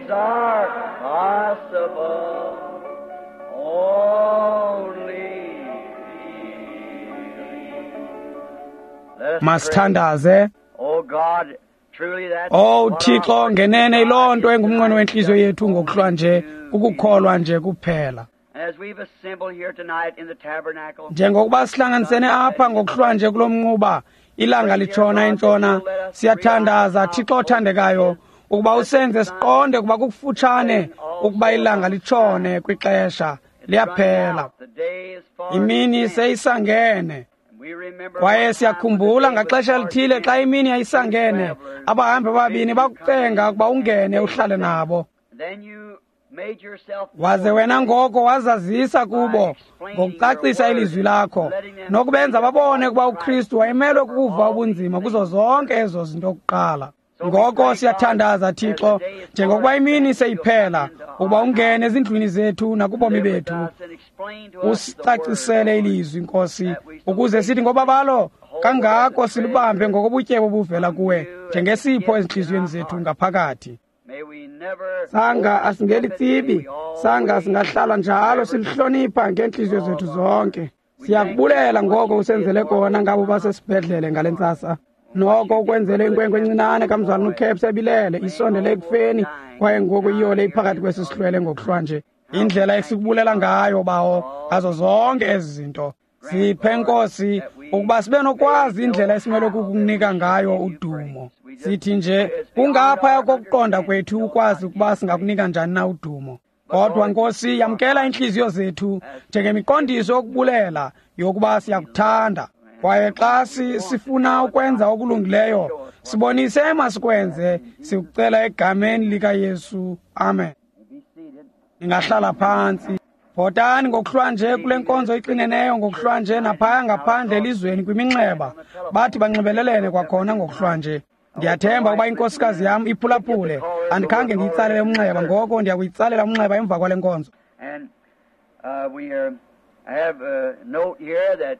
Things are possible. Only believe. Let us pray. Masithandaze. Oh God, truly that's Oh what our Thixo, hearts ngenene yiloo nto desire engumnqweno wenhliziyo yethu ngokuhlwa nje, kukukholwa nje kuphela. And as we've assembled here tonight in the tabernacle, Njengokuba sihlanganisene apha ngokuhlwa nje kulo mnquba, ilanga litshona intshona, siyathandaza Thixo othandekayo ukuba usenze siqonde ukuba kukufutshane ukuba ilanga litshone kwixesha liyaphela. the day is far Imini spent. seyisangene. And we remember Kwaye one time siyakhumbula when the day ngaxesha was lithile far xa spent, imini yayisangene, abahambi ababini bakucenga ukuba ungene uhlale nabo. Then you made yourself Waze known wena ngoko wazazisa kubo ngokucacisa ilizwi lakho nokubenza babone ukuba uKristu wayemelwe kukuva ubunzima kuzo zonke ezo zinto kuqala. Ngoko siyathandaza Thixo, njengokuba imini seyiphela, ukuba ungene ezindlwini zethu nakubomi live with bethu, us and explain to us the usicacisele word, ilizwi Nkosi, ukuze sithi ngobabalo kangako silubambe ngokobutyebo obuvela kuwe njengesipho ezintliziyweni zethu ngaphakathi. May we never Sanga asingelitsibi, sanga singahlala njalo silihlonipha ngeentliziyo zethu zonke. Siyakubulela ngoko usenzele kona ngabo basesibhedlele ngale ntsasa. Noko ukwenzele inkwenkwe encinane kamzalwana uCaps ebilele isondele ekufeni kwaye ngoku iyole iphakathi kwesi sihlwele ngokuhlwa nje. Indlela esikubulela ngayo bawo ngazo zonke ezi zinto. Siphe Nkosi ukuba sibe nokwazi indlela esimele kukunika ngayo udumo. Sithi nje kungaphaya kokuqonda kwethu ukwazi ukuba singakunika njani na udumo. Kodwa Nkosi, yamkela iintliziyo zethu njengemiqondiso yokubulela yokuba siyakuthanda. Kwaye xa sifuna ukwenza okulungileyo, sibonise emasikwenze, sikucela egameni likaYesu. Amen. Be seated. Ningahlala phantsi. Bhotani ngokuhlwa nje kule nkonzo ixineneyo ngokuhlwa nje naphaya ngaphandle elizweni kwiminxeba. Bathi banxibelelene kwakhona ngokuhlwa nje. Ndiyathemba ukuba inkosikazi yam iphulaphule. Andikhange ndiyitsalele umnxeba, ngoko ndiyakuyitsalela umnxeba emva kwale nkonzo. And we have a note here that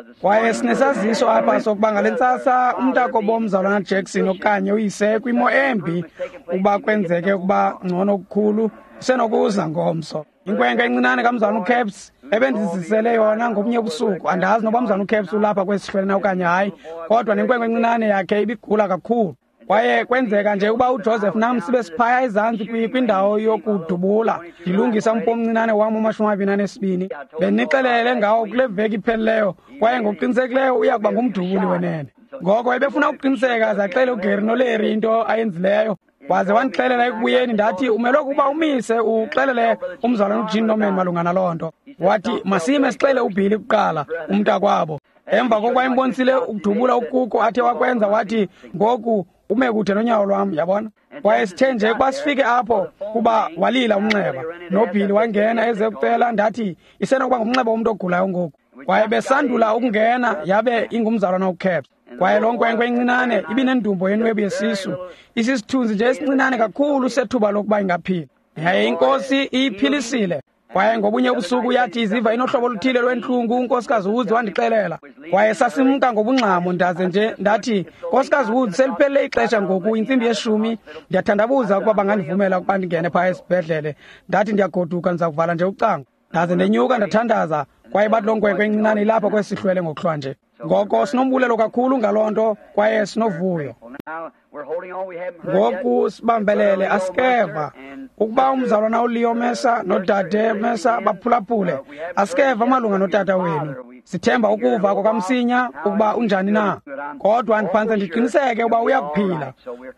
this Kwaye morning- sinesaziso apha sokuba ngale ntsasa umntakobo mzalwana Jackson okanye uyise kwimo embi ukuba kwenzeke ukuba ngcono okukhulu usenokuza ngomso. Inkwenkwe encinane kamzalwana uCaps ebendizisele yona ngobunye ubusuku. Andazi noba mzalwana uCaps ulapha kwesi sihlwele na okanye hayi, kodwa nenkwenkwe encinane yakhe ibigula kakhulu. Kwaye kwenzeka nje ukuba uJoseph nam sibe siphaya ezantsi kwindawo yokudubula ndilungisa umfo omncinane wam wama-22. Bendinixelele ngawo kule veki iphelileyo, kwaye ngokuqinisekileyo uya kuba ngumdubuli wenene. Ngoko ebefuna ukuqiniseka aze axele uGary noLarry into ayenzileyo. Waze wandixelela ekubuyeni, ndathi umelwe ukuba umise uxelele umzalwana uJean Norman malunga naloo nto. Wathi masime sixele uBilly kuqala, umntakwabo. Emva kokuba imbonisile ukudubula ukuko athe wakwenza, wathi ngoku ume kude nonyawo lwam, yabona. Kwaye sithe nje ukuba sifike apho kuba walila umnxeba, noBilly wangena eze kucela, ndathi isenokuba ngumnxeba womntu ogulayo ngoku. Kwaye besandula ukungena yabe ingumzalwana uCaps. Kwaye loo nkwenkwe incinane ibinendumbo yenwebu yesisu, isisithunzi nje esincinane kakhulu sethuba lokuba ingaphila. Yaye iNkosi iyiphilisile. Kwaye ngobunye ubusuku yathi iziva inohlobo oluthile lwentlungu, uNkosikazi Woods wandixelela. Kwaye sasimka ngobungxamo, ndaze nje ndathi, Nkosikazi Woods, seliphelele ixesha ngoku, intsimbi yeshumi, ndiyathandabuza ukuba bangandivumela ukuba ndingene phaya esibhedlele. Ndathi ndiyagoduka, ndiza kuvala nje ucango. Ndaze ndenyuka ndathandaza, kwaye bathi loo nkwenkwe encinane ilapha kwesi sihlwele ngokuhlwa nje. Ngoko sinombulelo kakhulu ngaloo nto, kwaye sinovuyo. Well, now we're holding on. We haven't heard yet. Ngoku sibambelele asikeva ukuba umzalwana uLeo Mesa nodade Mesa baphulaphule. Asikeva malunga notata wenu. Sithemba ukuva kwakamsinya ukuba unjani na, kodwa ndiphantse ndiqiniseke ukuba uyakuphila.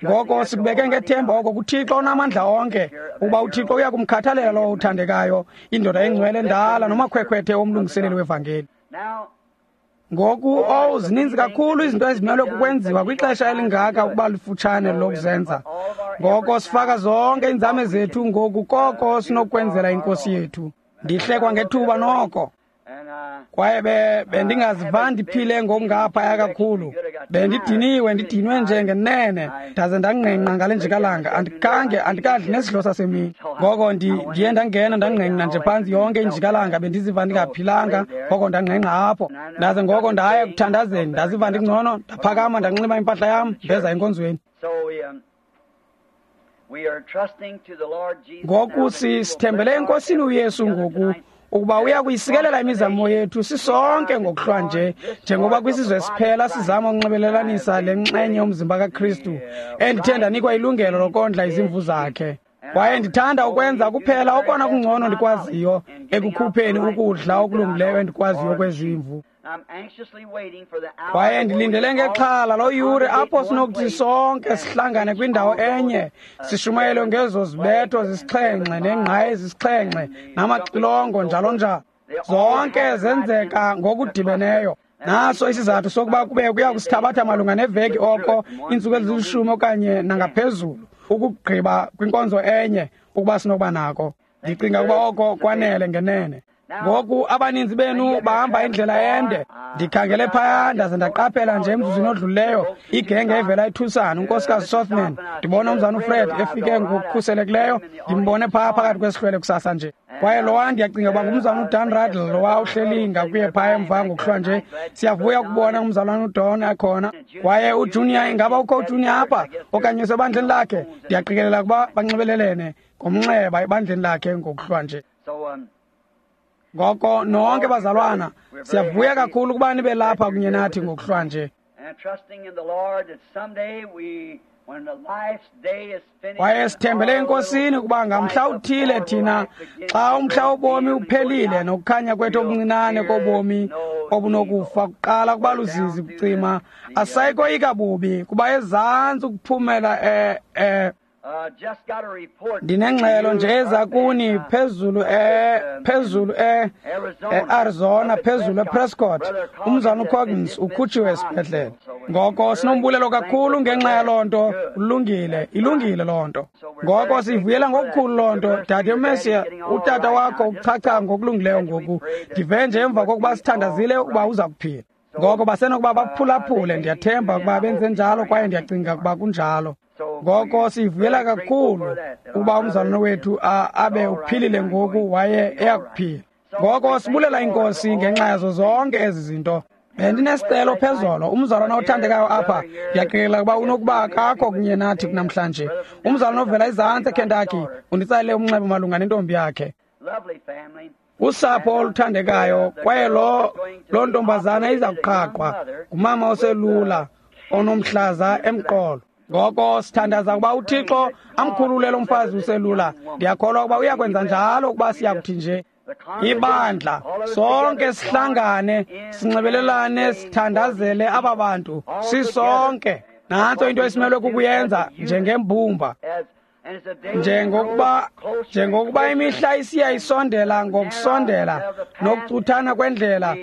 Ngoko sikubeke ngethemba oko kuThixo onamandla onke, ukuba uThixo uya kumkhathalela lowo uthandekayo, indoda engcwele endala nomakhwekhwethe womlungiseleli wevangeli. Now, Ngoku, owu, zininzi kakhulu izinto ezimelwe kukwenziwa kwixesha elingaka ukuba lifutshane lokuzenza. Ngoko sifaka zonke iinzame zethu ngoku koko sinokwenzela iNkosi yethu. Ndihlekwa ngethuba noko. and Kwaye bendingaziva ndiphile ngokungaphaya kakhulu. Bendidiniwe, ndidinwe nje ngenene, ndaze ndangqengqa ngale njikalanga. Andikhange, andikadli nesidlo sasemini. Ngoko ndiye ndangena ndangqengqa nje phantsi yonke injikalanga, bendiziva ndingaphilanga, ngoko ndangqengqa apho. Ndaze ngoko ndaya ekuthandazeni, ndaziva ndingcono, ndaphakama ndanxiba impahla yam, ndeza enkonzweni. so Ngoku sithembele eNkosini uYesu ngoku ukuba uya kuyisikelela imizamo yethu sisonke ngokuhlwa nje, njengoba kwisizwe siphela sizama ukunxibelelanisa le nxenye yomzimba kaKristu endithe ndanikwa ilungelo lokondla izimvu zakhe. Kwaye ndithanda ukwenza kuphela okona kungcono ndikwaziyo ekukhupheni ukudla okulungileyo endikwaziyo kwezimvu. Kwaye ndilindele ngexhala loo yure apho sinokuthi sonke sihlangane kwindawo enye, sishumayelwe ngezo zibetho zisixhenxe neengqayi zisixhenxe namaxilongo njalo njalo. Zonke zenzeka ngokudibeneyo. Naso isizathu sokuba kube kuya kusithabatha malunga neveki oko iintsuku ezilishumi okanye nangaphezulu ukugqiba kwinkonzo enye ukuba sinokuba nako. Ndicinga ukuba oko kwanele ngenene. Ngoku abaninzi benu bahamba indlela ende. Ndikhangele phaya ndaze ndaqaphela nje emzuzwini odlulileyo igenge evela eTucson, unkosikazi Sothman. Ndibona umzana uFred efike ngokukhuselekileyo, ndimbone phaya phakathi kwesihlwele kusasa nje. Kwaye lowa ndiyacinga uba ngumzana uDan Radl lowa uhleli ngakuye phaya emva ngokuhlwa nje. Siyavuya ukubona umzalwana uDon ekhona. Kwaye uJunior, ingaba ukho uJunior apha okanye usebandleni lakhe? Ndiyaqikelela ukuba banxibelelene ngomnxeba ebandleni lakhe ngokuhlwa nje. Ngoko nonke bazalwana, siyavuya kakhulu ukuba nibe lapha kunye nathi ngokuhlwa nje. Kwaye sithembele eNkosini ukuba ngamhla uthile thina, xa umhla wobomi uphelile nokukhanya kwethu okuncinane kobomi obunokufa kuqala kuba luzizi kucima, asayikoyika bubi kuba ezantsi ukuphumela ndinengxelo nje eza kuni phezulu phezulu e-Arizona, phezulu ePrescott. Umzana uCoggins ukhutshiwe esibhedlele. Ngoko sinombulelo kakhulu ngenxa yaloo nto. Ulungile, ilungile loo nto. Ngoko siyivuyela ngokukhulu loo nto. Dade uMesiya, utata wakho uchacha ngokulungileyo ngoku. Ndive nje emva kokuba sithandazile ukuba uza kuphila. Ngoko basenokuba baphulaphule, ndiyathemba ukuba benze njalo kwaye ndiyacinga ukuba kunjalo. Ngoko sivuyela kakhulu ukuba umzalwane wethu abe uphilile ngoku waye eyakuphila. Ngoko sibulela iNkosi ngenxa yazo zonke ezi zinto. Bendinesicelo phezolo, umzalwana othandekayo apha, ndiyaqikelela ukuba unokuba akakho kunye nathi namhlanje. Umzalwana ovela ezantsi eKentucky unditsalele umnxeba malunga nentombi yakhe. Usapho oluthandekayo, kwaye loo ntombazana iza kuqhaqhwa ngumama oselula onomhlaza emqolo. Ngoko sithandaza ukuba uThixo amkhulule lo mfazi uselula. Ndiyakholwa ukuba uyakwenza njalo ukuba siyakuthi nje ibandla sonke sihlangane, sinxibelelane, sithandazele aba bantu sisonke. Nantso into esimelwe kukuyenza njengembumba. Njengokuba imihla isiya isondela ngokusondela nokucuthana kwendlela,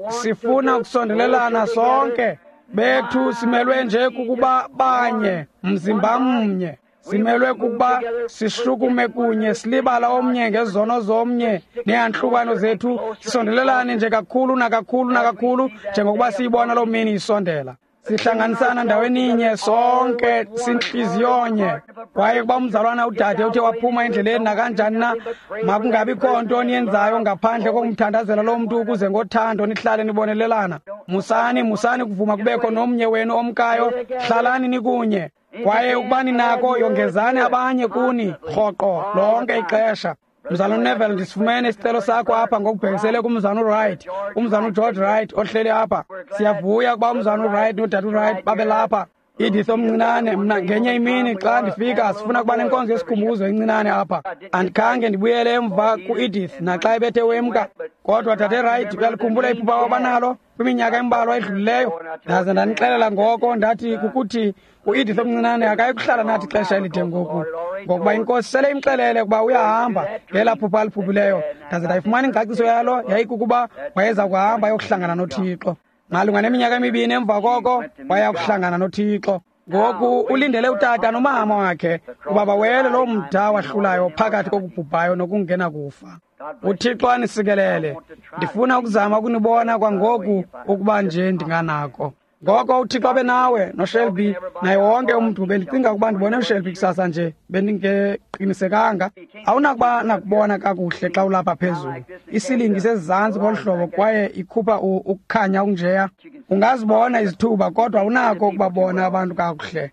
sifuna ukusondelelana sonke. Bethu simelwe nje kukuba banye, mzimba mnye. Simelwe kukuba sishukume kunye, silibala omnye ngezono zomnye neyantlukano zethu, sisondelelane nje kakhulu nakakhulu nakakhulu njengokuba siyibona loo mini isondela. Sihlanganisana ndaweninye sonke sintliziyonye. Kwaye kuba umzalwana udade uthe waphuma endleleni nakanjani na, makungabikho nto niyenzayo ngaphandle kokumthandazela loo mntu ukuze ngothando nihlale nibonelelana. Musani ukuvuma kubekho nomnye wenu omkayo, hlalani nikunye. Kwaye ukuba ninako, yongezani abanye kuni rhoqo lonke ixesha. Mzalwana uNeville, ndisifumene isicelo sakho apha ngokubhekisele kumzalwana uWright, umzalwana uGeorge Wright ohleli apha. Siyavuya ukuba umzalwana uWright nodade uWright babe lapha. Edith omncinane, mna ngenye imini xa ndifika sifuna ukuba nenkonzo yesikhumbuzo encinane apha. Andikhange ndibuyele emva ku-Edith naxa ebethe wemka. Kodwa dade Wright, uyalikhumbula iphupha wabanalo kwiminyaka embalwa edlulileyo? Ndaze ndanixelela ngoko ndathi kukuthi u-Edith omncinane akayi kuhlala nathi ixesha elide ngoku, ngokuba iNkosi sele imxelele ukuba uyahamba ngelaa phupha aliphuphileyo. Ndaze ndayifumana ingcaciso yalo, yayikukuba wayeza kuhamba ayokuhlangana noThixo. Malunga neminyaka emibini emva koko waya kuhlangana noThixo. Ngoku ulindele utata nomama wakhe ukuba bawele loo mda wahlulayo phakathi kokubhubhayo nokungena kufa. UThixo anisikelele. Ndifuna ukuzama ukunibona kwangoku ukuba nje ndinganako. Ngoko uThixo abe nawe noShelby naye wonke umntu. Bendicinga ukuba ndibone uShelby kusasa nje, bendingeqinisekanga. Awunakuba nakubona kakuhle xa ulapha phezulu. Isilingi sezantsi ngolu hlobo kwaye ikhupha ukukhanya okunjeya. Ungazibona izithuba kodwa awunako ukubabona abantu kakuhle.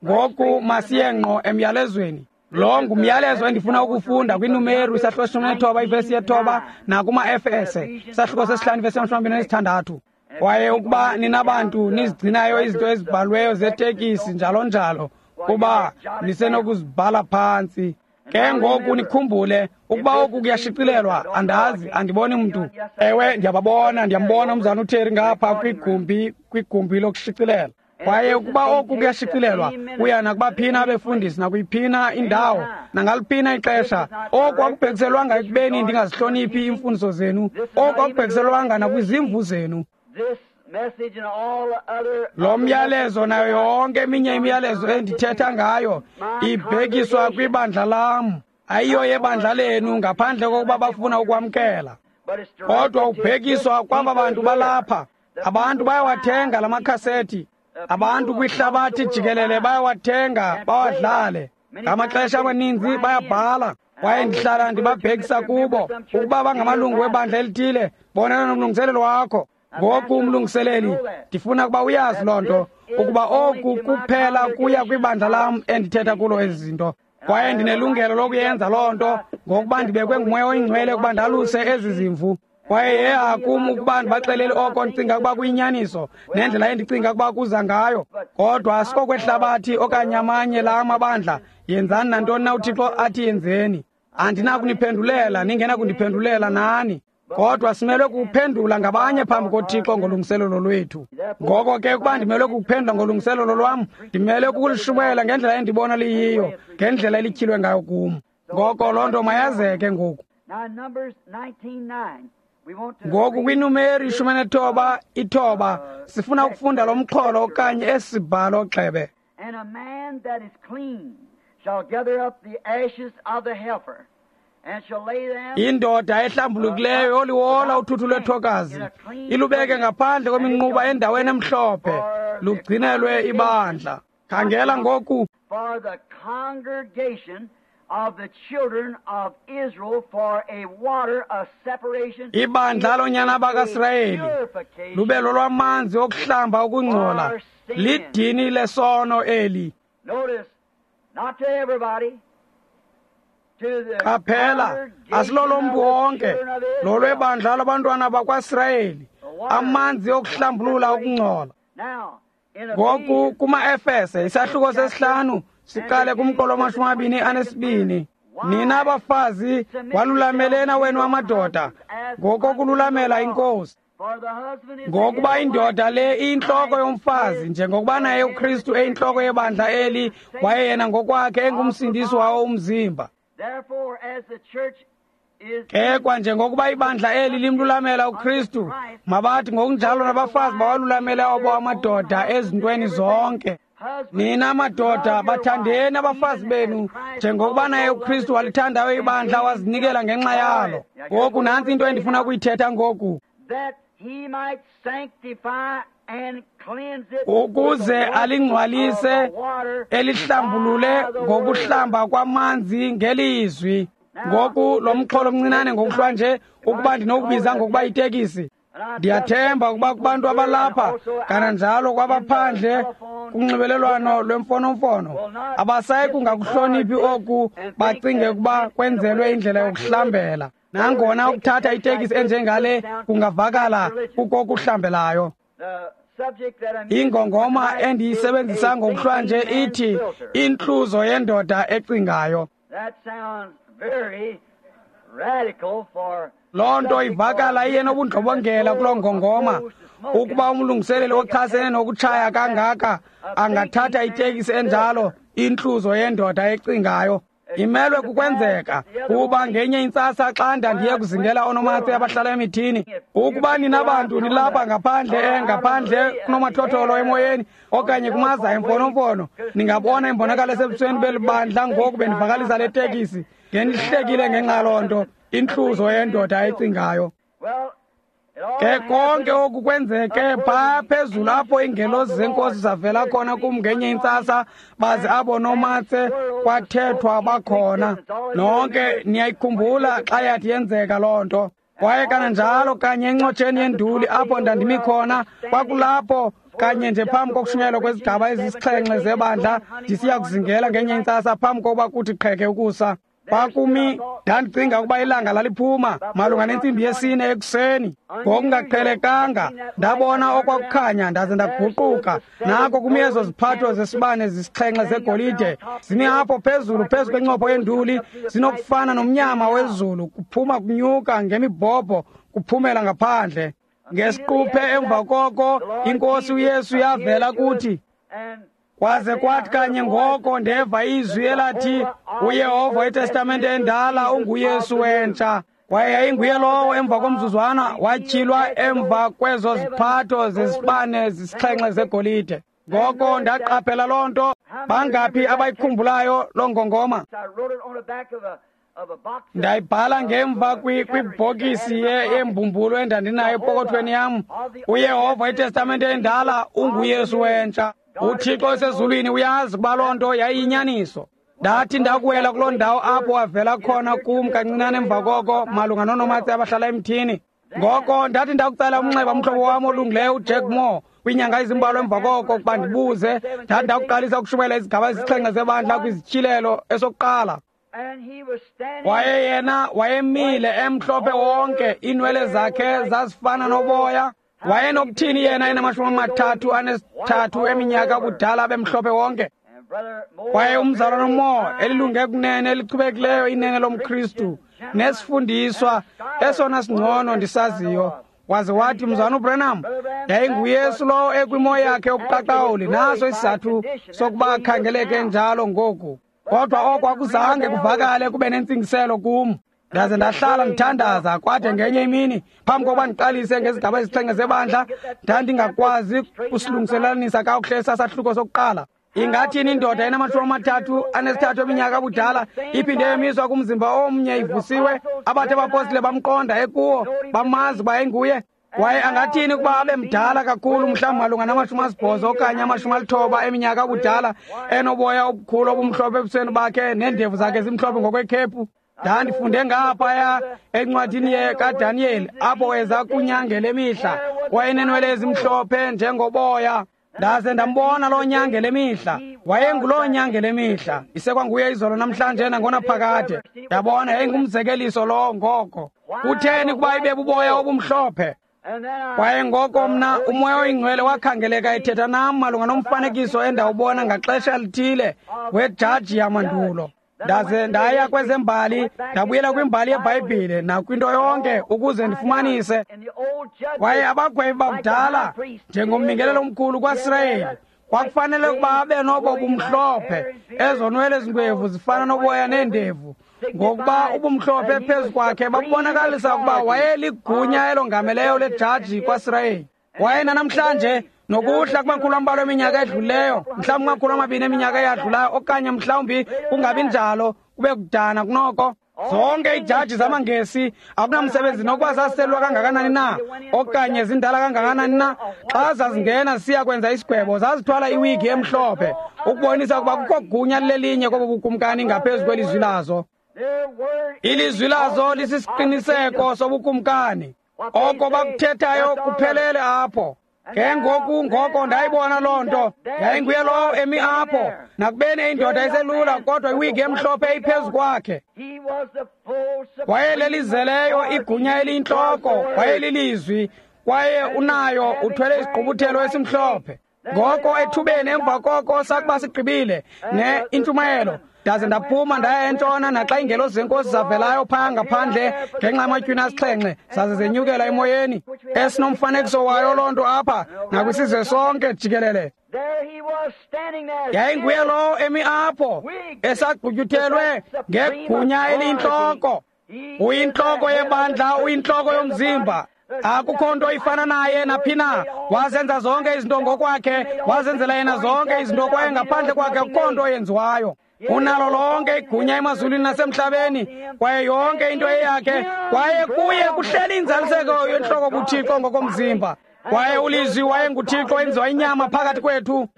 Ngoku masiye ngqo emyalezweni. Lo ngumyalezo endifuna ukufunda kwiNumeru isahluko 19 ivesi 9 nakuma-Efese isahluko 5 ivesi 26. Kwaye ukuba ninabantu nizigcinayo izinto ezibhalweyo zetekisi njalo njalo, kuba nisenokuzibhala phantsi. Ke ngoku nikhumbule ukuba oku kuyashicilelwa, andazi, andiboni mntu. Ewe, ndiyababona, ndiyambona umzana uTerry ngapha kwigumbi lokushicilela. Kwaye ukuba oku kuyashicilelwa, kuya nakubaphina abefundisi nakuyiphina indawo nangaliphina ixesha. Oku akubhekiselwanga ekubeni ndingazihloniphi iimfundiso zenu. Oku akubhekiselwanga nakwizimvu zenu. Lo myalezo nayo yonke eminye imiyalezo endithetha ngayo ibhekiswa kwibandla lam, ayiyo yebandla lenu, ngaphandle kokuba bafuna ukwamkela. Kodwa ubhekiswa kwaba bantu balapha. Abantu bayawathenga la makhasethi. Abantu kwihlabathi jikelele bayawathenga, bawadlale. Ngamaxesha amaninzi bayabhala. Kwaye ndihlala ndibabhekisa kubo ukuba bangamalungu webandla elithile, bonana nomlungiselelo wakho. Ngoku umlungiseleli, ndifuna ukuba uyazi loo nto, ukuba oku kuphela kuya kwibandla lam endithetha kulo ezi zinto. Kwaye ndinelungelo lokuyenza loo nto ngokuba ndibekwe nguMoya oyiNgcwele ukuba ndaluse ezi zimvu. Kwaye yeha kum ukuba ndibaxelele oko ndicinga ukuba kuyinyaniso nendlela endicinga ukuba kuza ngayo. Kodwa asikokwehlabathi okanye amanye la amabandla. Yenzani nantoni na uThixo athi yenzeni. Andinakuniphendulela, ningenakundiphendulela nani. Kodwa simelwe kukuphendula ngabanye phambi koThixo ngolungiselelo lwethu. Ngoko ke ukuba ndimelwe kukuphendula ngolungiselelo lwam, ndimelwe kukulishumayela ngendlela endibona liyiyo, ngendlela elityhilwe ngayo kum. Ngoko loo nto mayazeke ngoku. Ngoku kwiNumeri 19:9 sifuna ukufunda lo mxholo okanye esibhalo gxebe. And a man that is clean shall gather up the ashes of the heifer and shall lay them. Indoda ehlambulukileyo yoliwola uthuthu lwethokazi ilubeke ngaphandle kweminquba endaweni emhlophe, lugcinelwe ibandla. Khangela ngoku. For the congregation of the children of Israel for a water of separation. Ibandla lonyana bakaSirayeli lube lolwamanzi okuhlamba ukungcola, lidini lesono eli. Notice, not to everybody. Qaphela, asilolomntu wonke, lolwebandla labantwana bakwaSirayeli, amanzi okuhlambulula ukungcola. Ngoku kuma-Efese isahluko 5 siqale kumqolo 22. Nina abafazi, walulamelena wenu amadoda ngokokululamela iNkosi. Ngokuba indoda le iyintloko yomfazi, njengokuba naye uKristu eyintloko yebandla eli, waye yena ngokwakhe engumsindisi wawo umzimba. Ke kwanjengokuba ibandla eli limlulamela uKristu, mabathi ngokunjalo nabafazi bawalulamele abo amadoda ezintweni zonke. Nina madoda, bathandeni abafazi benu njengokuba naye uKristu walithandayo ibandla wazinikela ngenxa yalo. Ngoku nantsi into endifuna ukuyithetha ngoku. Ukuze alingcwalise, elihlambulule ngokuhlamba kwamanzi ngelizwi. Ngoku lo mxholo omncinane ngokuhlwa nje, ukuba ndinokubiza ngokuba itekisi. Ndiyathemba ukuba kubantu abalapha kananjalo kwabaphandle kunxibelelwano lwemfonomfono abasayi kungakuhloniphi oku, bacinge ukuba kwenzelwe indlela yokuhlambela. Nangona ukuthatha itekisi enjengale kungavakala kukokuhlambelayo. Ingongoma endiyisebenzisa ngokuhlwa nje ithi intluzo yendoda ecingayo. Loo nto ivakala iye nobundlobongela kuloo ngongoma, ukuba umlungiseleli ochasene nokutshaya kangaka angathatha itekisi enjalo, intluzo yendoda ecingayo. Imelwe kukwenzeka kuba ngenye intsasa xa ndandiye kuzingela oonomatse abahlala emithini, ukuba nina bantu nilapha ngaphandle ngaphandle kunomathotholo emoyeni okanye kumaza emfonomfono, ningabona imbonakalo esebusweni beli bandla ngoku bendivakalisa le tekisi, ngendihlekile ngenxa yaloo nto, intluzo yendoda ecingayo. Ke konke oku kwenzeke phaa phezulu apho iingelosi zenkosi zavela khona kum ngenye intsasa, baze abo nomatse kwathethwa bakhona. Nonke niyayikhumbula xa yathi yenzeka loo nto. Kwaye kananjalo kanye encotsheni yenduli apho ndandimi khona, kwakulapho Kanye nje phambi kokushunyayelwa kwezigaba ezisixhenxe zebandla, ndisiya kuzingela ngenye intsasa phambi kokuba kuthi qheke ukusa. Kwakumi, ndandicinga ukuba ilanga laliphuma malunga nentsimbi yesine ekuseni. Ngokungaqhelekanga ndabona okwakukhanya ndaze ndaguquka. Nako kumi ezo ziphatho zesibane zisixhenxe zegolide zimi apho phezulu phezu kwencopho yenduli, zinokufana nomnyama wezulu, kuphuma kunyuka ngemibhobho kuphumela ngaphandle. Ngesiquphe emva koko iNkosi uYesu yavela kuthi. Kwaze kwathi kanye ngoko ndeva izwi elathi, uYehova weTestamente endala unguYesu wentsha. Kwaye yayinguye lowo emva komzuzwana watyhilwa emva kwezo ziphatho zesibane zisixhenxe zegolide. Ngoko ndaqaphela loo nto. Bangaphi abayikhumbulayo loo ngongoma? Ndayibhala ngemva kwibhokisi yembumbulu endandinayo epokothweni yam. uYehova iTestamente endala unguYesu wentsha. UThixo osezulwini uyazi ukuba loo nto yayiyinyaniso. Ndathi ndakuwela kuloo ndawo apho wavela khona kum kancinane emva koko malunga noonomatse abahlala emthini. Ngoko ndathi ndakucela umnxeba umhlobo wam olungileyo uJack Moore kwiinyanga ezimbalwa emva koko ukuba ndibuze. Ndathi ndakuqalisa ukushumayela izigaba ezisixhenxe zebandla kwizityhilelo esokuqala. Waye yena wayemile emhlophe wonke, iinwele zakhe zazifana noboya. Wayenokuthini yena ena-33 eminyaka ubudala bemhlophe wonke? Kwaye umzalwana uMoore, elilunge kunene elichubekileyo inene lomKristu nesifundiswa esona singcono ndisaziyo, waze wathi, Mzalwana uBranham, yayinguYesu lowo ekwimo yakhe yobuqaqawuli, naso isizathu sokuba akhangeleke njalo ngoku. Kodwa oko akuzange kuvakale kube nentsingiselo kum. Ndaze ndahlala ndithandaza kwade ngenye imini phambi kokuba ndiqalise ngezigaba ezisixhenxe zebandla, ndandingakwazi kusilungiselanisa kakuhle esasahluko sokuqala. Ingathini indoda ena-33 eminyaka ubudala iphinde yemiswa kumzimba omnye ivusiwe, abathe abapostile bamqonda ekuwo, bamazi uba enguye? Kwaye angathini ukuba abe mdala kakhulu, mhlawumbi malunga nama-80 okanye 90 eminyaka ubudala, enoboya obukhulu obumhlophe ebusweni bakhe neendevu zakhe zimhlophe ngokwekhephu? Ndandifunde ngaphaya encwadini kaDaniyeli apho weza kunyangela emihla, wayenenwele ezimhlophe njengoboya. Ndaze ndambona loo nyangela emihla, wayenguloo nyangela emihla, isekwanguye izolo namhlanje nangonaphakade. Ndabona yayingumzekeliso lowo ngoko. Kutheni kuba ibe buboya obumhlophe? Kwaye ngoko mna uMoya oyiNgcwele wakhangeleka ethetha nam malunga nomfanekiso endawubona ngaxesha lithile wejaji yamandulo. Ndaze ndaya kwezembali, ndabuyela kwimbali yeBhayibhile nakwinto yonke ukuze ndifumanise. Kwaye abagwebi bakudala, njengombingelelo omkhulu kwaSirayeli, kwakufanele ukuba abe nobo bumhlophe, ezo nwele zingwevu zifana noboya neendevu, ngokuba ubumhlophe phezu kwakhe babubonakalisa ukuba wayeligunya elongameleyo lejaji kwaSirayeli. Kwaye nanamhlanje nokuhla kumakhulu ambalwa eminyaka edlulileyo, mhlawumbi kumakhulu amabini eminyaka eyadlulayo, okanye mhlawumbi kungabi njalo, kube kudana kunoko. Zonke iijaji zamaNgesi akunamsebenzi nokuba zaselwa kangakanani na okanye zindala kangakanani na, xa zazingena zisiya kwenza isigwebo zazithwala iwigi emhlophe ukubonisa ukuba kukho gunya lelinye kobo bukumkani ngaphezu kwelizwi lazo. Ilizwi lazo lisisiqiniseko sobukumkani. Oko bakuthethayo kuphelele apho. Ke ngoku ngoko ndayibona loo nto. Yayinguye lowo emi apho, nakubeni indoda iselula kodwa iwigi emhlophe iphezu kwakhe. Wayelelizeleyo igunya eliyintloko, wayelilizwi, kwaye unayo uthwele isigqubuthelo esimhlophe. Ngoko ethubeni emva koko sakuba sigqibile ne intshumayelo, ndaze ndaphuma ndaya entshona, naxa iingelosi zenkosi zavelayo phaa ngaphandle ngenxa yamatywina asixhenxe zaze zenyukela emoyeni, esinomfanekiso wayo loo nto apha nakwisizwe sonke jikelele. Yayinguye lowo emi apho esagqutyuthelwe ngegunya eliyintloko. Uyintloko yebandla, uyintloko yomzimba. Akukho nto ifana naye naphi na. Wazenza zonke izinto ngokwakhe, wazenzela yena zonke izinto, kwaye ngaphandle kwakhe akukho nto yenziwayo. Unalo lonke igunya emazulwini nasemhlabeni, kwaye yonke into eyakhe, kwaye kuye kuhleli inzaliseko yentloko buThixo ngokomzimba. Kwaye ulizwi wayenguThixo enziwa inyama phakathi kwethu.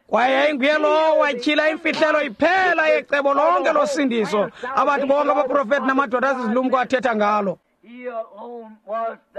Kwaye yayinguye lowo watyhila imfihlelo iphela yecebo lonke losindiso, abathi bonke abaprofeti namadoda azizilumko athetha ngalo.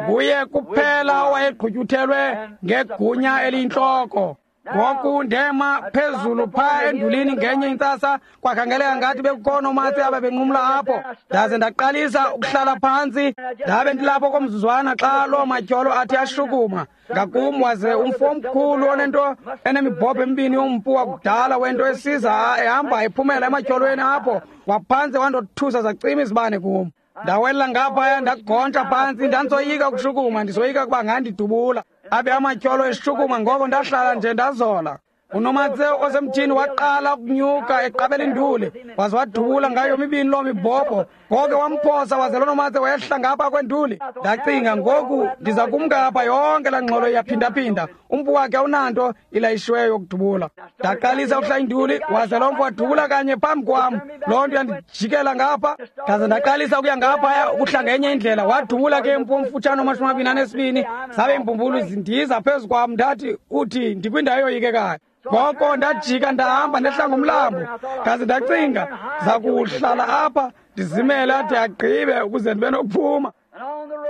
Nguye kuphela owayegqutyuthelwe ngegunya eliyintloko. Ngoku ndema phezulu phaa endulini ngenye intsasa, kwakhangeleka ngathi bekukho noomatse ababenqumla apho. Ndaze ndaqalisa ukuhlala phantsi, ndabe ndilapho komzuzwana xa loo matyholo athi ashukuma ngakum, waze umfo omkhulu onento enemibhobho emibini yompu wakudala wento esiza ehamba ephumela ematyholweni apho, waphantse wandothusa zacima izibane kum. Ndawela ngaphaya ndagontsha phantsi, ndandisoyika ukushukuma, ndisoyika ukuba ngandidubula. Abe amatyholo eshukuma, ngoko ndahlala nje ndazola. Unomatse osemthini waqala ukunyuka eqabela induli, waze wadubula ngayo mibini loo mibhobho. Ngoko wamphosa, waze lo nomatse wehla ngapha kwenduli. Ndacinga, ngoku ndiza kumka apha, yonke laa ngxolo iyaphindaphinda. Umpu wakhe awunanto ilayishiweyo yokudubula. Ndaqalisa ukuhla induli, waze lo mpu wadubula kanye phambi kwam. Loo nto yandijikela ngapha, ndaze ndaqalisa ukuya ngaphaya ukuhla ngenye indlela. Wadubula ke umpu omfutshane 22, zabe iimbumbulu zindiza phezu kwam. Ndathi, uthi ndikwindawo eyoyikekayo. Ngoko ndajika ndahamba ndehla ngomlambo, ndaze ndacinga zakuhlala apha ndizimele ade agqibe ukuze ndibe nokuphuma.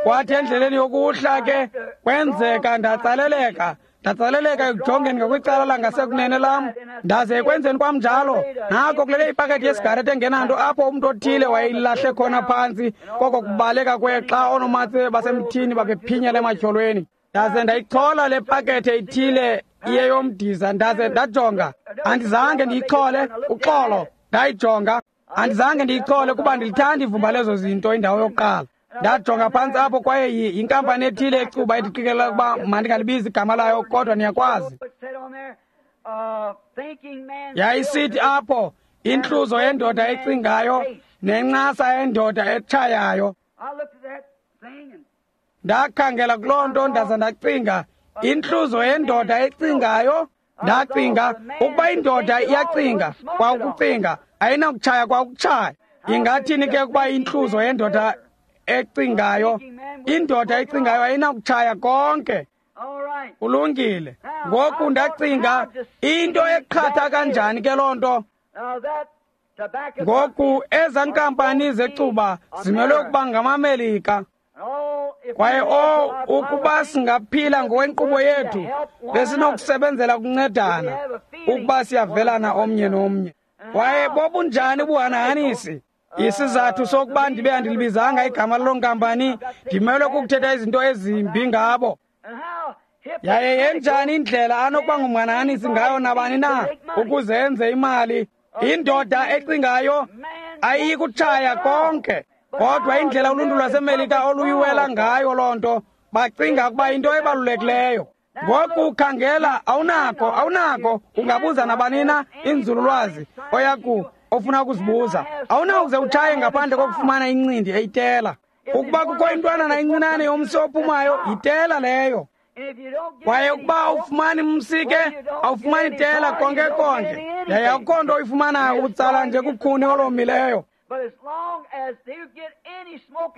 Kwathi endleleni yokuhla ke kwenzeka ndatsaleleka ekujongeni ngakwicala langasekunene lam. Ndaze ekwenzeni kwam njalo, nako kulele ipakethi yesigarethi engenanto apho umntu othile wayeyilahle khona phantsi koko kubaleka kwexa oonomatse basemthini babephinyela ematyholweni. Ndaze ndayichola le pakethe ithile iyeyomdiza, ndaze ndajonga. Andizange ndiyichole, uxolo, ndayijonga. Andizange ndiyichole kuba ndilithanda ivumba lezo zinto indawo yokuqala. Ndajonga phantsi apho, kwaye yinkampani ethile ecuba endiqikelela ukuba mandingalibizi igama layo, kodwa niyakwazi. Yayisithi apho, intluzo yendoda ecingayo nencasa yendoda etshayayo. Ndakhangela kuloo nto ndaza ndacinga, intluzo yendoda ecingayo. Ndacinga ukuba indoda iyacinga kwaukucinga, ayinakutshaya kwaukutshaya. Ingathini ke ukuba intluzo yendoda ecingayo? Indoda ecingayo ayinakutshaya konke. Kulungile. Ngoku ndacinga, into eqhatha kanjani ke loo nto? Ngoku ezaa nkampani zecuba zimelwe ukuba ngamaMelika. Kwaye ukuba singaphila ngokwenkqubo yethu, besinokusebenzela ukuncedana ukuba siyavelana omnye nomnye. Kwaye bobunjani ubuhanahanisi? Isizathu sokuba ndibe andilibizanga igama laloo nkampani, ndimelwe kukuthetha izinto ezimbi ngabo. Yaye yenjani indlela anokuba ngumhanahanisi ngayo nabani na ukuze enze imali? Indoda ecingayo ayikutshaya konke. Kodwa indlela uluntu lwaseMelika oluyiwela ngayo loo nto, bacinga ukuba into ebalulekileyo. Ngoku khangela, awunako ungabuza nabani na inzululwazi oyaku ofuna ukuzibuza. Awunakuze utshaye ngaphandle kokufumana incindi eyitela. Ukuba kukho intwanana encinane yomsi ophumayo, yitela leyo. Kwaye ukuba awufumani msi ke, awufumani tela konke konke. Yaye akukho nto oyifumanayo utsala nje kukhuni olomileyo.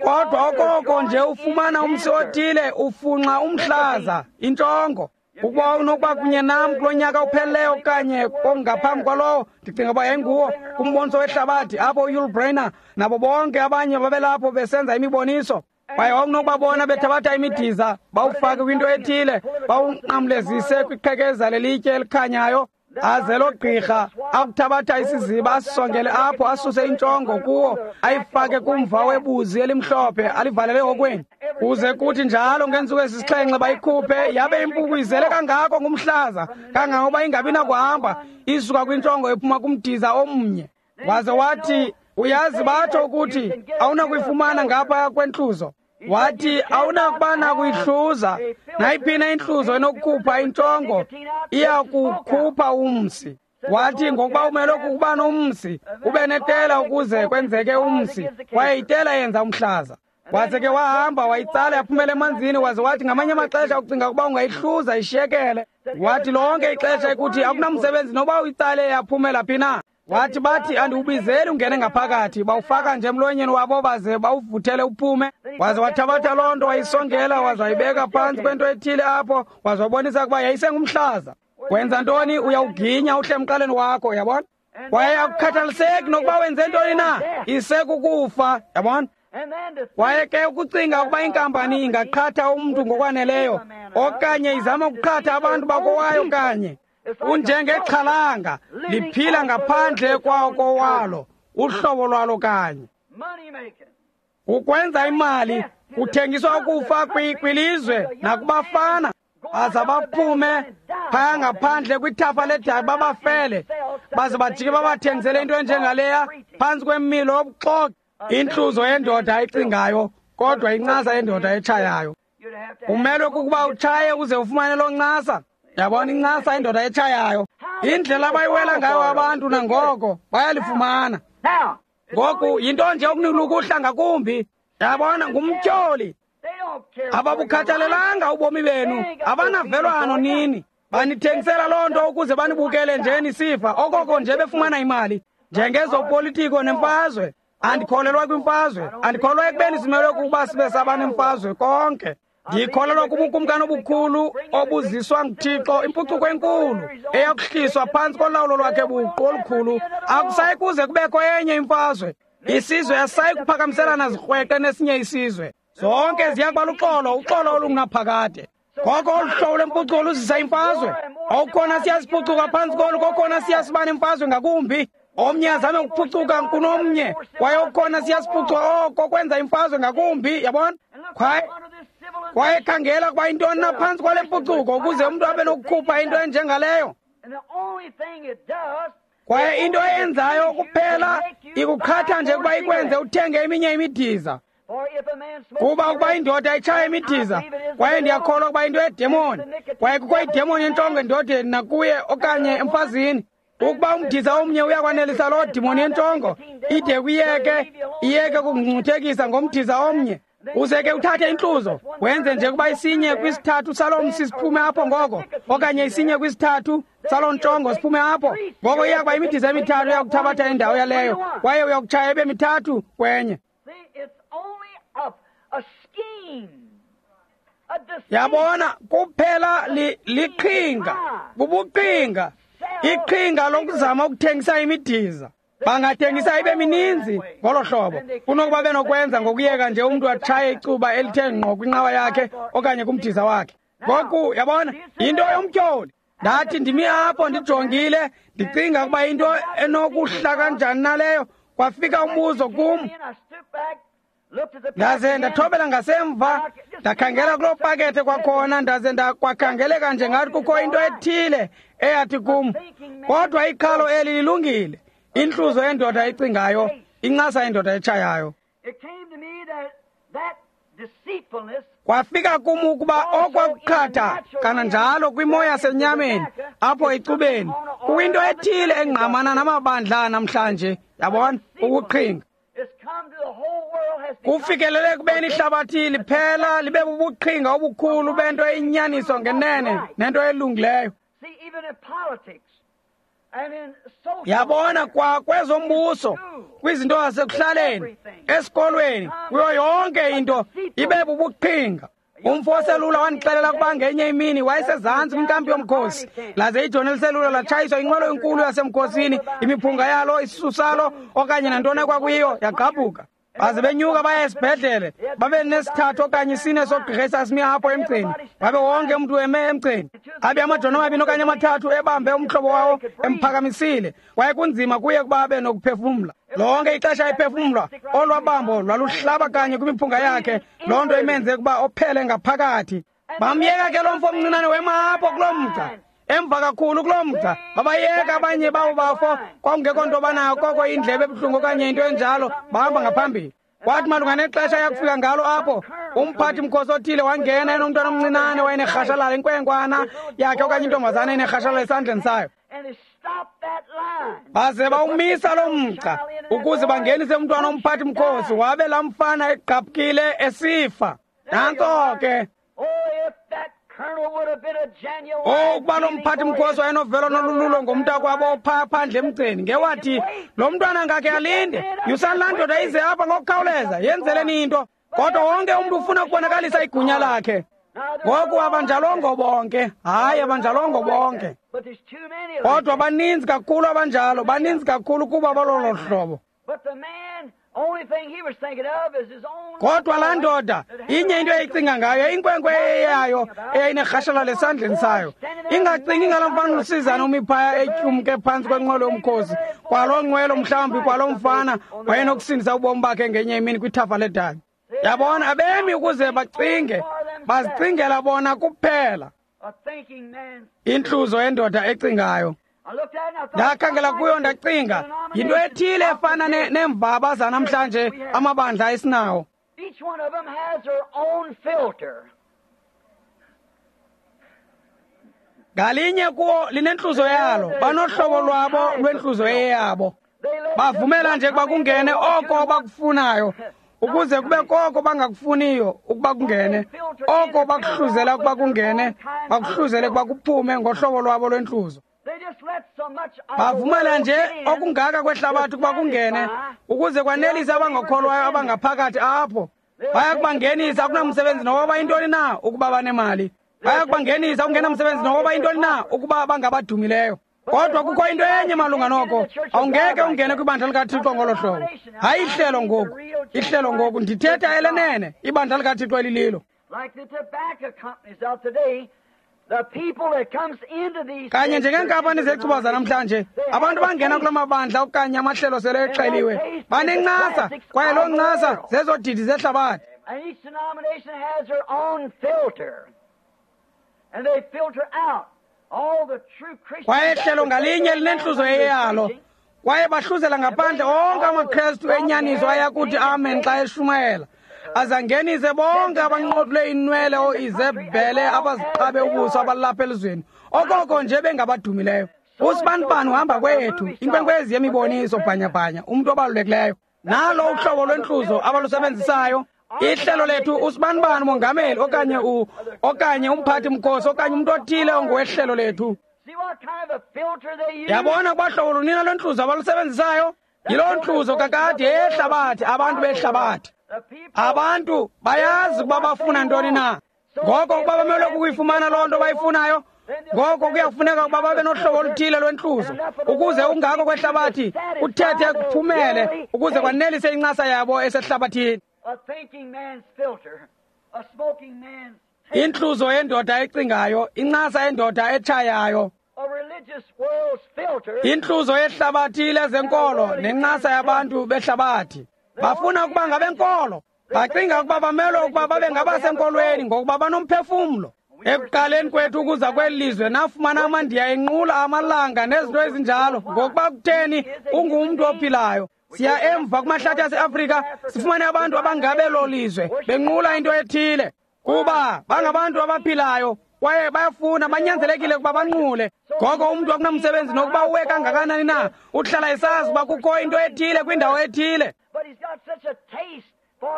Kodwa okoko nje ufumana umsi othile, ufunxa umhlaza, intshongo. Ukuba unokuba kunye nam kulo nyaka upheleleyo okanye kongaphambi kwalowo, ndicinga uba yayinguwo kumboniso wehlabathi apho uYul Brynner nabo bonke abanye babelapho besenza imiboniso. Kwaye wawunokubabona bethabatha imidiza, bawufake kwinto ethile, bawunqamlezise kwiqhekeza lelitye elikhanyayo. Aze lo gqirha akuthabatha isiziba asisongele apho, asuse intshongo kuwo, ayifake kumva webuzi elimhlophe, alivalele okweni. Kuze kuthi njalo ngeentsuku ezisixhenxe bayikhuphe, yabe impuku izele kangako ngumhlaza kangangoba ingabi nakuhamba, isuka kwintshongo ephuma kumdiza omnye. Waze wathi, uyazi batsho ukuthi awunakuyifumana ngapha kwentluzo. Wathi awunakuba nakuyihluza nayiphina intluzo enokukhupha intshongo, iyakukhupha umsi. Wathi ngokuba umelwe kukuba nomsi, ube netela ukuze kwenzeke umsi, kwaye itela yenza umhlaza. Waze ke wahamba wayitsala yaphumela emanzini. Waze wathi ngamanye amaxesha ucinga ukuba ungayihluza ishiyekele. Wathi lonke ixesha ekuthi akunamsebenzi noba uyitsale yaphumela phi na. Wathi bathi andiwubizeli ungene ngaphakathi, bawufaka nje emlonyeni wabo baze bawuvuthele uphume. Waze wathabatha loo nto wayisongela, waze wayibeka phantsi kwento ethile apho, waze wabonisa ukuba yayisengumhlaza. Wenza ntoni? Uyawuginya uhle emqaleni wakho, yabona? Kwaye akukhathaliseki nokuba wenze ntoni na, isekukufa, yabona? Kwaye ke ukucinga ukuba inkampani ingaqhatha umntu ngokwaneleyo okanye izama ukuqhatha abantu bakowayo kanye, unjengexhalanga liphila ngaphandle kwakowalo, uhlobo lwalo kanye. Ukwenza imali kuthengiswa ukufa kwilizwe nakubafana, baza baphume phaya ngaphandle kwithafa ledabi babafele, baze bajike babathengisele into enjengaleya phantsi kwemilo yobuxoki. Intluzo yendoda ecingayo, kodwa incasa yendoda etshayayo. Umelwe kukuba utshaye uze ufumane loo ncasa. Yabona, incasa indoda etshayayo. Indlela abayiwela ngayo abantu nangoko bayalifumana. Ngoku yinto nje okunulukuhla ngakumbi. Yabona, ngumtyholi. Ababukhathalelanga ubomi benu, abanavelwano nini. Banithengisela loo nto ukuze banibukele nje nisifa, okoko nje befumana imali. Njengezopolitiko nemfazwe. Andikholelwa kwimfazwe, andikholelwa ekubeni simelwe kukuba sibe sabanemfazwe konke. Ndikholelwa kubukumkani obukhulu obuziswa nguThixo, impucuko enkulu eyakuhliswa phantsi kolawulo lwakhe buqu olukhulu. Akusayi kuze kubekho enye imfazwe. Isizwe asisayi kuphakamiselana zikrweqe nesinye isizwe. Zonke ziya kuba luxolo, uxolo olungunaphakade. Ngoko olu hlobo lwempucuko luzisa imfazwe. Okukhona siyasiphucuka phantsi kolu, kokhona siya siba nemfazwe ngakumbi. Omnye azame ukuphucuka kunomnye, kwaye okukhona siyasiphucuka oko kwenza imfazwe ngakumbi, yabona? Kwaye khangela kuba intoni na phantsi kwale mpucuko ukuze umntu abe nokukhupha into enjengaleyo. Kwaye into eyenzayo kuphela ikuqhatha nje ukuba ikwenze uthenge eminye imidiza. Kuba ukuba indoda itshaya imidiza, kwaye ndiyakholwa ukuba into yedemoni, kwaye kukho idemoni entlongo endodeni nakuye okanye emfazini. Ukuba umdiza omnye uyakwanelisa loo dimoni yentlongo, ide kuyeke, iyeke ukungcuthekisa ngomdiza omnye. Uze ke uthathe intluzo, wenze nje kuba isinye kwisithathu saloo msi siphume apho ngoko, okanye isinye kwisithathu saloo ntshongo siphume apho. Ngoko iya kuba imidiza emithathu iyakuthabatha indawo yaleyo, kwaye uyakutshaya ibe mithathu kwenye. Yabona, kuphela liqhinga, bubuqhinga, iqhinga lokuzama ukuthengisa imidiza. Bangathengisa ibe mininzi ngolo hlobo kunokuba benokwenza ngokuyeka nje umntu atshaye icuba elithe ngqo kwinqawa yakhe okanye kumdiza wakhe. Ngoku yabona, yinto yomtyholi. Ndathi ndimi apho ndijongile, ndicinga ukuba into enokuhla kanjani naleyo. Kwafika umbuzo kum, ndaze ndathobela ngasemva, ndakhangela kuloo pakethe kwakhona, ndaze ndakwakhangeleka nje ngathi kukho into ethile eyathi kum, kodwa iqhalo eli lilungile. Intluzo yendoda ecingayo, incasa yendoda etshayayo. Kwafika kum ukuba okwakuqhatha kananjalo kwimo yasenyameni apho ecubeni kukwinto ethile engqamana namabandla namhlanje, yabona, ukuqhinga. Kufikelele kubeni ihlabathi liphela libe bubuqhinga obukhulu bento eyinyaniso ngenene nento elungileyo. Yabona, kwa kwezombuso, kwizinto zasekuhlaleni, esikolweni, kuyo yonke into ibe bubuqhinga. Umfo oselula wandixelela ukuba ngenye imini wayesezantsi kwinkampi yomkhosi, laze ijoni eliselula latshayiswa inqwelo enkulu yasemkhosini, imiphunga yalo, isisu salo okanye nantoni ekwakuyiyo yagqabhuka. Baze benyuka baya esibhedlele, babe nesithathu okanye isine sogqirha esasimi apho emgceni, babe wonke umntu eme emgceni. Abe amajoni amabini okanye amathathu ebambe umhlobo wawo emphakamisile, kwaye kunzima kuye ukuba abe nokuphefumla. Lonke ixesha ephefumlwa, olwa bambo lwaluhlaba kanye kwimiphunga yakhe, loo nto imenze ukuba ophele ngaphakathi. Bamyeka ke lo mfo omncinane wema apho kuloo mgca, emva kakhulu kuloo mgca. Babayeka abanye babo bafo, kwakungekho nto banayo koko indlebe ebuhlungu okanye into enjalo, bahamba ngaphambili. Kwathi malunga nexesha yakufika ngalo apho, umphathi mkhosi othile wangena enomntwana omncinane wayenerhashalala, inkwenkwana yakhe okanye intombazana enerhashalala esandleni sayo. Baze bawumisa loo mgca ukuze bangenise umntwana omphathi mkhosi, wabe laa mfana egqabukile esifa. Nantso ke. Oh, ukuba lo mphathi mkhosi wayenovelo nolululo ngomntakwabo ophaa phandle emgceni, ngewathi lo mntwana ngakhe alinde, yusani laa ndoda ize apha ngokukhawuleza, yenzeleni into. Kodwa wonke umntu ufuna ukubonakalisa igunya lakhe. Ngoku abanjalongo bonke, hayi, abanjalongo bonke, kodwa baninzi kakhulu abanjalo, baninzi kakhulu kuba balolo hlobo. Kodwa laa ndoda inye into eyayicinga ngayo, inkwenkwe eyayo eyayinerhashala lesandleni sayo, ingacingi ngalaa mfana usizana umi phaya etyumke phantsi kwenqwelo yomkhosi. Kwaloo nqwelo mhlawumbi kwaloo mfana wayenokusindisa ubomi bakhe ngenye imini kwithafa ledabi. Yabona, abemi ukuze bacinge, bazicingela bona kuphela. Intluzo yendoda ecingayo. Ndakhangela kuyo ndacinga, yinto ethile efana neemvaba zanamhlanje amabandla esinawo. Ngalinye kuwo linentluzo yalo, banohlobo lwabo lwentluzo eyabo. Bavumela nje ukuba kungene oko bakufunayo, ukuze kube koko bangakufuniyo ukuba kungene, oko bakuhluzela ukuba kungene, bakuhluzele ukuba kuphume ngohlobo lwabo lwentluzo. Bavumela nje okungaka kwehlabathi ukuba kungene, ukuze kwanelise abangakholwayo abangaphakathi apho. Bayakubangenisa, akunamsebenzi noba yintoni na ukuba banemali. Bayakubangenisa, okungenamsebenzi noba yintoni na ukuba bangabadumileyo. Kodwa kukho into enye malunga noko, awungeke ungene kwibandla likaThixo ngolo hlobo. Hayi ihlelo ngoku, ihlelo ngoku, ndithetha elenene, ibandla likaThixo elililo. Kanye njengeenkampani zecuba zanamhlanje, abantu bangena kula mabandla okanye amahlelo sele exeliwe, banencasa, kwaye loo ncasa zezo didi zehlabathi. Kwaye ihlelo ngalinye linentluzo eyalo, kwaye bahluzela ngaphandle onke amaKrestu enyaniso ayakuthi amen xa eshumayela, azangenise bonke abanqothule inwele ooIzebhele abaziqabe ubuso abalapha elizweni, okoko nje bengabadumileyo. Usibanibani uhamba kwethu, inkwenkwezi yemiboniso bhanyabhanya, umntu obalulekileyo. Nalo uhlobo lwentluzo abalusebenzisayo. Ihlelo lethu usibanibani umongameli okanye okanye umphathi mkhosi okanye umntu othile ongowehlelo lethu. Yabona kwahlobo lunina lwentluzo abalusebenzisayo? Yiloo ntluzo kakade yehlabathi, abantu behlabathi. Abantu bayazi ukuba bafuna ntoni na. Ngoko ukuba bamelwe kukuyifumana loo nto bayifunayo, ngoko kuyafuneka ukuba babe nohlobo oluthile lwentluzo, ukuze ungako kwehlabathi kuthethe kuphumele, ukuze kwanelise incasa yabo esehlabathini. Intluzo yendoda ecingayo, incasa yendoda etshayayo. Intluzo yehlabathi lezenkolo nencasa yabantu behlabathi. Bafuna ukuba ngabenkolo, bacinga ukuba bamelwe ukuba babe ngabasenkolweni ngokuba banomphefumlo. Ekuqaleni kwethu ukuza kweli lizwe nafumana amaNdiya enqula amalanga nezinto ezinjalo, ngokuba kutheni ungumntu ophilayo. Siya emva kumahlathi aseAfrika sifumane abantu abangabelo lizwe benqula into ethile, kuba bangabantu abaphilayo kwaye bayafuna, banyanzelekile ukuba banqule. Ngoko umntu akunamsebenzi nokuba uwe kangakanani na, uhlala esazi ukuba kukho into ethile kwindawo ethile.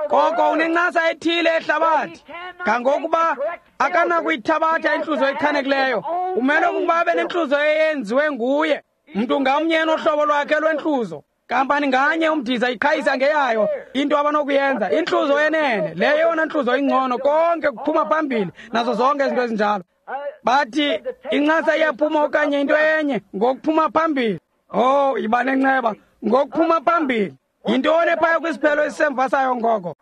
Koko unencasa ethile ehlabathi, kangokuba akanakuyithabatha intluzo echanekileyo. Umele ukuba abe nentluzo eyenziwe nguye. Mntu ngamnye enohlobo lwakhe lwentluzo. Kampani nganye umdiza iqhayisa ngeyayo into abanokuyenza. Intluzo yenene, leyo yona ntluzo ingcono, konke kuphuma phambili nazo zonke izinto ezinjalo. Bathi incasa iyaphuma okanye into enye ngokuphuma phambili. Oh, yiba nenceba, ngokuphuma phambili. Yintoni ephaya kwisiphelo esisemva sayo ngoko?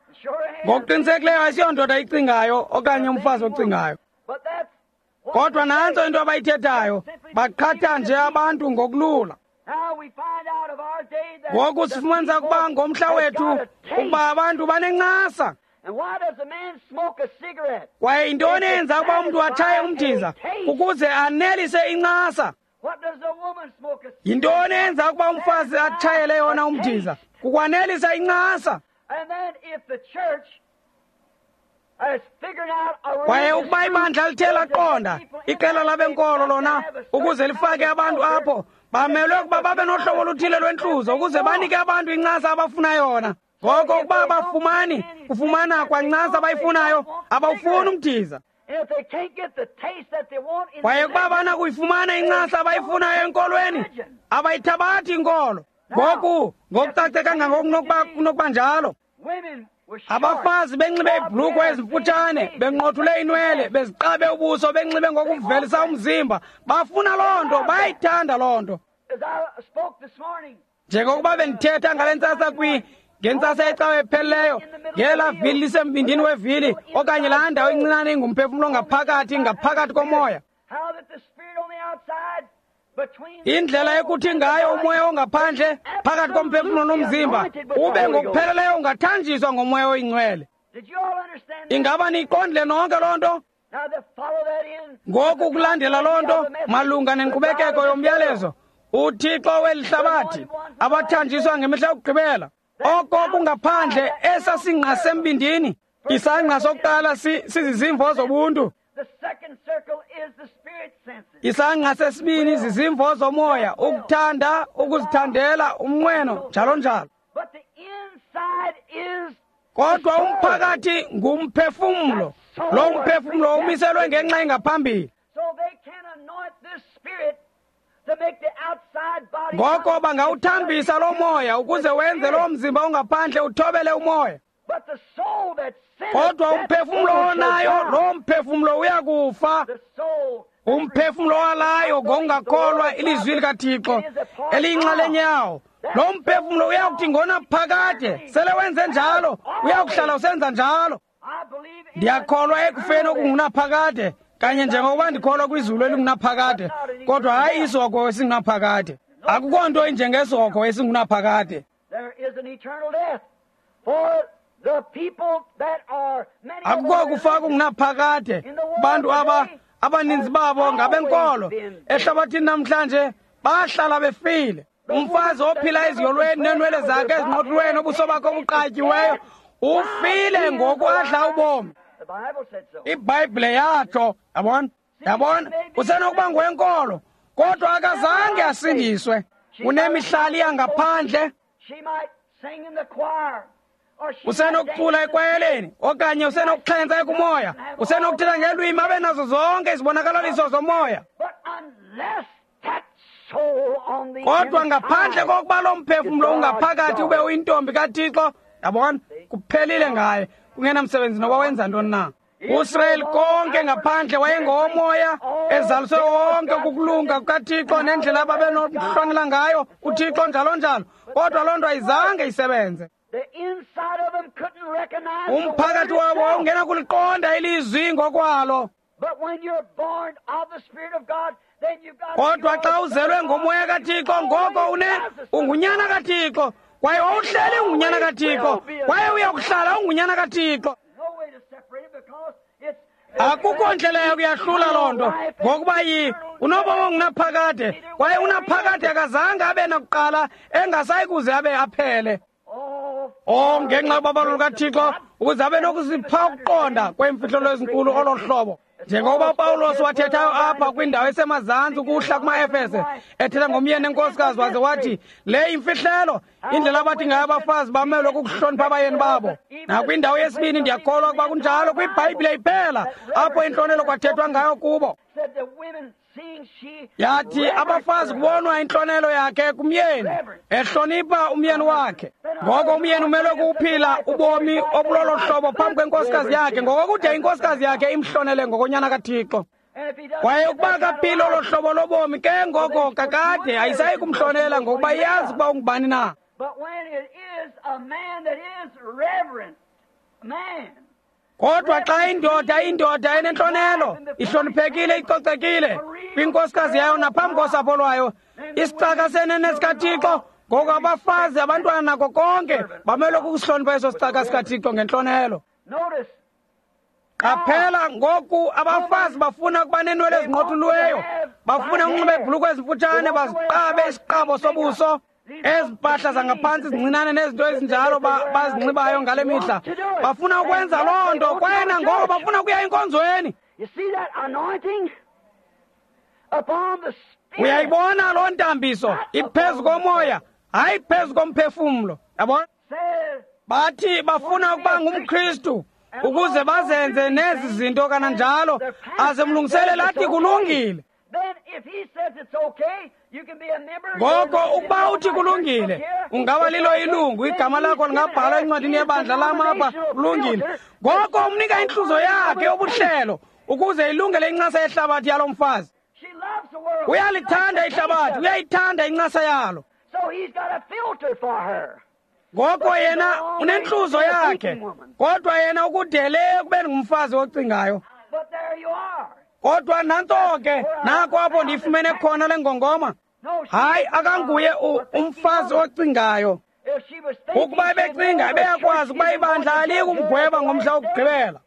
Ngokuqinisekileyo asiyondoda icingayo okanye umfazi ocingayo. Kodwa nantso into abayithethayo, baqhatha nje abantu ngokulula. Ngoku sifumanisa ukuba ngomhla wethu ukuba abantu banencasa. Kwaye yintoni eyenza ukuba umntu atshaye umdiza? Ukuze anelise incasa. Yintoni eyenza ukuba umfazi atshayele yona umdiza? Kukwanelisa incasa. Kwaye ukuba ibandla lithe laqonda, iqela labenkolo lona, ukuze lifake abantu apho, bamelwe ukuba babe nohlobo oluthile lwentluzo ukuze banike abantu incasa abafuna yona. Ngoko ukuba abafumani kufumana kwancasa abayifunayo, abawufuni umdiza. Kwaye ukuba abanakuyifumana incasa abayifunayo enkolweni, abayithabathi inkolo. Ngoku, ngokucace kangangoko kunokuba njalo. Abafazi benxibe iibhulukhwe ezimfutshane, benqothule inwele, beziqabe ubuso, benxibe ngokuvelisa umzimba. Bafuna loo nto, bayayithanda loo nto. Njengokuba bendithetha ngale ntsasa Ngentsasa yecawa ephelileyo, ngelaa vili lisembindini wevili, okanye laa ndawo incinane ingumphefumlo ngaphakathi, ngaphakathi komoya. Indlela ekuthi ngayo umoya ongaphandle phakathi komphefumlo nomzimba ube ngokupheleleyo ungathanjiswa ngomoya oyingcwele. Ingaba niyiqondile nonke loo nto? Ngoku kulandela loo nto malunga nenkqubekeko yomyalezo, uThixo weli hlabathi abathanjiswa ngemihla yokugqibela. Oko kungaphandle esasingqa sembindini, isangqa sokuqala sizizimvo zobuntu. Isangqa sesibini zizimvo zomoya, ukuthanda, ukuzithandela, umnqweno, njalo njalo. Kodwa umphakathi ngumphefumlo. Lo mphefumlo umiselwe ngenxa engaphambili. Ngoko bangawuthambisa lo moya ukuze wenze lo mzimba ongaphandle uthobele umoya. Kodwa umphefumlo onayo, lo mphefumlo uyakufa. Umphefumlo walayo ngokungakholwa ilizwi likaThixo eliyinxalenye yawo, lo mphefumlo uyakuthi ngonaphakade sele wenze njalo, uyakuhlala usenza njalo. Ndiyakholwa ekufeni okungunaphakade, kanye njengokuba ndikholwa kwizulu elingunaphakade, kodwa hayi isihogo esingunaphakade. Akukho nto injengesihogo esingunaphakade. Akukho kufa kungunaphakade. Bantu aba abaninzi babo ngabenkolo ehlabathini namhlanje bahlala befile. Umfazi ophila eziyolweni neenwele zakhe ezinqotulweni, ubuso bakhe obuqatyiweyo, ufile ngoku adla ubomi. IBhayibhile yatsho, yabona? Yabona? Usenokuba ngwenkolo, kodwa akazange asindiswe. Unemihlali yangaphandle. Usenokucula ekwayeleni, okanye usenokuxhentsa ekumoya, usenokuthetha ngelwimi abe nazo zonke izibonakalaliso zomoya. Kodwa ngaphandle kokuba lo mphefumlo ungaphakathi ube uyintombi kaThixo, yabona, kuphelile ngaye, kungenamsebenzi noba wenza ntoni na. UIsrayeli konke ngaphandle wayengowomoya, ezaliswe wonke kukulunga kukaThixo nendlela ababenokuhlonela ngayo uThixo njalo njalo, kodwa loo nto ayizange isebenze. Umphakathi wabo wawungena kuliqonda ilizwi ngokwalo. Kodwa xa uzelwe ngomoya kaThixo, ngoko ungunyana kaThixo, kwaye wawuhleli ungunyana kaThixo, kwaye uyakuhlala ungunyana kaThixo. Akukho ndlela yakuyahlula loo nto, ngokuba unobomi ongunaphakade, kwaye unaphakade akazange abe nakuqala, engasayi kuze abe aphele. Oh, ngenxa yobabalo lukaThixo, ukuze abe nokusipha ukuqonda kweemfihlelo ezinkulu olo hlobo. Njengoba uPawulos wathethayo apha kwindawo esemazantsi ukuhla kumaEfese, ethetha ngomyeni nenkosikazi, waze wathi le imfihlelo, indlela abathi ngayo abafazi bamelwe kukuhlonipha abayeni babo. Nakwindawo yesibini ndiyakholwa ukuba kunjalo kwiBhayibhile iphela, apho intlonelo kwathethwa ngayo kubo. Yathi abafazi kubonwa intlonelo yakhe kumyeni, ehlonipha umyeni wakhe. Ngoko umyeni umelwe kuphila ubomi obulolo hlobo phambi kwenkosikazi yakhe, ngokokude inkosikazi yakhe imhlonele ngokonyana kaThixo. Kwaye ukuba akaphili olo hlobo lobomi, ke ngoko kakade ayisayi kumhlonela, ngokuba iyazi ukuba ungubani na. Kodwa xa indoda enentlonelo, ihloniphekile, icocekile kwinkosikazi yayo naphambi kosapho lwayo, isicaka senene sikaThixo, ngoko abafazi, abantwana nako konke bamelwe kukusihlonipha eso sicaka sikaThixo ngentlonelo. Qaphela ngoku abafazi bafuna ukuba neenwele ezinqothuliweyo, bafuna ukunxiba iibhulukhwe ezimfutshane, baziqabe isiqabo sobuso, ezi mpahla zangaphantsi zincinane nezinto ezinjalo bazinxibayo ngale mihla. Bafuna ukwenza loo nto, kwaye nangoko bafuna ukuya enkonzweni. Uyayibona loo ntambiso iphezu komoya, hayi phezu komphefumlo. Yabona? Bathi bafuna ukuba ngumKristu ukuze bazenze nezi zinto kananjalo, aze mlungiselele athi kulungile. Ngoko ukuba uthi kulungile, ungaba lilo ilungu, igama lakho lingabhalwa encwadini yebandla lam apha, kulungile. Ngoko umnika intluzo yakhe yobuhlelo ukuze ilungele incasa yehlabathi yalo mfazi. Uyalithanda ihlabathi, uyayithanda incasa yalo. Ngoko yena unentluzo yakhe, kodwa yena ukudele ekubeni ngumfazi ocingayo. Kodwa nantso ke, nako apho ndiyifumene khona le ngongoma. Hayi, akanguye umfazi ocingayo. Ukuba ebecinga, ebeyakwazi ukuba ibandla aliyikumgweba ngomhla wokugqibela.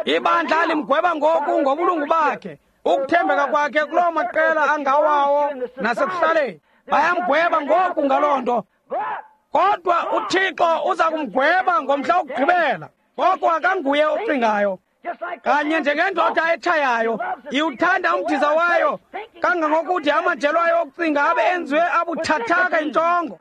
Ibandla limgweba ngoku ngobulungu bakhe, ukuthembeka kwakhe kuloo maqela angawawo nasekuhlaleni. Bayamgweba ngoku ngaloo nto. Kodwa uThixo uza kumgweba ngomhla wokugqibela. Ngoko akanguye ocingayo. Kanye njengendoda etshayayo, iwuthanda umdiza wayo kangangokude amajelo ayo okucinga abe enziwe abuthathaka intshongo.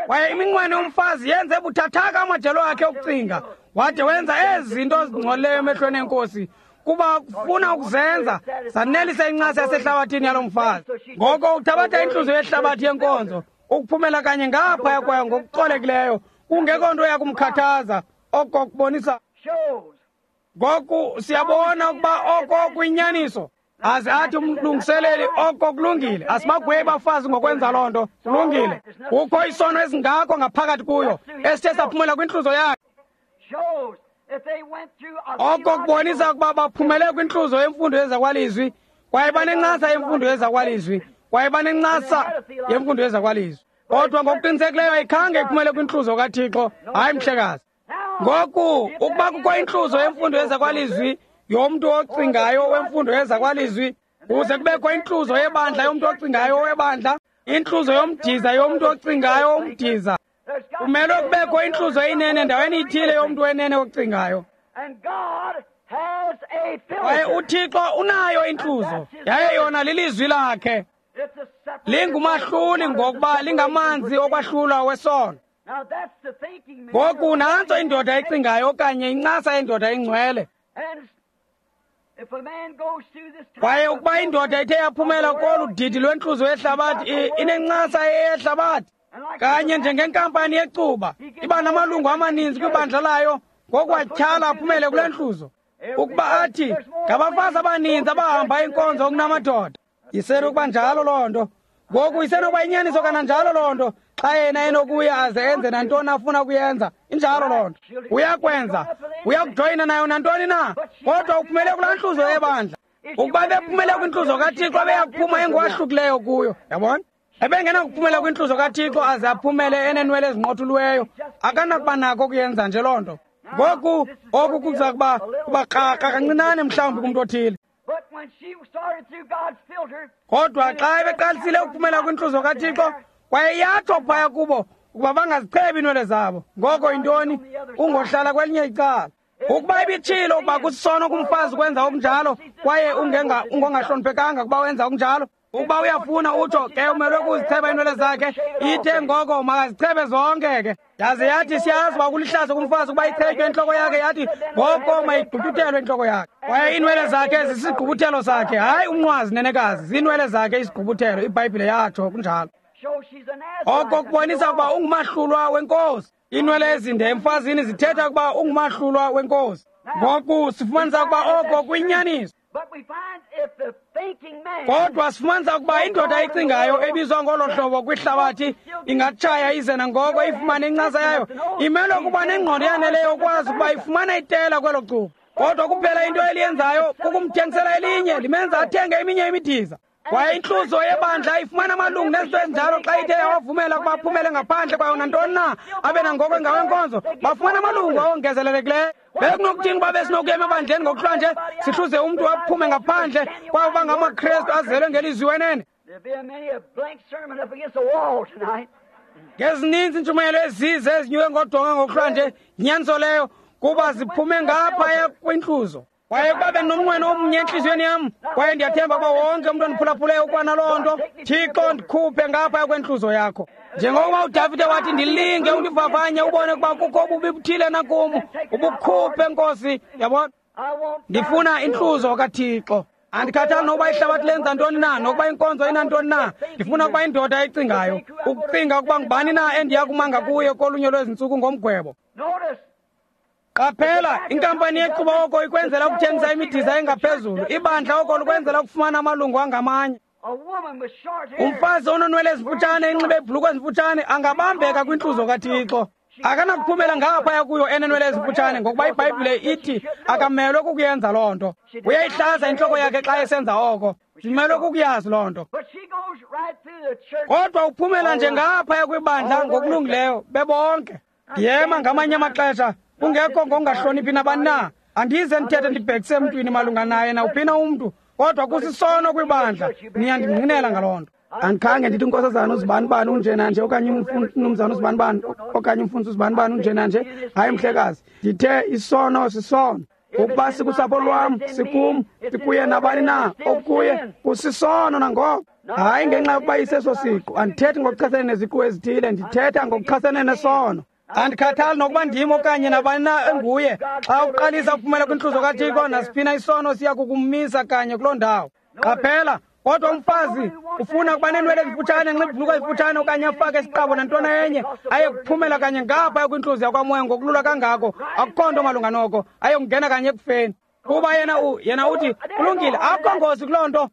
Kwaye iminqweno yomfazi yenze buthathaka amajelo akhe okucinga, wade wenza ezi zinto zingcolileyo emehlweni enkosi, kuba kufuna ukuzenza zanelisa incasa yasehlabathini yalo mfazi. Ngoko uthabatha intluzo yehlabathi yenkonzo ukuphumela kanye ngaphaya kwayo ngokucolekileyo, kungekho nto yakumkhathaza. Oko kubonisa. Ngoku siyabona ukuba oko kuyinyaniso. Aze athi umlungiseleli oko kulungile. Asibagwebi abafazi ngokwenza loo nto. Kulungile. Kukho isono esingako ngaphakathi kuyo esithe saphumela kwintluzo yakhe. Oko kubonisa ukuba baphumele kwintluzo yemfundo yezakwalizwi, kwaye banencasa yemfundo yezakwalizwi, kwaye banencasa yemfundo yezakwalizwi. Kodwa ngokuqinisekileyo ayikhange iphumele kwintluzo kaThixo. Hayi, mhlekazi. Ngoku ukuba kukho intluzo yemfundo yezakwalizwi yomntu ocingayo wemfundo yezakwalizwi, kuze kubekho intluzo yebandla yomntu ocingayo webandla, intluzo yomdiza yomntu ocingayo womdiza, kumelwe kubekho intluzo eyinene endaweni ithile yomntu wenene ocingayo. Kwaye uThixo unayo intluzo, yaye yona lilizwi lakhe. Lingumahluli ngokuba lingamanzi okwahlulwa wesono. Ngoku nantso indoda ecingayo okanye incasa yendoda engcwele. Kwaye ukuba indoda ithe yaphumela kolu didi lwentluzo yehlabathi, inencasa yehlabathi, kanye njengenkampani yecuba, iba namalungu amaninzi kwibandla layo, ngokwatyhala aphumele kule ntluzo. Ukuba athi ngabafazi abaninzi abahamba inkonzo kunamadoda, isenokuba njalo loo nto. Ngoku isenokuba inyaniso kananjalo loo nto, xa yena enokuya aze enze nantoni afuna kuyenza. Injalo loo nto. Uyakwenza, uyakujoyina nayo nantoni na, kodwa uphumele kulaa ntluzo yebandla. Ukuba bephumele kwintluzo kaThixo, ebeyakuphuma engowahlukileyo kuyo. Yabona? Ebengenakuphumela kwintluzo kaThixo aze aphumele eneenwele ezinqothuliweyo. Akanakuba nako ukuyenza nje loo nto. Ngoku oku kuza kuba krakra kancinane mhlawumbi kumntu othile. Kodwa xa ebeqalisile ukuphumela kwintluzo kaThixo, kwaye yatsho phaya kubo ukuba bangazichebi iinwele zabo, ngoko yintoni? Ungohlala kwelinye icala. Ukuba ibitshilo ukuba kusisono kumfazi ukwenza okunjalo, kwaye ungongahloniphekanga ukuba wenza okunjalo, ukuba uyafuna utsho ke umelwe kuzicheba iinwele zakhe, ithe ngoko makazichebe zonke ke. Yaze yathi siyazi uba kulihlazo kumfazi ukuba ichetywe intloko yakhe, yathi ngoko mayigqutyuthelwe intloko yakhe. Kwaye iinwele zakhe zisigqubuthelo sakhe, hayi umnqwazi nenekazi, ziinwele zakhe isigqubuthelo, iBhayibhile yatsho kunjalo. Oko kubonisa ukuba ungumahlulwa wenkosi. Iinwele ezinde emfazini zithetha ukuba ungumahlulwa wenkosi. Ngoku sifumanisa ukuba oko kuyinyaniso. Kodwa sifumanisa ukuba indoda ecingayo ebizwa ngolo hlobo kwihlabathi ingatshaya ize nangoko ifumane incasa yayo, imelwe kuba nengqondo eyaneleyo ukwazi ukuba ifumana itela kwelo cuba. Kodwa kuphela into eliyenzayo kukumthengisela elinye, limenza athenge eminye imidiza. Kwaye intluzo yebandla ifumana amalungu nezinto ezinjalo xa ithe yawavumela ukuba aphumele ngaphandle kwayo nantoni na abe nangoko engawenkonzo, bafumana amalungu awongezelelekileyo. Bekunokuthini uba besinokuya emabandleni ngokuhlwa nje sihluze umntu aphume ngaphandle kwabo bangamaKrestu azelwe ngelizwi wenene? Ngezininzi iintshumayelo ezize ezinyuke ngodonga ngokuhlwa nje, yinyaniso leyo, kuba ziphume ngaphaya kwintluzo. Kwaye ukuba bendinomnqweno omnye entliziyweni yam, kwaye ndiyathemba ukuba wonke umntu ondiphulaphuleyo ukwanaloo nto, Thixo ndikhuphe ngaphaya kwentluzo yakho. Njengokuba uDavide wathi, ndilinge undivavanye ubone ukuba kukho ububi buthile nakum, ubukhuphe Nkosi. Yabona, ndifuna intluzo kaThixo. Andikhathali nokuba ihlabathi lenza ntoni na, nokuba inkonzo inantoni na. Ndifuna ukuba indoda ecingayo, ukucinga ukuba ngubani na endiya kumanga kuye kolunye lwezintsuku ngomgwebo. Qaphela, inkampani yecuba oko ikwenzela ukuthengisa imidiza engaphezulu, ibandla oko likwenzela ukufumana amalungu angamanye. Umfazi ononwele ezimfutshane enxibe ibhulukhwe ezimfutshane angabambeka kwintluzo kaThixo. Akanakuphumela ngaphaya kuyo enenwele ezimfutshane, ngokuba iBhayibhile ithi akamelwe kukuyenza loo nto. Uyayihlaza intloko yakhe xa esenza oko. Simelwe kukuyazi loo nto. Kodwa uphumela nje ngaphaya kwibandla ngokulungileyo bebonke. Ndiyema ngamanye amaxesha kungekho ngokungahloniphi nabani na. Andize ndithethe ndibhekise emntwini malunga naye nawuphina umntu, kodwa kusisono kwibandla. Niyandingqinela ngaloo nto. Andikhange ndithi unkosazana uzibanibani unjena nje okanye umnumzana uzibanibani okanye umfundisi uzibanibani unjena nje. Hayi mhlekazi, ndithe isono sisono. Ukuba sikusapho lwam, sikum, sikuye nabani na okuye, kusisono nangoko. Hayi ngenxa yokuba iseso siqu. Andithethi ngokuchasene neziqu ezithile, ndithetha ngokuchasene nesono. Andikhathali nokuba ndim okanye nabani na enguye. Xa uqalisa ukuphumela kwintluzo kaThixo, nasiphina isono siya kukumisa kanye kuloo ndawo. Qaphela, kodwa umfazi ufuna ukuba neenwele ezimfutshane, enxibe ibhulukhwe ezimfutshane okanye afake isiqabo nantona enye, aye kuphumela kanye ngaphaya kwintluzo yakwamoya ngokulula kangako. Akukho nto malunga noko, aye kungena kanye ekufeni. Kuba yena uthi kulungile, akukho ngozi kuloo nto.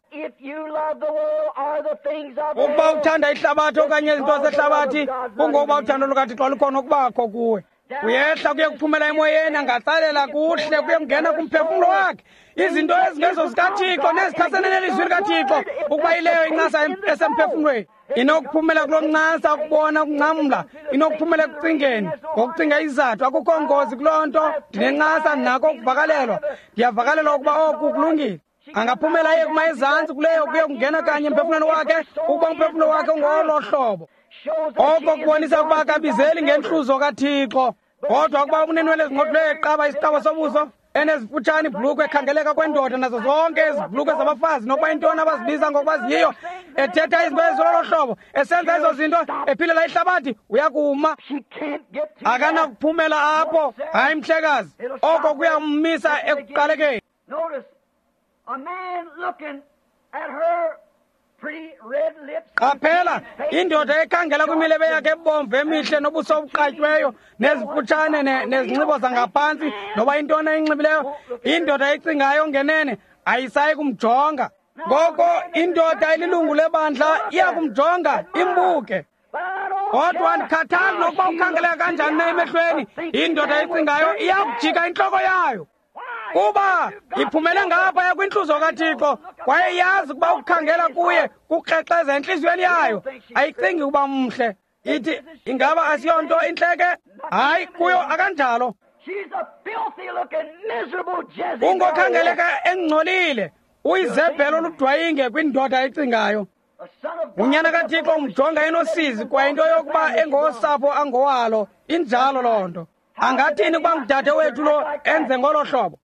Ukuba uthanda ihlabathi okanye izinto zehlabathi, kungokuba uthando lukaThixo lukhona ukubakho kuwe. Uyehla kuye kuphumela emoyeni, angatsalela kuhle kuye kungena kumphefumlo wakhe izinto ezingezo zikaThixo nezichasene nelizwi likaThixo. Ukuba ileyo incasa esemphefumlweni inokuphumela kuloo ncasa, ukubona, ukungcamla, inokuphumela ekucingeni ngokucinga izizathu. Akukho ngozi kuloo nto. Ndinencasa, ndinako ukuvakalelwa, ndiyavakalelwa ukuba oku kulungile. Angaphumela aye kuma ezantsi kuleyo kuye kungena kanye emphefumlweni wakhe, ukuba umphefumlo wakhe ungolo hlobo. Oko kubonisa ukuba akabizeli ngentluzo kaThixo. Kodwa ukuba unenwele ezinqothuleyo, eqaba isiqabo sobuso, enezifutshane ibhulukhwe ekhangeleka kwendoda nazo zonke ezi bhulukhwe zabafazi, nokuba intoni abazibiza ngokuba ziyiyo, ethetha izinto ezilolo hlobo, esenza ezo zinto, ephilela ihlabathi, uyakuma. Akanakuphumela apho. Hayi mhlekazi, oko kuyammisa ekuqalekeni. Qaphela, indoda ekhangela kwimilebe yakhe ebomvu emihle nobuso obuqatyweyo nezifutshane nezinxibo zangaphantsi noba intoni ayinxibileyo, indoda ecingayo ngenene ayisayi kumjonga. Ngoko indoda elilungu lebandla iya kumjonga imbuke. Kodwa andikhathali nokuba ukhangeleka kanjani na emehlweni, indoda ecingayo iya kujika intloko yayo, kuba iphumele ngaphaya kwintluzo kaThixo kwaye iyazi ukuba ukukhangela kuye kukrexeza entliziyweni yayo. Ayicingi ukuba mhle. Ithi, ingaba asiyonto intleke? Hayi, kuyo akanjalo. Ungokhangeleka engcolile, uyizebhelo oludwayinge kwindoda ecingayo. Unyana kaThixo umjonga enosizi kwaye into yokuba engosapho angowalo. Injalo loo nto. Angathini ukuba ngudade wethu lo enze ngolo hlobo?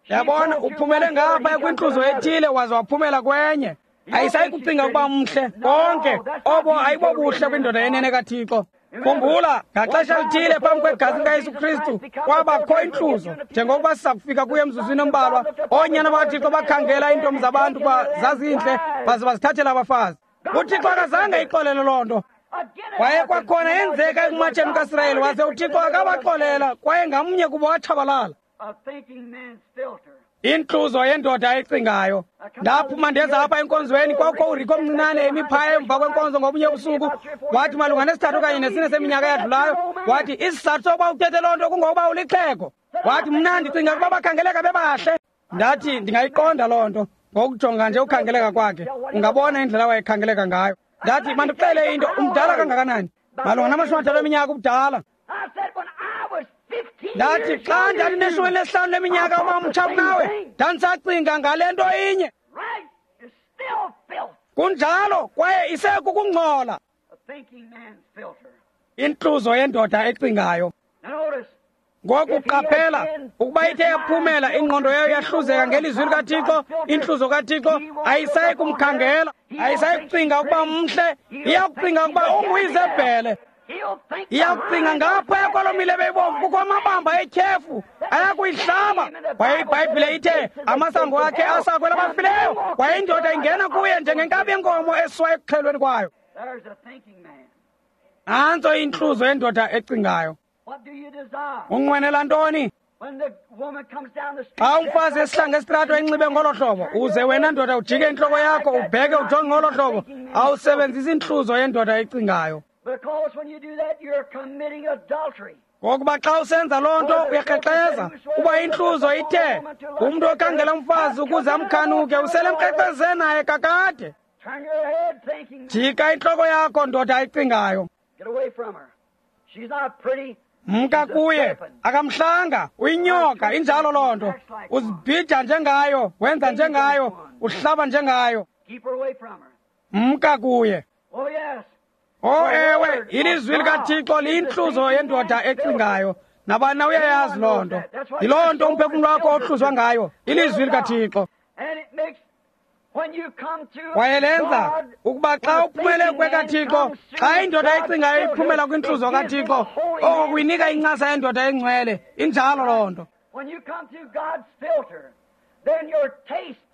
Yabona, uphumele ngaphaya kwintluzo ethile waze waphumela kwenye. Ayisayi kucinga ukuba mhle konke obo ayibobuhle kwindoda yenene kaThixo. Khumbula, ngaxesha lithile phambi kwegazi likaYesu Kristu kwabakho intluzo, njengokuba siza kufika kuye emzuzwini ombalwa. Oonyana bakaThixo bakhangela iintombi zabantu kuba zazintle baze bazithathela abafazi. UThixo akazange ixolele loo nto. Kwaye kwakhona yenzeka ekumatsheni kaSirayeli, waze uThixo akabaxolela kwaye ngamnye kubo watshabalala. Intluzo yendoda ecingayo. Ndaphuma ndeza apha enkonzweni, kwakho uRiko omncinane emi phaya emva kwenkonzo ngobunye ubusuku. Wathi malunga nesithathu okanye nesine seminyaka eyadlulayo, wathi isizathu sokuba uthethe loo nto kungokuba ulixhego. Wathi mna ndicinga ukuba bakhangeleka bebahle. Ndathi ndingayiqonda loo nto ngokujonga nje ukhangeleka kwakhe, ungabona indlela wayekhangeleka ngayo. Ndathi mandixele into, umdala kangakanani? Malunga nama-50 eminyaka ubudala. Ndathi xa ndandineshumi lesihlanu leminyaka uba mtsha kunawe, ndandisacinga ngale nto inye. Kunjalo, kwaye isekukungcola. Intluzo yendoda ecingayo. Ngoku qaphela, ukuba ithe yaphumela, ingqondo yayo yahluzeka ngelizwi likaThixo, intluzo kaThixo ayisayi kumkhangela, ayisayi kucinga ukuba mhle, iyakucinga ukuba unguyizebhele. Iyakucinga ngaphaya kwaloo milebe ibomvu kukho amabamba etyhefu ayakuyihlaba. Kwaye iBhayibhile ithe amasango akhe asakwela abafileyo, kwaye indoda ingena kuye njengenkabi yenkomo esiwa ekuxhelweni kwayo. Nantso intluzo yendoda ecingayo. Unqwenela ntoni? Xa umfazi esihlanga esitrato enxibe ngolo hlobo, uze wena ndoda ujike intloko yakho ubheke ujonge ngolo hlobo, awusebenzisi intluzo yendoda ecingayo. Ngokuba xa usenza loo nto uyakrexeza, kuba intluzo ithe umntu okhangela umfazi ukuze amkhanuke uselemkrexeze naye kakade. Jika intloko yakho ndoda ecingayo. Mka kuye, akamhlanga, uyinyoka, injalo loo nto. Uzibhija njengayo, wenza njengayo, uhlaba njengayo. Mka kuye. Oh ewe, ilizwi likaThixo liyintluzo yendoda ecingayo. Nabani na uyayazi loo nto. Yiloo nto umphefumlo wakho ohluzwa ngayo, ilizwi likaThixo. Kwaye lenza ukuba xa uphumele kwekaThixo, xa indoda ecingayo iphumela kwintluzo kaThixo, oko kuyinika incasa yendoda engcwele. Injalo loo nto.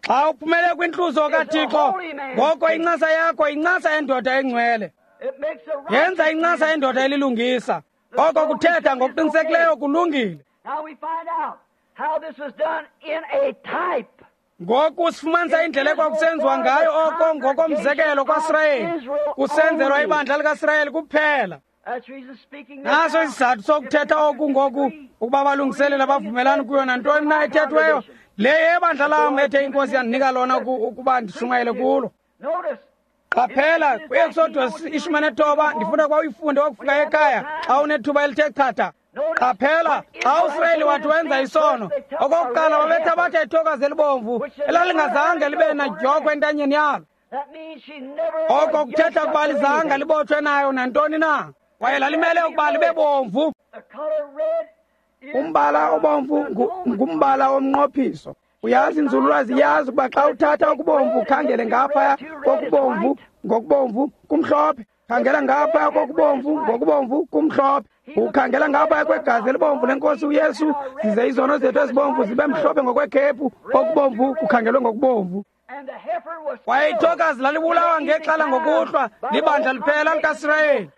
Xa uphumele kwintluzo kaThixo, ngoko incasa yakho incasa yendoda engcwele. Yenza incasa yendoda elilungisa. Oko kuthetha ngokuqinisekileyo kulungile. Ngoku sifumanisa indlela ekwakusenziwa ngayo oko ngokomzekelo kwaSirayeli, kusenzelwa ibandla likaSirayeli kuphela. Naso isizathu sokuthetha oku ngoku, ukuba balungiselela abavumelani kuyo nantoni na ethethweyo. Le yebandla lam ethe iNkosi yandinika lona ukuba ndishumayele kulo. Qaphela kwi-Exodus 19, ndifuna ukuba uyifunde wakufika ekhaya xa unethuba elithe chatha. Qaphela xa uSirayeli wathi wenza isono, okokuqala babethabatha ithokazi elibomvu elalingazange libe nadyokhwe entanyeni yalo. Oko kuthetha ukuba lizange libotshwe nayo nantoni na, kwaye lalimele ukuba libe bomvu. Umbala obomvu ngumbala womnqophiso. Uyazi inzululwazi iyazi ukuba xa uthatha okubomvu ukhangele ngaphaya kokubomvu ngokubomvu kumhlophe. Khangela ngaphaya kokubomvu ngokubomvu kumhlophe. Ukhangela ngaphaya kwegazi elibomvu lenkosi uYesu, zize izono zethu ezibomvu zibe mhlophe ngokwekhephu, okubomvu kukhangelwe ngokubomvu. Kwaye ithokazi lalibulawa ngexhala ngokuhlwa libandla liphela likaSirayeli.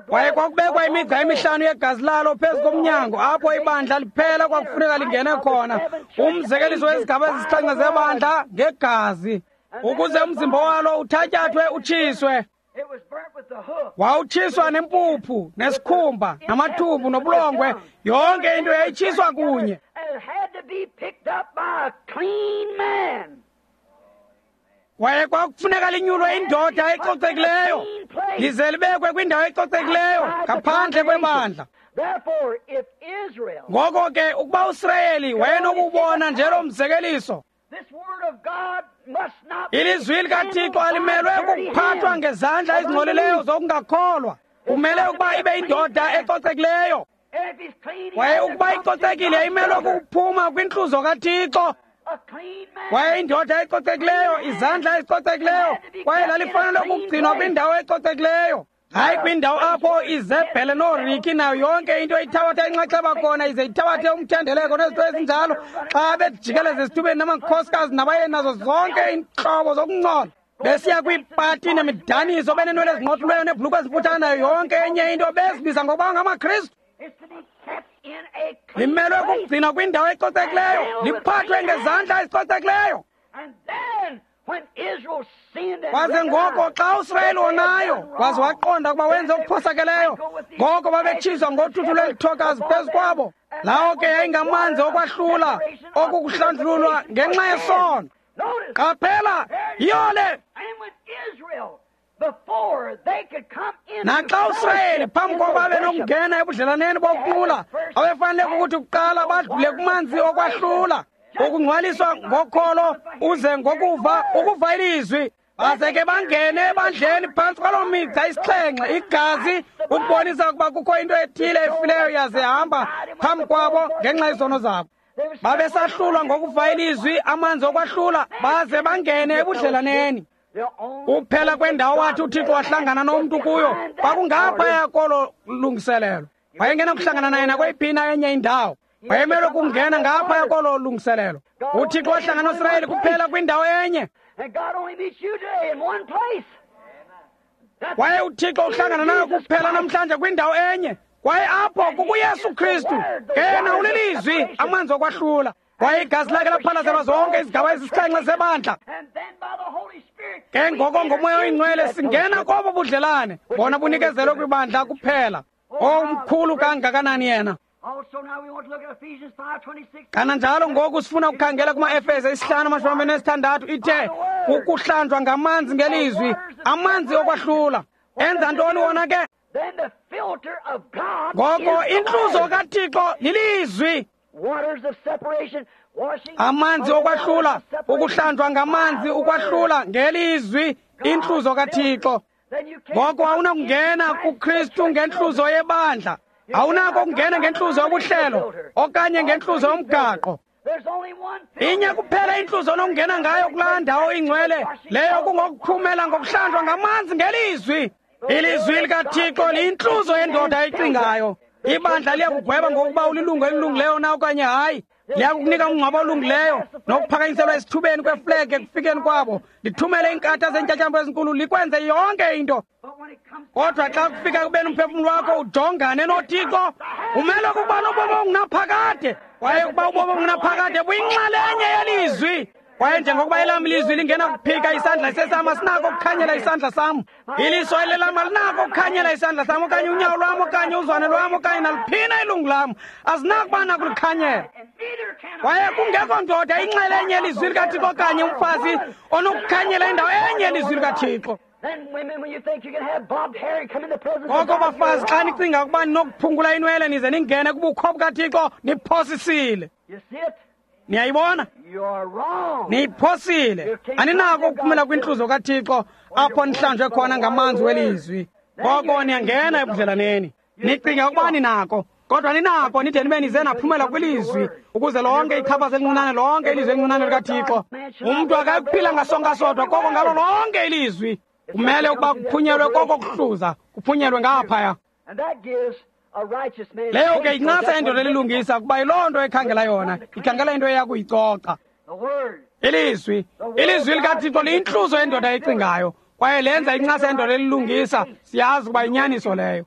Kwaye kwakubekwa imigca emihlanu yegazi lalo phezu komnyango apho ibandla liphela kwakufuneka lingene khona, umzekeliso wezigaba ezisixhenxe zebandla ngegazi, ukuze umzimba walo uthatyathwe utshiswe. Wawutshiswa nempuphu nesikhumba namathumbu nobulongwe, yonke into yayitshiswa kunye. Kwaye kwakufuneka linyulwe indoda ecocekileyo, lize libekwe kwindawo ecocekileyo ngaphandle kwebandla. Ngoko ke ukuba uSirayeli wayenokubona nje lo mzekeliso, ilizwi likaThixo alimelwe kukuphathwa ngezandla ezingcolileyo zokungakholwa. Kumele ukuba ibe indoda ecocekileyo. Kwaye ukuba icocekile imelwe kukuphuma kwintluzo kaThixo. Kwaye indoda ecocekileyo, izandla ezicocekileyo, kwaye lalifanele ukugcinwa kwindawo ecocekileyo, hayi kwindawo apho izebhele nooriki nayo yonke into ithabatha inxaxheba khona, ize ithabathe umthendeleko nezinto ezinjalo, xa bejikeleza esithubeni namakhosikazi nabayeni nazo zonke iintlobo zokungcola, besiya kwiipati nemidaniso beneenwele ezinqothuleyo neebhulukhwe ezimfutshane nayo yonke enye into, bezibiza ngokuba ngamaKristu. Limelwe kukugcinwa kwindawo ecocekileyo, liphathwe ngezandla ezicocekileyo. Kwaze ngoko xa uSirayeli wonayo waze waqonda ukuba wenze okuphosakeleyo, ngoko babetshiswa ngothuthu lwelithokazi phezu kwabo. Lawo ke yayingamanzi okwahlula, okukuhlanjululwa ngenxa yesono. Qaphela, yiyo le. Naxa uSirayeli phambi kokuba benokungena ebudlelaneni bokunqula, abefanele ukuthi kuqala badlule kumanzi okwahlula, ukungcwaliswa ngokholo uze ngokuva, ukuva ilizwi, baze ke bangene ebandleni phantsi kwaloo migca isixhenxe, igazi, ukubonisa ukuba kukho into ethile efileyo yaze hamba phambi kwabo ngenxa yezono zabo. Babesahlulwa ngokuva ilizwi, amanzi okwahlula, baze bangene ebudlelaneni. Kuphela kwendawo wathi uThixo wahlangana nomntu kuyo kwakungaphaya kolo lungiselelo. Wayengena kuhlangana naye nakweyiphi na enye indawo. Wayemelwe kungena ngaphaya kolo lungiselelo. UThixo wahlangana noSirayeli kuphela kwindawo enye. Kwaye uThixo uhlangana nayo kuphela namhlanje kwindawo enye. Kwaye apho kukuYesu Kristu, ke yena ulilizwi, amanzi okwahlula. Kwaye igazi lakhe laphalazelwa zonke izigaba ezisixhenxe zebandla. Ke ngoko ngoMoya oyiNgcwele singena kobo budlelane, bona bunikezelwe kwibandla kuphela. Omkhulu kangakanani yena! Kananjalo ngoku sifuna ukukhangela kuma-Efese 5:26, ithe ukuhlanjwa ngamanzi ngelizwi, amanzi okwahlula. Enza ntoni wona ke? Ngoko intluzo kaThixo lilizwi. Amanzi okwahlula, ukuhlanjwa ngamanzi, ukwahlula ngelizwi, intluzo kaThixo. Ngoko awunakungena kuKristu ngentluzo yebandla. Awunako ukungena ngentluzo yobuhlelo okanye ngentluzo yomgaqo. Inye kuphela intluzo onokungena ngayo kulaa ndawo ingcwele, leyo kungokuphumela ngokuhlanjwa ngamanzi ngelizwi. Ilizwi likaThixo liyintluzo yendoda ecingayo. Ibandla liyakugweba ngokuba ulilungu elilungileyo na okanye hayi. Liyakukunika umngcwabo olungileyo nokuphakanyiselwa esithubeni kweflege ekufikeni kwabo. Lithumele iinkatha zeentyatyambo ezinkulu, likwenze yonke into. Kodwa xa kufika kubeni umphefumlo wakho ujongane noThixo, umele ukuba nobomi obungunaphakade. Kwaye ukuba ubomi obungunaphakade buyinxalenye yelizwi. Kwaye njengokuba elam ilizwi lingena kuphika isandla sesam, asinako ukukhanyela isandla sam. Iliso elelam alinako ukukhanyela isandla sam, okanye unyawo lwam, okanye uzwane lwam, okanye naliphina ilungu lam, azinakuba nakulikhanyela. Kwaye kungekho ndoda inxalenye yelizwi likaThixo okanye umfazi onokukhanyela indawo enye yelizwi likaThixo. Ngoko bafazi, xa nicinga ukuba ninokuphungula inwele nize ningene kubukho bukaThixo, niphosisile. Niyayibona? Niyiphosile. Aninako ukuphumela kwintluzo kaThixo apho nihlanjwe khona ngamanzi welizwi. Ngoko niyangena ebudlelaneni. Nicinga ukuba ninako, kodwa ninako nide nibe nize naphumela kwilizwi, ukuze lonke ichaphaza elincinane, lonke ilizwi elincinane likaThixo. Umntu akakuphila ngasonka sodwa, koko ngalo lonke ilizwi. Kumele ukuba kuphunyelwe koko kuhluza, kuphunyelwe ngaphaya. Leyo ke incasa endoda elilungisa, kuba yiloo nto ekhangela yona, ikhangela into eya kuyicoca. Ilizwi, ilizwi likaThixo liyintluzo yendoda ecingayo, kwaye lenza incasa yendoda elilungisa. Siyazi ukuba yinyaniso leyo.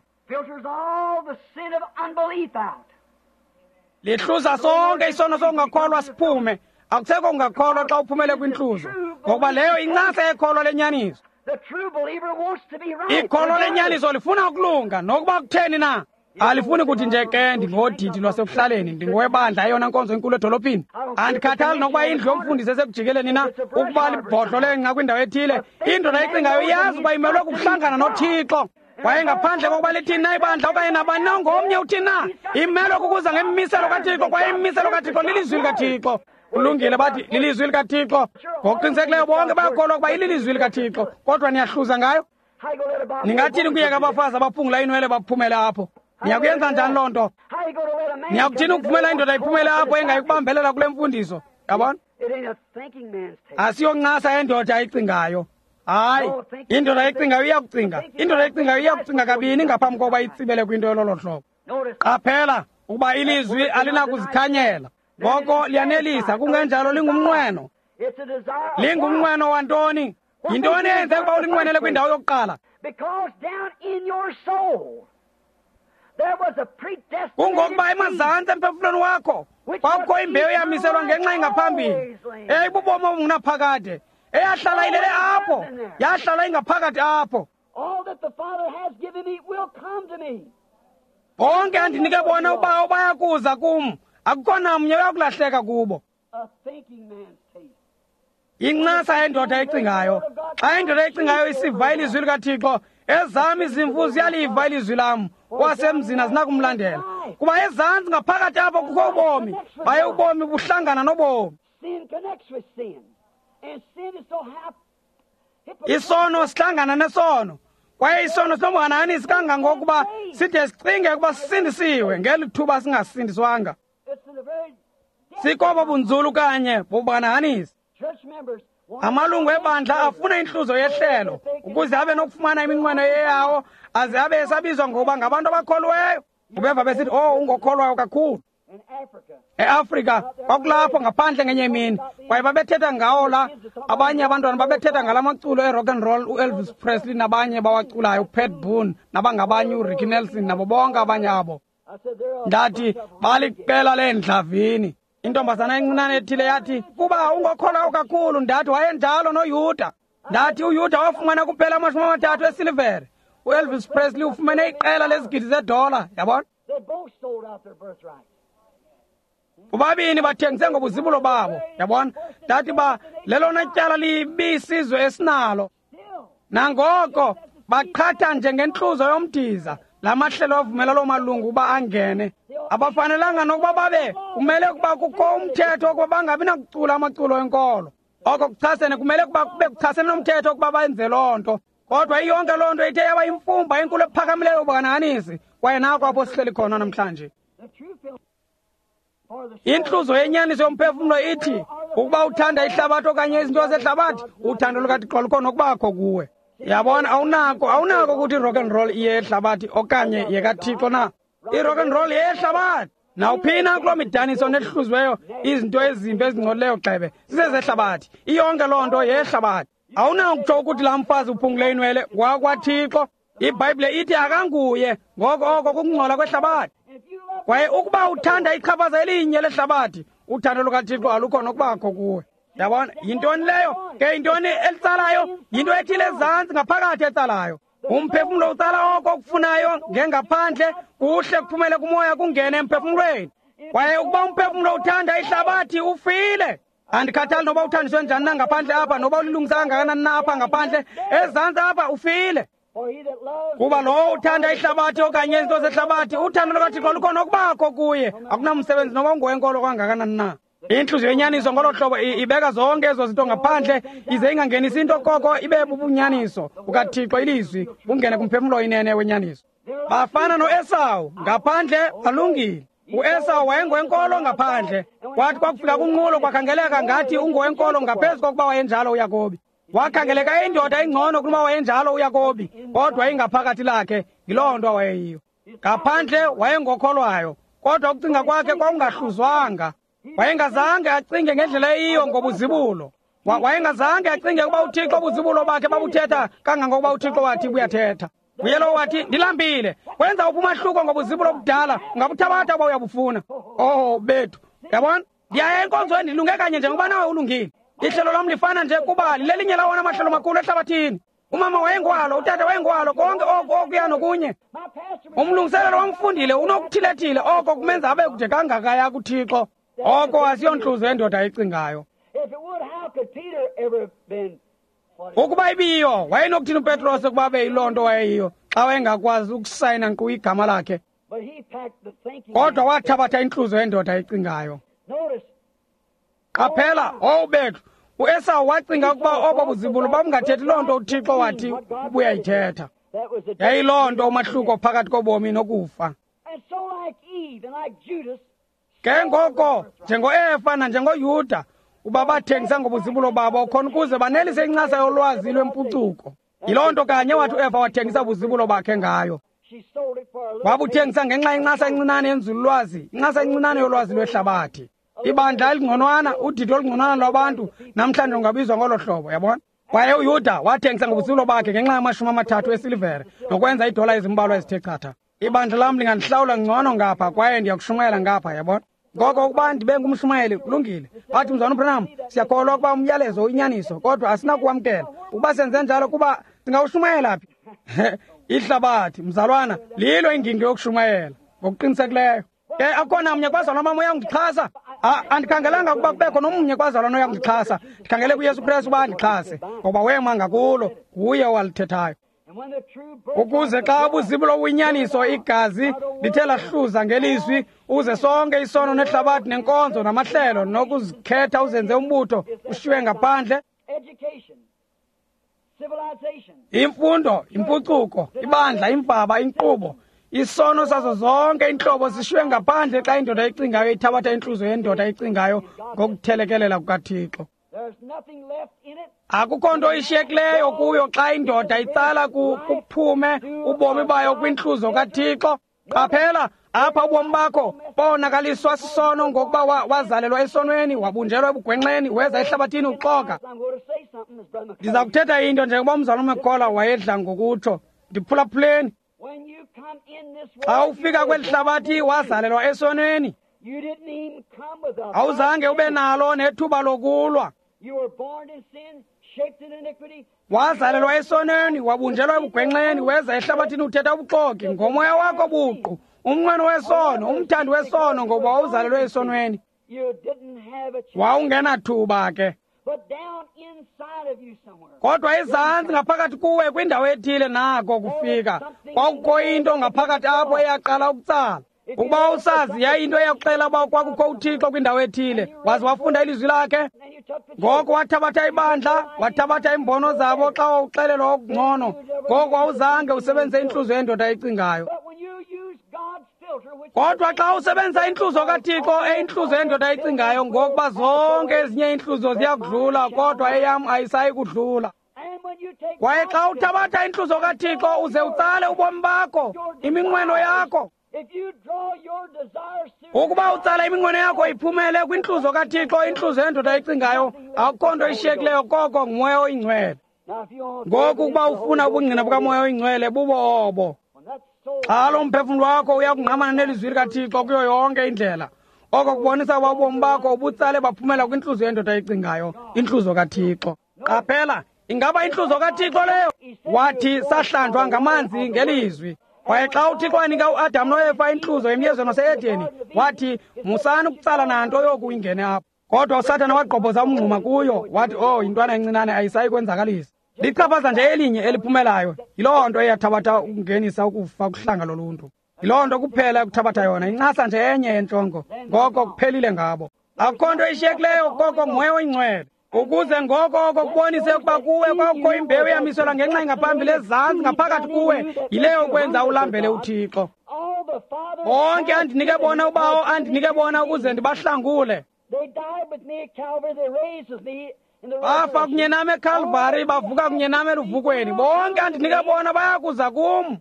Lihluza sonke isono sokungakholwa siphume. Akusekho kungakholwa xa uphumele kwintluzo, ngokuba leyo incasa yekholwa lenyaniso. Ikholwa lenyaniso lifuna ukulunga, nokuba kutheni na. Alifuni kuthi nje ke ndingodidi lwasekuhlaleni, ndingowebandla eyona nkonzo enkulu edolophini. Andikhathali nokuba indlu yomfundisi esekujikeleni na, ukuba libhodlo lengca kwindawo ethile. Indoda ecingayo iyazi uba imelwe kukuhlangana noThixo. Kwaye ngaphandle kokuba lithini na ibandla okanye nabani na ngomnye uthini na, imelwe kukuza ngemimiselo kaThixo, kwaye imimiselo kaThixo lilizwi likaThixo. Kulungile, bathi lilizwi likaThixo. Ngokuqinisekileyo bonke bayakholwa ukuba ililizwi likaThixo, kodwa niyahluza ngayo. Ningathini kuyeka abafazi abaphungula inwele baphumele apho? Niyakuyenza njani loo nto? Niyakuthini ukuvumela indoda iphumele apho engayikubambelela kule mfundiso? Yabona? Asiyoncasa yendoda ecingayo. Hayi, indoda ecingayo iyakucinga. Indoda ecingayo iyakucinga kabini ngaphambi kokuba itsibele kwinto yololo hlobo. Qaphela ukuba ilizwi alinakuzikhanyela. Ngoko liyanelisa, kungenjalo lingumnqweno. Lingumnqweno wantoni? Yintoni eyenze ukuba ulinqwenele kwindawo yokuqala? Kungokuba emazantsi emphefumlweni wakho kwakukho imbewu eyamiselwa ngenxa engaphambili, eyayibubomi obungunaphakade, eyahlala ilele apho, yahlala ingaphakathi apho. Bonke andinike bona uBawo bayakuza kum, akukho namnye uyakulahleka kubo. Incasa yendoda ecingayo. Xa indoda ecingayo isiva ilizwi likaThixo, ezam izimvu ziyaliva ilizwi lam, wasemzini azinakumlandela. Kuba ezantsi ngaphakathi apho kukho ubomi, baye ubomi buhlangana nobomi. Isono sihlangana nesono, kwaye isono sinobuhanahanisi kangangokuba side sicinge ukuba sisindisiwe ngeli thuba singasindiswanga. Sikobo bunzulu kanye bobuhanahanisi. Amalungu ebandla afuna intluzo yehlelo ukuze abe nokufumana iminqweno eyawo, aze abe esabizwa ngokuba ngabantu abakholweyo. Ubeva besithi, oh, ungokholwayo kakhulu. EAfrika kwakulapho ngaphandle ngenye imini, kwaye babethetha ngawo la abanye abantwana babethetha ngala maculo e-rock and roll, uElvis Presley nabanye bawaculayo, uPat Boone nabangabanye, uRicky Nelson nabo bonke abanye abo. Ndathi baliqela leendlavini. Intombazana encinane ethile yathi, kuba ungokholwayo kakhulu. Ndathi wayenjalo noYuda. Ndathi uYuda wafumana kuphela 30 esilivere. uElvis Presley ufumene iqela lezigidi zedola, yabona? Bobabini bathengise ngobuzibulo babo, yabona? Ndathi ba lelona tyala libi isizwe esinalo. Nangoko baqhatha njengentluzo yomdiza la mahlelo avumela loo malungu uba angene. Abafanelanga nokuba babe, kumele ukuba kukho umthetho wokuba bangabi nakucula amaculo enkolo. Oko kuchasene, kumele ukuba kube kuchasene nomthetho wokuba benze loo nto. Kodwa iyonke loo nto ithe yaba imfumba enkulu ephakamileyo yobuhanahanisi, kwaye nako apho sihleli khona namhlanje. Intluzo yenyaniso yomphefumlo ithi ukuba uthanda ihlabathi okanye izinto zehlabathi, uthando lukaThixo alukho nokubakho kuwe. Yabona, awunako ukuthi i-rock and roll iyehlabathi okanye yekaThixo na. I-rock and roll yehlabathi. Nawuphina kuloo midaniso nehluziweyo izinto ezimbi ezingcolileyo gxebe zizezehlabathi. Iyonke loo nto yehlabathi. Awunakutsho ukuthi laa mfazi uphungule inwele ngowakwaThixo. IBhayibhile ithi akanguye, ngoko oko kukungcola kwehlabathi. Kwaye ukuba uthanda ichaphaza elinye lehlabathi, uthando lukaThixo alukho nokubakho kuwe. Yabona, yintoni leyo? Ke yintoni elitsalayo? Yinto ethile ezantsi ngaphakathi etsalayo. Umphefumlo utsala oko okufunayo ngengaphandle, kuhle kuphumele kumoya kungene emphefumlweni. Kwaye ukuba umphefumlo uthanda ihlabathi, ufile. Andikhathali noba uthandiswe njani na ngaphandle apha, noba ulilungisa kangakanani na apha ngaphandle, ezantsi apha ufile. Kuba lowo uthanda ihlabathi okanye izinto zehlabathi, uthando lukaThixo alukho nokubakho kuye. Akunamsebenzi noba ungowenkolo kangakanani na. Intluzo yenyaniso ngolo hlobo ibeka zonke ezo zinto ngaphandle, ize ingangenisi into koko ibe bubunyaniso bukaThixo, ilizwi bungene kumphefumlo inene wenyaniso. Bafana noEsawu, ngaphandle balungile. UEsawu wayengowenkolo ngaphandle, kwathi kwakufika kunqulo kwakhangeleka ngathi ungowenkolo ngaphezu kokuba wayenjalo uYakobi. Wakhangeleka indoda engcono kunoba wayenjalo uYakobi, kodwa ingaphakathi lakhe yiloo nto wayeyiyo. Ngaphandle wayengokholwayo, kodwa ukucinga kwakhe kwakungahluzwanga. Wayengazange acinge ngendlela eyiyo ngobuzibulo. Wayengazange acinge ukuba uThixo ubuzibulo bakhe babuthetha kangangokuba uThixo wathi buyathetha. Nguye lowo wathi, ndilambile. Wenza uphi umahluko ngobuzibulo obudala, ungabuthabatha uba uyabufuna. Oh bethu, yabona? Ndiyaya enkonzweni ndilunge kanye njengoba nawe ulungile. Ihlelo lam lifana nje kuba lilelinye lawona mahlelo makhulu ehlabathini. Umama wayengwalo, utata wayengwalo, konke oku okuya nokunye. Umlungiselelo wamfundile unokuthilethile oko kumenza abe kude kangakaya kuThixo. Oko asiyontluzo yendoda ecingayo. Ukuba ibiyo, wayenokuthini uPetros ukuba abe yiloo nto wayeyiyo xa wayengakwazi ukusayina nkqu igama lakhe? Kodwa wathabatha intluzo yendoda ecingayo. Qaphela, owu bethu, uEsawu wacinga ukuba obo buzibulo babungathethi loo nto uThixo wathi ubuyayithetha. Yayiloo nto umahluko phakathi kobomi nokufa. Ke ngoko, njengoEfa nanjengoYuda, uba bathengisa ngobuzibulo babo khona ukuze banelise incasa yolwazi lwempucuko. Yiloo nto kanye wathi uEfa wathengisa ubuzibulo bakhe ngayo. Wabuthengisa ngenxa yencasa encinane yenzululwazi, incasa encinane yolwazi lwehlabathi. Ibandla elingconwana, udidi olungconwana lwabantu namhlanje ungabizwa ngolo hlobo, yabona? Kwaye uYuda wathengisa ngobuzibulo bakhe ngenxa yama-30 esilivere nokwenza iidola ezimbalwa ezithe chatha. Ibandla lam lingandihlawula ngcono ngapha kwaye ndiyakushumayela ngapha, yabona? Ngoko ukuba ndibe ngumshumayeli, kulungile. Bathi, Mzalwana uBranham, siyakholwa ukuba umyalezo uyinyaniso, kodwa asinakuwamkela. Ukuba senze njalo, kuba singawushumayela phi? Ihlabathi, mzalwana, lilo ingingqi yokushumayela ngokuqinisekileyo. Ke akukho namnye kubazalwana bam oyakundixhasa. Andikhangelanga ukuba kubekho nomnye kubazalwana oyakundixhasa. Ndikhangele kuYesu Kristu uba andixhase, ngoba wema ngakulo, nguye owalithethayo. Ukuze xa ubuzibulo buyinyaniso, igazi lithe lahluza ngelizwi, uze sonke isono nehlabathi nenkonzo namahlelo nokuzikhetha uzenze umbutho ushiywe ngaphandle. Imfundo, impucuko, ibandla, imfaba, inkqubo, isono sazo zonke iintlobo zishiywe ngaphandle xa indoda icingayo ithabatha intluzo yendoda icingayo ngokuthelekelela kukaThixo. Akukho nto ishiyekileyo kuyo xa indoda itsala kuphume ubomi bayo kwintluzo kaThixo. Qaphela, Apha ubomi bakho bonakaliswa sisono ngokuba wazalelwa esonweni, wabunjelwa ebugwenxeni, weza ehlabathini uxoka. Ndiza kuthetha into njengoba umzalwana uMcCullough wayedla ngokutsho. Ndiphulaphuleni. Xa ufika kweli hlabathi wazalelwa esonweni, awuzange ube nalo nethuba lokulwa. Wazalelwa esonweni, wabunjelwa ebugwenxeni, weza ehlabathini uthetha ubuxoki ngomoya wakho buqu, umnqweno wesono, umthandi wesono, ngoba wawuzalelwe esonweni. Wawungenathuba ke. Kodwa ezantsi ngaphakathi kuwe kwindawo ethile nako kufika, kwakukho into ngaphakathi apho eyaqala ukutsala. Ukuba usazi yayinto eyakuxela uba kwakukho uThixo kwindawo ethile, waze wafunda ilizwi lakhe. Ngoko wathabatha ibandla, wathabatha iimbono zabo xa wawuxelelwa okungcono. Ngoko awuzange usebenzise intluzo yendoda ecingayo. Kodwa xa usebenzisa intluzo kaThixo, eyintluzo yendoda ecingayo, ngokuba zonke ezinye iintluzo ziyakudlula, kodwa eyam ayisayi kudlula. Kwaye xa uthabatha intluzo kaThixo uze utsale ubomi bakho, iminqweno yakho, ukuba utsala iminqweno yakho iphumele kwintluzo kaThixo, intluzo yendoda ecingayo, akukho nto ishiyekileyo koko nguMoya oyiNgcwele. Ngoku ukuba ufuna ubungqina bukaMoya oyiNgcwele, bubo obo. Xa lo mphefumlo wakho uyakungqamana nelizwi likaThixo kuyo yonke indlela, oko kubonisa uba ubomi bakho ubutsale baphumela kwintluzo yendoda ecingayo, intluzo kaThixo. Qaphela, ingaba intluzo kaThixo leyo? Wathi sahlanjwa ngamanzi ngelizwi. Kwaye xa uThixo wanika uAdam noEfa intluzo emyezweni wase-Edeni, wathi musani ukutsala nanto yoku ingene apho. Kodwa uSathana wagqobhoza umngxuma kuyo, wathi, oh, yintwana encinane ayisayi kwenzakalisa. Lichaphaza nje elinye eliphumelayo. Yiloo nto eyathabatha ukungenisa ukufa kuhlanga loluntu. Yiloo nto kuphela ekuthabatha yona, incasa nje enye yentshongo. Ngoko kuphelile ngabo. Akukho nto ishiyekileyo koko nguMoya oyiNgcwele. Ukuze ngoko oko kubonise ukuba kuwe kwakukho imbewu eyamiselwa ngenxa engaphambili ezantsi ngaphakathi kuwe, yileyo kwenza ulambele uThixo. Bonke andinike bona uBawo, andinike bona ukuze ndibahlangule. Bafa kunye nam eKalvari, bavuka kunye nam eluvukweni. Bonke andinike bona bayakuza kum.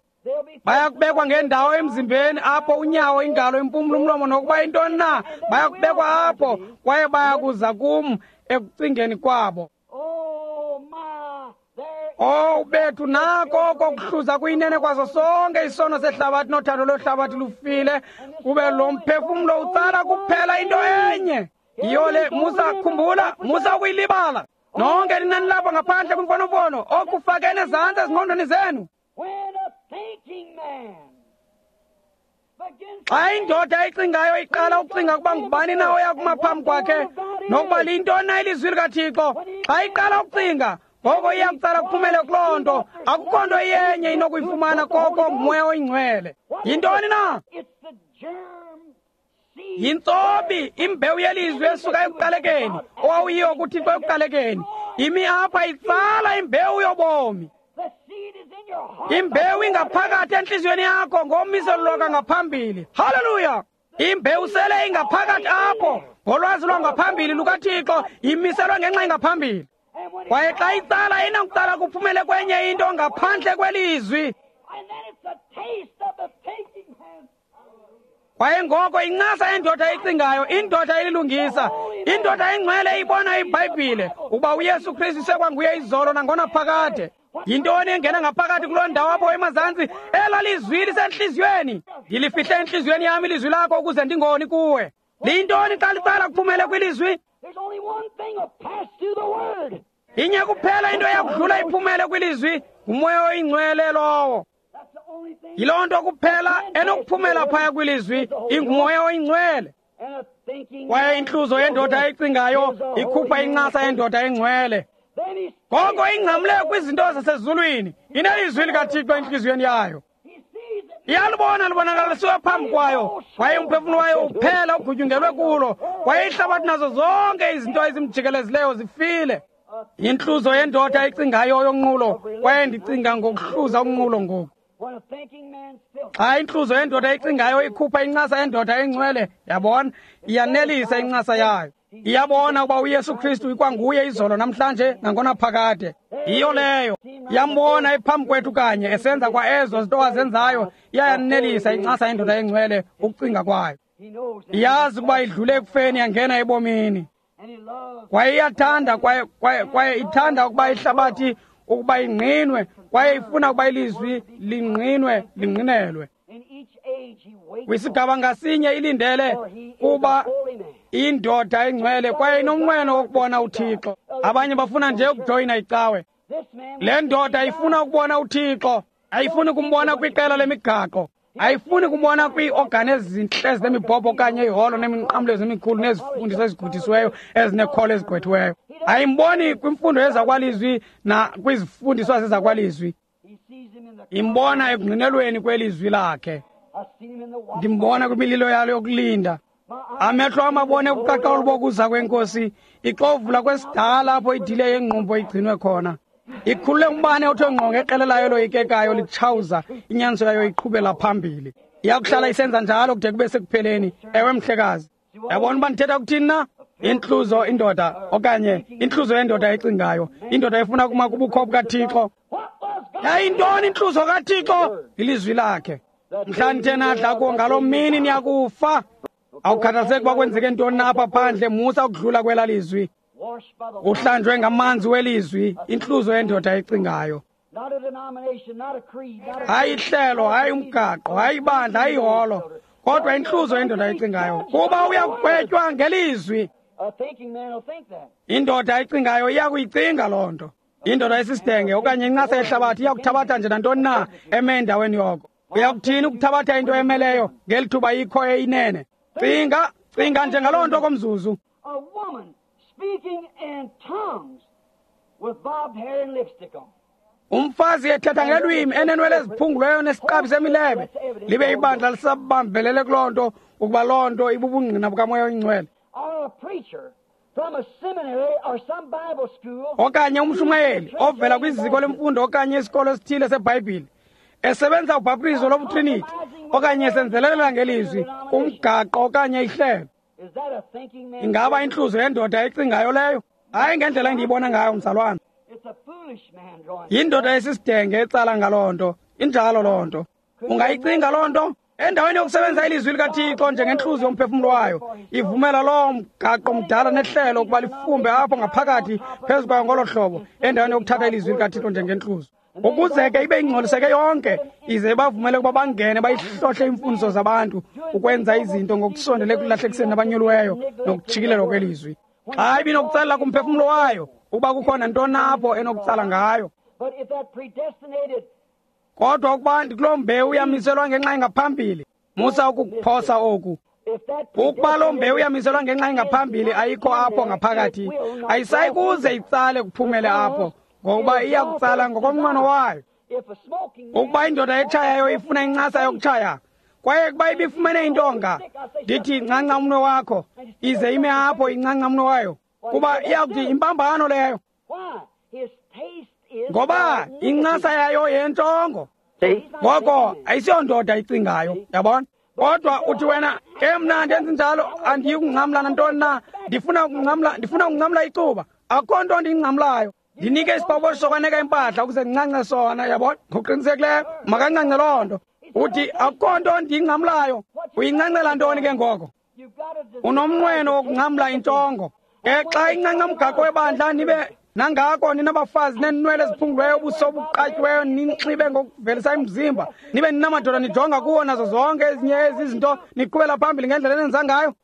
Bayakubekwa ngendawo emzimbeni apho unyawo, ingalo, impumlo, umlomo nokuba yintoni na, bayakubekwa apho kwaye bayakuza kum ekucingeni kwabo. Oh, bethu, nako oko kuhluza kuyinene kwaso sonke isono sehlabathi nothando lwehlabathi lufile, kube lo mphefumlo utsala kuphela into enye. Yiyo le, musa khumbula, musa ukuyilibala. Nonke nina nilapha ngaphandle kwimfonomfono, okufakene ezantsi ezingqondweni zenu. Xa indoda ecingayo iqala ukucinga ukuba ngubani na oya kuma phambi kwakhe nokuba liyintoni na ilizwi likaThixo, xa iqala ukucinga, ngoko iya kutsala kuphumele kuloo nto. Akukho nto iyenye inokuyifumana koko nguMoya oyiNgcwele. Yintoni na? Yintsobi, imbewu yelizwi esuka ekuqalekeni, owawuyiyo kuThixo ekuqalekeni. Imi apha itsala imbewu yobomi. Imbewu ingaphakathi entliziyweni yakho ngomiselo lwakangaphambili. Haleluya! Imbewu sele ingaphakathi apho ngolwazi lwangaphambili lukaThixo, imiselwe ngenxa engaphambili. Kwaye xa itsala inakutsala kuphumele kwenye into ngaphandle kwelizwi. Kwaye ngoko incasa yendoda ecingayo, indoda elilungisa, indoda engcwele ibona iBhayibhile ukuba uYesu Kristu sekwanguye izolo nangonaphakade. Yintoni engena ngaphakathi kuloo ndawo apho emazantsi? Ela lizwi lisentliziyweni. Ndilifihle entliziyweni yam ilizwi lakho ukuze ndingoni kuwe. Liyintoni xa litsala kuphumele kwilizwi? Inye kuphela into eyakudlula iphumele kwilizwi, nguMoya oyiNgcwele lowo. Yiloo nto kuphela enokuphumela phaya kwilizwi, inguMoya oyiNgcwele. Kwaye intluzo yendoda ecingayo ikhupha incasa yendoda engcwele. Ngoko ingcamle kwizinto zasezulwini, inelizwi likaThixo entliziyweni yayo. Iyalibona libonakalisiwe phambi kwayo, kwaye umphefumlo wayo uphela ugutyungelwe kulo, kwaye ihlabathi nazo zonke izinto ezimjikelezileyo zifile. Intluzo yendoda ecingayo yonqulo, kwaye ndicinga ngokuhluza unqulo ngoku. Xa intluzo yendoda ecingayo ikhupha incasa yendoda engcwele, yabona, iyanelisa incasa yayo. Iyabona ukuba uYesu Kristu ikwanguye izolo namhlanje nangonaphakade. Yiyo leyo. Iyambona ephambi kwethu kanye esenza kwa ezo zinto azenzayo. Iyayanelisa incasa yendoda engcwele ukucinga kwayo. Iyazi ukuba idlule ekufeni yangena ebomini. Kwaye iyathanda kwaye ithanda ukuba ihlabathi ukuba ingqinwe, kwaye ifuna ukuba ilizwi lingqinwe lingqinelwe. Kwisigaba ngasinye ilindele kuba indoda engcwele kwaye inomnqweno wokubona uThixo. Abanye bafuna nje ukujoyina icawe. Le ndoda ifuna ukubona uThixo, ayifuni kumbona kwiqela lemigaqo, ayifuni kumbona kwiiorgani ezintle ezinemibhobho okanye iholo neminqamlezo emikhulu nezifundiso ezigudisiweyo ezinekholo ezigqwethiweyo. Ayimboni kwimfundo yezakwalizwi nakwizifundiso zezakwalizwi. Imbona ekungqinelweni kwelizwi lakhe. Ndimbona kwimililo yalo yokulinda. Amehlo amabone ukuqaqawula bokuza kwenkosi, ixovula kwesidala apho idile yengqumbo igcinwe khona. Ikhulule umbane othe ngqo ngeqela layo loyikekayo litshawuza, inyaniso yayo iqhubela phambili. Iyakuhlala isenza njalo kude kube sekupheleni. Ewe mhlekazi. Yabona uba ndithetha kuthini na? Intluzo indoda okanye intluzo yendoda ecingayo, indoda efuna kuma kubukho bukaThixo. Yayintoni intluzo kaThixo? Ilizwi lakhe. Mhla nithe nadla kuwo ngaloo mini niyakufa. Awukhathaliseki uba kwenzeke ntoni na apha phandle, musa ukudlula kwela lizwi. Uhlanjwe ngamanzi welizwi, intluzo yendoda ecingayo. Hayi ihlelo, hayi umgaqo, hayi ibandla, hayi iholo, kodwa intluzo yendoda ecingayo, kuba uyakugwetywa ngelizwi. Indoda ecingayo iyakuyicinga loo nto. Indoda esisidenge okanye incasa yehlabathi iyakuthabatha nje nantoni na eme endaweni yoko. Uyakuthini ukuthabatha into emeleyo ngeli thuba ikho eyinene? Cinga, cinga nje ngaloo nto komzuzu. Umfazi ethetha ngelwimi enenwele eziphunguleyo nesiqabi semilebe, libe ibandla lisabambelele kuloo nto ukuba loo nto ibubungqina bukaMoya oyiNgcwele. Okanye umshumayeli ovela kwiziko lemfundo okanye isikolo esithile seBhayibhile esebenza ubhaptizo lobutriniti okanye esenzelelela ngelizwi kumgaqo okanye ihlelo. Ingaba intluzo yendoda ecingayo leyo? Hayi ngendlela endiyibona ngayo, mzalwana. Yindoda esisidenge etsala ngaloo nto. Injalo loo nto. Ungayicinga loo nto? Endaweni yokusebenzisa ilizwi likaThixo njengentluzo yomphefumlo wayo, ivumela loo mgaqo mdala nehlelo ukuba lifumbe apho ngaphakathi phezu kwayo ngolo hlobo, endaweni yokuthatha ilizwi likaThixo njengentluzo, ukuze ke ibe ingcoliseke yonke, ize bavumele ukuba bangene bayihlohle iimfundiso zabantu ukwenza izinto ngokusondele ekulahlekiseni abanyuliweyo nokutshikilelwa kwelizwi. Xa ibinokutsalela kumphefumlo wayo ukuba kukho nantoni apho enokutsala ngayo. Kodwa ukuba ndikuloo mbewu yamiselwa ngenxa engaphambili, musa ukukuphosa oku. Ukuba loo mbewu yamiselwa ngenxa engaphambili ayikho apho ngaphakathi, ayisayi kuze itsale kuphumele apho, ngokuba iyakutsala ngokomnqweno wayo. Ukuba indoda etshayayo ifuna incasa yokutshaya, kwaye kuba ibifumene intonga, ndithi ncanca umnwe wakho, ize ime apho incanca umnwe wayo, kuba iyakuthi impambano leyo. Ngoba incasa yayo yentshongo. Ngoko ayisiyondoda icingayo, yabona? Kodwa uthi wena, ke mna ndenze njalo, andiyi kungcamla nantoni na, ndifuna ukungcamla icuba, akukho nto ndiyingcamlayo. Ndinike isibabosho sokwaneka impahla ukuze ndincance sona, yabona? Ngokuqinisekileyo makancance loo nto. Uthi akukho nto ndiyingcamlayo. Uyincancela ntoni ke ngoko? Unomnqweno wokungcamla intshongo. Ke xa incanca umgaqo webandla nibe nangako ninabafazi nenwele eziphunguliweyo, ubuso obuqatyiweyo, ninxibe ngokuvelisa imizimba, nibe ninamadoda nijonga kuwo nazo zonke ezinye ezi zinto, niqhubela phambili ngendlela enenza ngayo.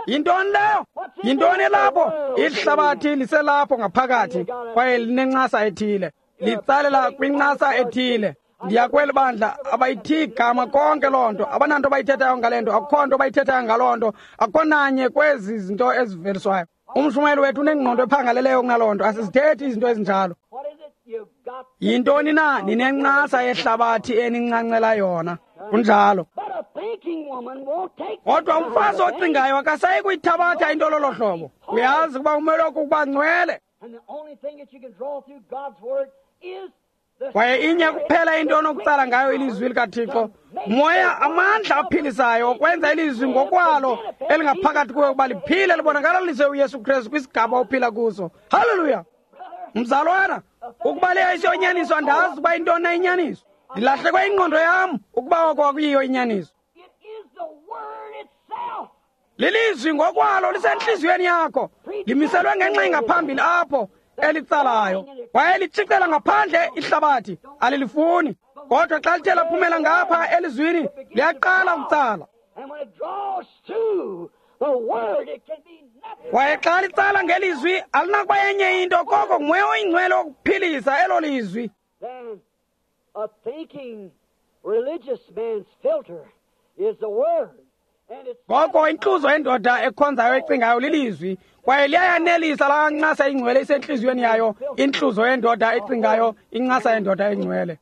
Yintoni leyo? Yintoni elapho? Ihlabathi liselapho ngaphakathi kwaye linencasa ethile, litsalela kwincasa ethile. Ndiya kweli bandla abayithi igama konke loo nto, abananto bayithethayo ngale nto, akukho nto bayithethayo ngaloo nto, akukho nanye kwezi zinto eziveliswayo. Umshumayeli wethu unengqondo ephangaleleyo kunaloo nto, asizithethi izinto ezinjalo. Yintoni na ninencasa yehlabathi enincancela yona? Kunjalo. Kodwa umfazi ocingayo akasayi kuyithabatha into lolo hlobo. Uyazi ukuba umelwe kukuba ngcwele. Kwaye inye kuphela into onokutsala ngayo ilizwi likaThixo, moya amandla aphilisayo okwenza ilizwi ngokwalo elingaphakathi kuwe ukuba liphile libonakalaliswe uYesu Kristu kwisigaba ophila kuso. Haleluya! Mzalwana, ukuba leyo isiyonyaniso, andazi ukuba intoni na inyaniso. Ndilahlekwe ingqondo yam ukuba oko akuyiyo inyaniso. Lilizwi ngokwalo lisentliziyweni yakho, limiselwe ngenxa engaphambili apho elitsalayo. Kwaye litshicela ngaphandle ihlabathi, alilifuni. Kodwa xa lithe laphumela ngapha elizwini, liyaqala ukutsala. Kwaye xa litsala ngelizwi, alinakuba yenye into koko nguMoya oyiNgcwele wokuphilisa elo lizwi. Ngoko intluzo yendoda ekhonzayo ecingayo lilizwi, kwaye liyayanelisa laa ncasa ingcwele isentliziyweni yayo. Intluzo yendoda ecingayo, incasa yendoda engcwele.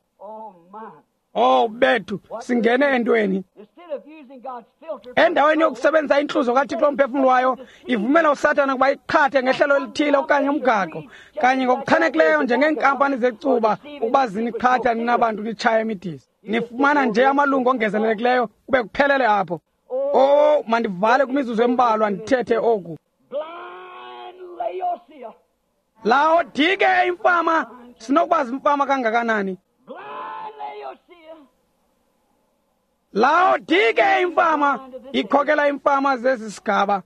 Oh bethu, singene entweni. Endaweni yokusebenzisa intluzo kaThixo umphefumlo wayo, ivumela uSathana ukuba iqhathe ngehlelo elithile okanye umgaqo, kanye ngokuchanekileyo njengeenkampani zecuba ukuba ziniqhatha nina bantu nitshaya imidisi. Nifumana nje amalungu ongezelelekileyo kube kuphelele apho. Oh, mandivale kwimizuzu embalwa ndithethe oku. Laodike imfama, sinokuba zimfama kangakanani? Laodike imfama ikhokela imfama zesi sigaba.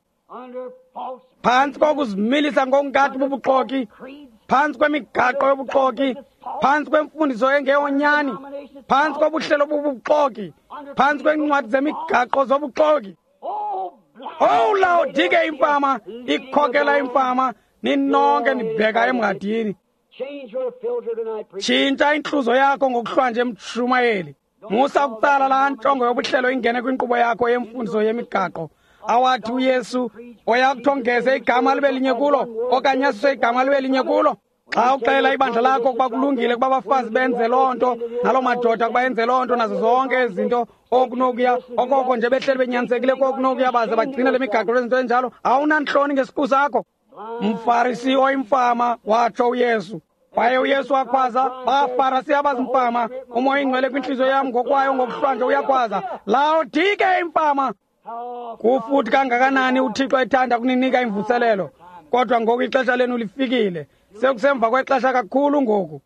Phantsi kokuzimilisa ngokungathi bubuxoki, phantsi kwemigaqo yobuxoki, phantsi kwemfundiso engeyonyani, phantsi kobuhlelo bobuxoki, phantsi kweencwadi zemigaqo zobuxoki. Owu Laodike imfama ikhokela imfama, ninonke nibheka emngadini. Tshintsha intluzo yakho ngokuhlwanje, mshumayeli. Musa ukutsala laa ntongo yobuhlelo ingene kwinkqubo yakho yemfundiso yemigaqo awathi uYesu oyakuthi ongeze igama libe linye kulo okanye asuse igama libe linye kulo. Xa uxelela ibandla lakho ukuba kulungile ukuba abafazi benze loo nto, naloo madoda ukuba enze loo nto, nazo zonke ezi zinto okunokuya okoko nje behleli benyanisekile kokunokuya baze bagcine le migaqo lezinto enjalo, awunantloni ngesiqu sakho. Mfarisi oyimfama, watsho uYesu. Kwaye uYesu wakhwaza, baFarisi abazimfama, uMoya ingcwele kwintliziyo yam ngokwayo ngokuhlwanje uyakhwaza, Laodike imfama. Kufuthi kangakanani uThixo ethanda kuninika imvuselelo, kodwa ngoku ixesha lenu lifikile. Sekusemva kwexesha kakhulu ngoku.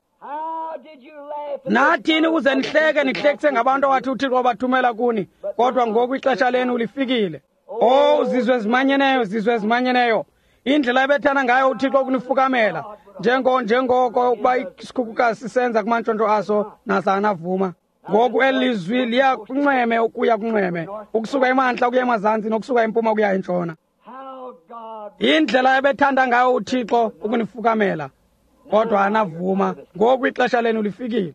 Nathini ukuze nihleke, nihlekise ngabantu awathi uThixo wabathumela kuni, kodwa ngoku ixesha lenu lifikile. Oh, zizwe ezimanyeneyo, zizwe ezimanyeneyo, indlela ebethana ngayo uThixo ukunifukamela, njengoko ukuba isikhukukazi sisenza kumantshontsho aso, nasanavuma. Ngoku eli lizwi liya kunxweme ukuya kunxweme, ukusuka emantla ukuya emazantsi nokusuka empuma ukuya entshona. Indlela ebethanda ngayo uThixo ukunifukamela, kodwa anavuma. Ngoku ixesha lenu lifikile.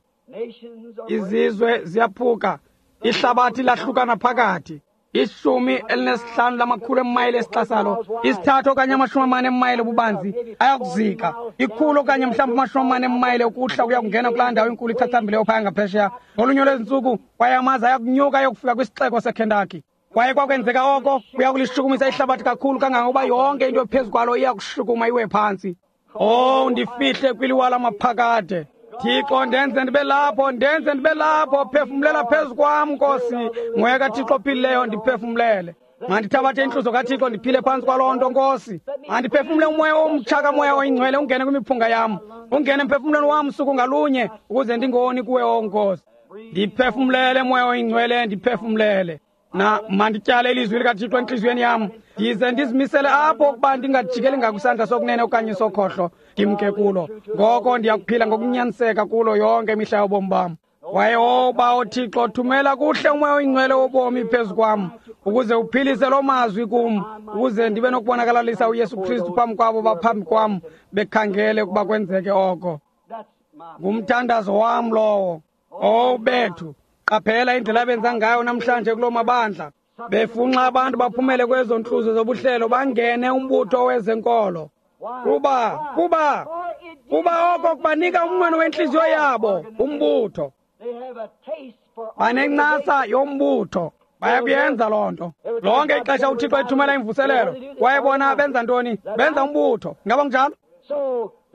Izizwe ziyaphuka, ihlabathi lahlukana phakathi. 15 lamakhulu emayile esixasalo, 3 okanye 40 emayile ububanzi, ayakuzika. 100 okanye mhlawumbi 40 emayile ukuhla kuya kungena kulaa ndawo inkulu ichachambileyo phaya ngaphesheya. Ngolunye lwezintsuku kwaye amaza ayakunyuka ayokufika kwisixeko seKentucky. Kwaye kwakwenzeka oko kuya kulishukumisa ihlabathi kakhulu kangangokuba yonke into ephezu kwalo iya kushukuma iwe phantsi. Oh, ndifihle kwiliwa lamaphakade. Thixo, ndenze ndibe lapho, ndenze ndibe lapho, phefumlela phezu kwam, Nkosi. Moya kaThixo ophilileyo, ndiphefumlele. Mandithabathe intluzo kaThixo ndiphile phantsi kwaloo nto, Nkosi. Mandiphefumle umoya omtsha kaMoya oyiNgcwele ungene kwimiphunga yam, ungene emphefumlweni wam suku ngalunye, ukuze ndingoni kuwe, o Nkosi. Ndiphefumlele, Moya oyiNgcwele, ndiphefumlele. Na mandityale ilizwi likaThixo entliziyweni yam, ndize ndizimisele apho ukuba ndingajikeli ngakusandla sokunene okanye sokhohlo, ndimke kulo. Ngoko ndiyakuphila ngokunyaniseka kulo yonke imihla yobomi bam. Kwaye oba Thixo, thumela kuhle uMoya oyiNgcwele wobomi phezu kwam, ukuze uphilise loo mazwi kum, ukuze ndibe nokubonakalalisa uYesu Kristu phambi kwabo baphambi kwam bekhangele ukuba kwenzeke oko. Ngumthandazo wam lowo. Oh bethu, qaphela indlela abenza ngayo namhlanje kuloo mabandla, befunxa abantu baphumele kwezo ntluzo zobuhlelo bangene umbutho wezenkolo. Kuba oko kubanika umnqweno wentliziyo yabo, umbutho. Banencasa yombutho, bayakuyenza loo nto. Lonke ixesha uThixo ethumela imvuselelo, kwaye bona benza ntoni? Benza umbutho. Ngaba kunjalo?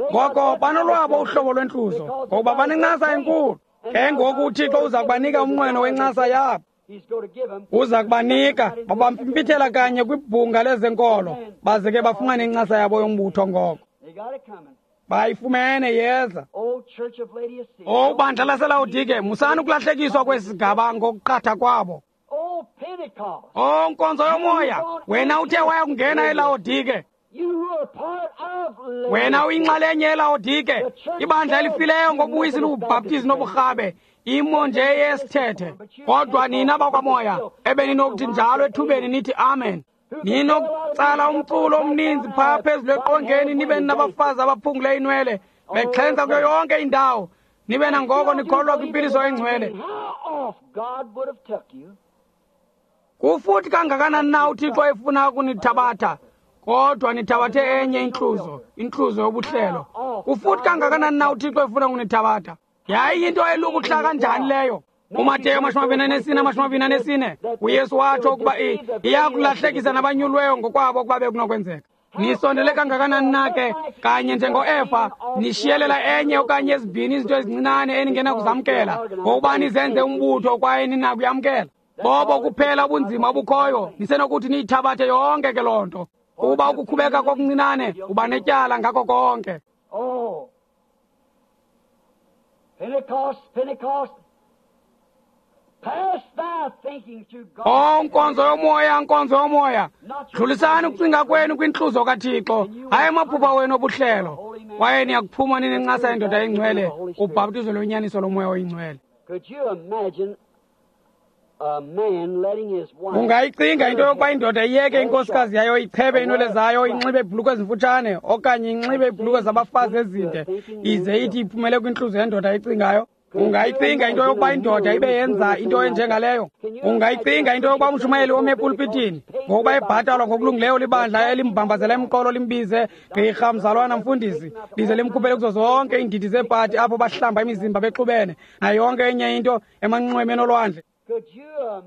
Ngoko banolwabo uhlobo lwentluzo, ngokuba banencasa enkulu. Ke ngoku uThixo uza kubanika umnqweno wencasa yabo. Uza kubanika, babampimpithela kanye kwibhunga lezenkolo, baze ke bafumane incasa yabo yombutho ngoko. Bayifumene yeza. O bandla laseLawodike, musani ukulahlekiswa kwesi sigaba ngokuqatha kwabo. O nkonzo yomoya, wena uthe waya kungena eLawodike. Wena uyinxalenye yeLawodike, ibandla elifileyo ngobuyisi lubhaptizi noburhabe, imo nje yesithethe. Kodwa nina bakwamoya, ebeninokuthi njalo ethubeni nithi amen. Ninokutsala umculo omninzi phaa phezulu eqongeni, nibe nabafazi abaphungule inwele, bexhentsa kuyo yonke indawo, nibe nangoko nikholwa kwimpiliso engcwele. Kufuthi kangakanani na uThixo efuna ukunithabatha, kodwa nithabathe enye intluzo, intluzo yobuhlelo. Kufuthi kangakanani na uThixo efuna ukunithabatha? Yayiyinto elukuhla kanjani leyo? UMateyu 24, 24, uYesu watsho ukuba iya kulahlekisa nabanyulweyo ngokwabo ukuba bekunokwenzeka. Nisondele kangakanani na ke, kanye njengoEfa, nishiyelela enye okanye ezibini izinto ezincinane eningenakuzamkela, ngokuba nizenze umbutho kwaye ninakuyamkela. Bobo kuphela ubunzima obukhoyo, nisenokuthi niyithabathe yonke ke loo nto. Kuba ukukhubeka kokuncinane uba netyala ngako konke. Oh, Pentecost, Pentecost, pass thy thinking to God. O nkonzo yomoya, nkonzo yomoya, dlulisani ukucinga kwenu kwintluzo kaThixo, hayi amaphupha wenu obuhlelo. Kwaye niyakuphuma ninencasa yendoda engcwele, ubhaptizo lwenyaniso lomoya oyingcwele. Could you imagine a man letting his wife Ungayicinga into yokuba indoda iyeke inkosikazi yayo ichebe iinwele zayo, inxibe iibhulukhwe ezimfutshane okanye inxibe iibhulukhwe zabafazi ezinde, ize ithi iphumele kwintluzo yendoda ecingayo? Ungayicinga into yokuba indoda ibe yenza into enjengaleyo? Ungayicinga into yokuba umshumayeli ome epulpitini ngokuba ebhatalwa ngokulungileyo libandla elimbambazela emqolo limbize gqirha, mzalwana, mfundisi, lize limkhuphele kuzo zonke iindidi zeepati apho bahlamba imizimba bexubene nayo yonke enye into emanxwemeni olwandle? Could you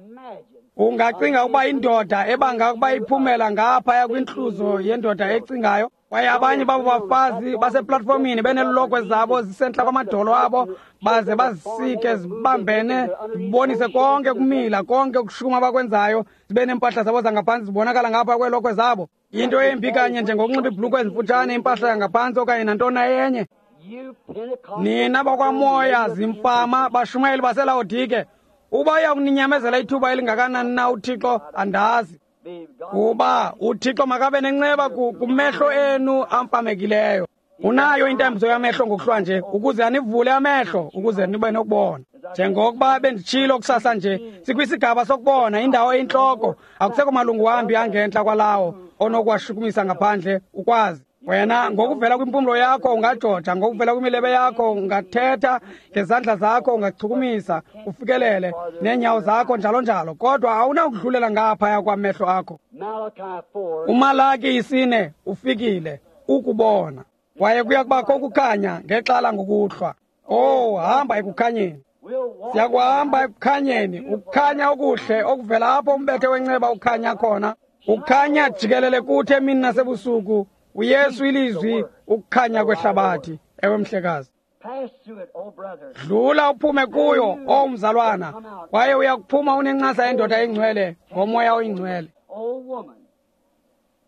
imagine Ungacinga ukuba indoda ebanga ukuba iphumela ngaphaya kwintluzo yendoda ecingayo, kwaye abanye babo bafazi baseplatfomini beneelokhwe zabo zisentla kwamadolo abo, baze bazisike zibambene, zibonise konke ukumila, konke ukushuma abakwenzayo, zibe neempahla zabo zangaphantsi zibonakala ngapha kweelokhwe zabo. Yinto embi kanye njengokunxiba iibhulukhwe ezimfutshane, impahla yangaphantsi okanye nantoni na enye. you Pentecost Nina bakwamoya zimfama, bashumayeli baseLawodike, uba uya kuninyamezela ithuba elingakanani na uThixo andazi. be God Kuba uThixo makabe nenceba kumehlo enu amfamekileyo. Unayo intambiso yamehlo ngokuhlwa nje ukuze anivule amehlo ukuze nibe nokubona. Njengokuba benditshilo kusasa nje, sikwisigaba sokubona indawo eyintloko, akusekho malungu wambi angentla kwalawo onokuwashukumisa ngaphandle ukwazi. Wena ngokuvela kwimpumlo yakho ungajoja, ngokuvela kwimilebe yakho ungathetha, ngezandla zakho ungachukumisa, ufikelele neenyawo zakho njalo njalo, kodwa awunakudlulela ngaphaya kwamehlo akho. Malachi 4 UMalaki 4 ufikile ukubona, kwaye kuya kubakho ukukhanya ngexala ngokuhlwa. Oh, hamba ekukhanyeni. we'll walk Siyakuhamba ekukhanyeni, ukukhanya okuhle okuvela apho umbethe wenceba ukhanya khona. Ukhanya jikelele kuthi emini nasebusuku. uYesu ilizwi, ukukhanya kwehlabathi. Ewe mhlekazi. pass through it, oh brother. Dlula uphume kuyo, o mzalwana, kwaye uyakuphuma unencasa yendoda engcwele ngomoya oyingcwele. Oh woman.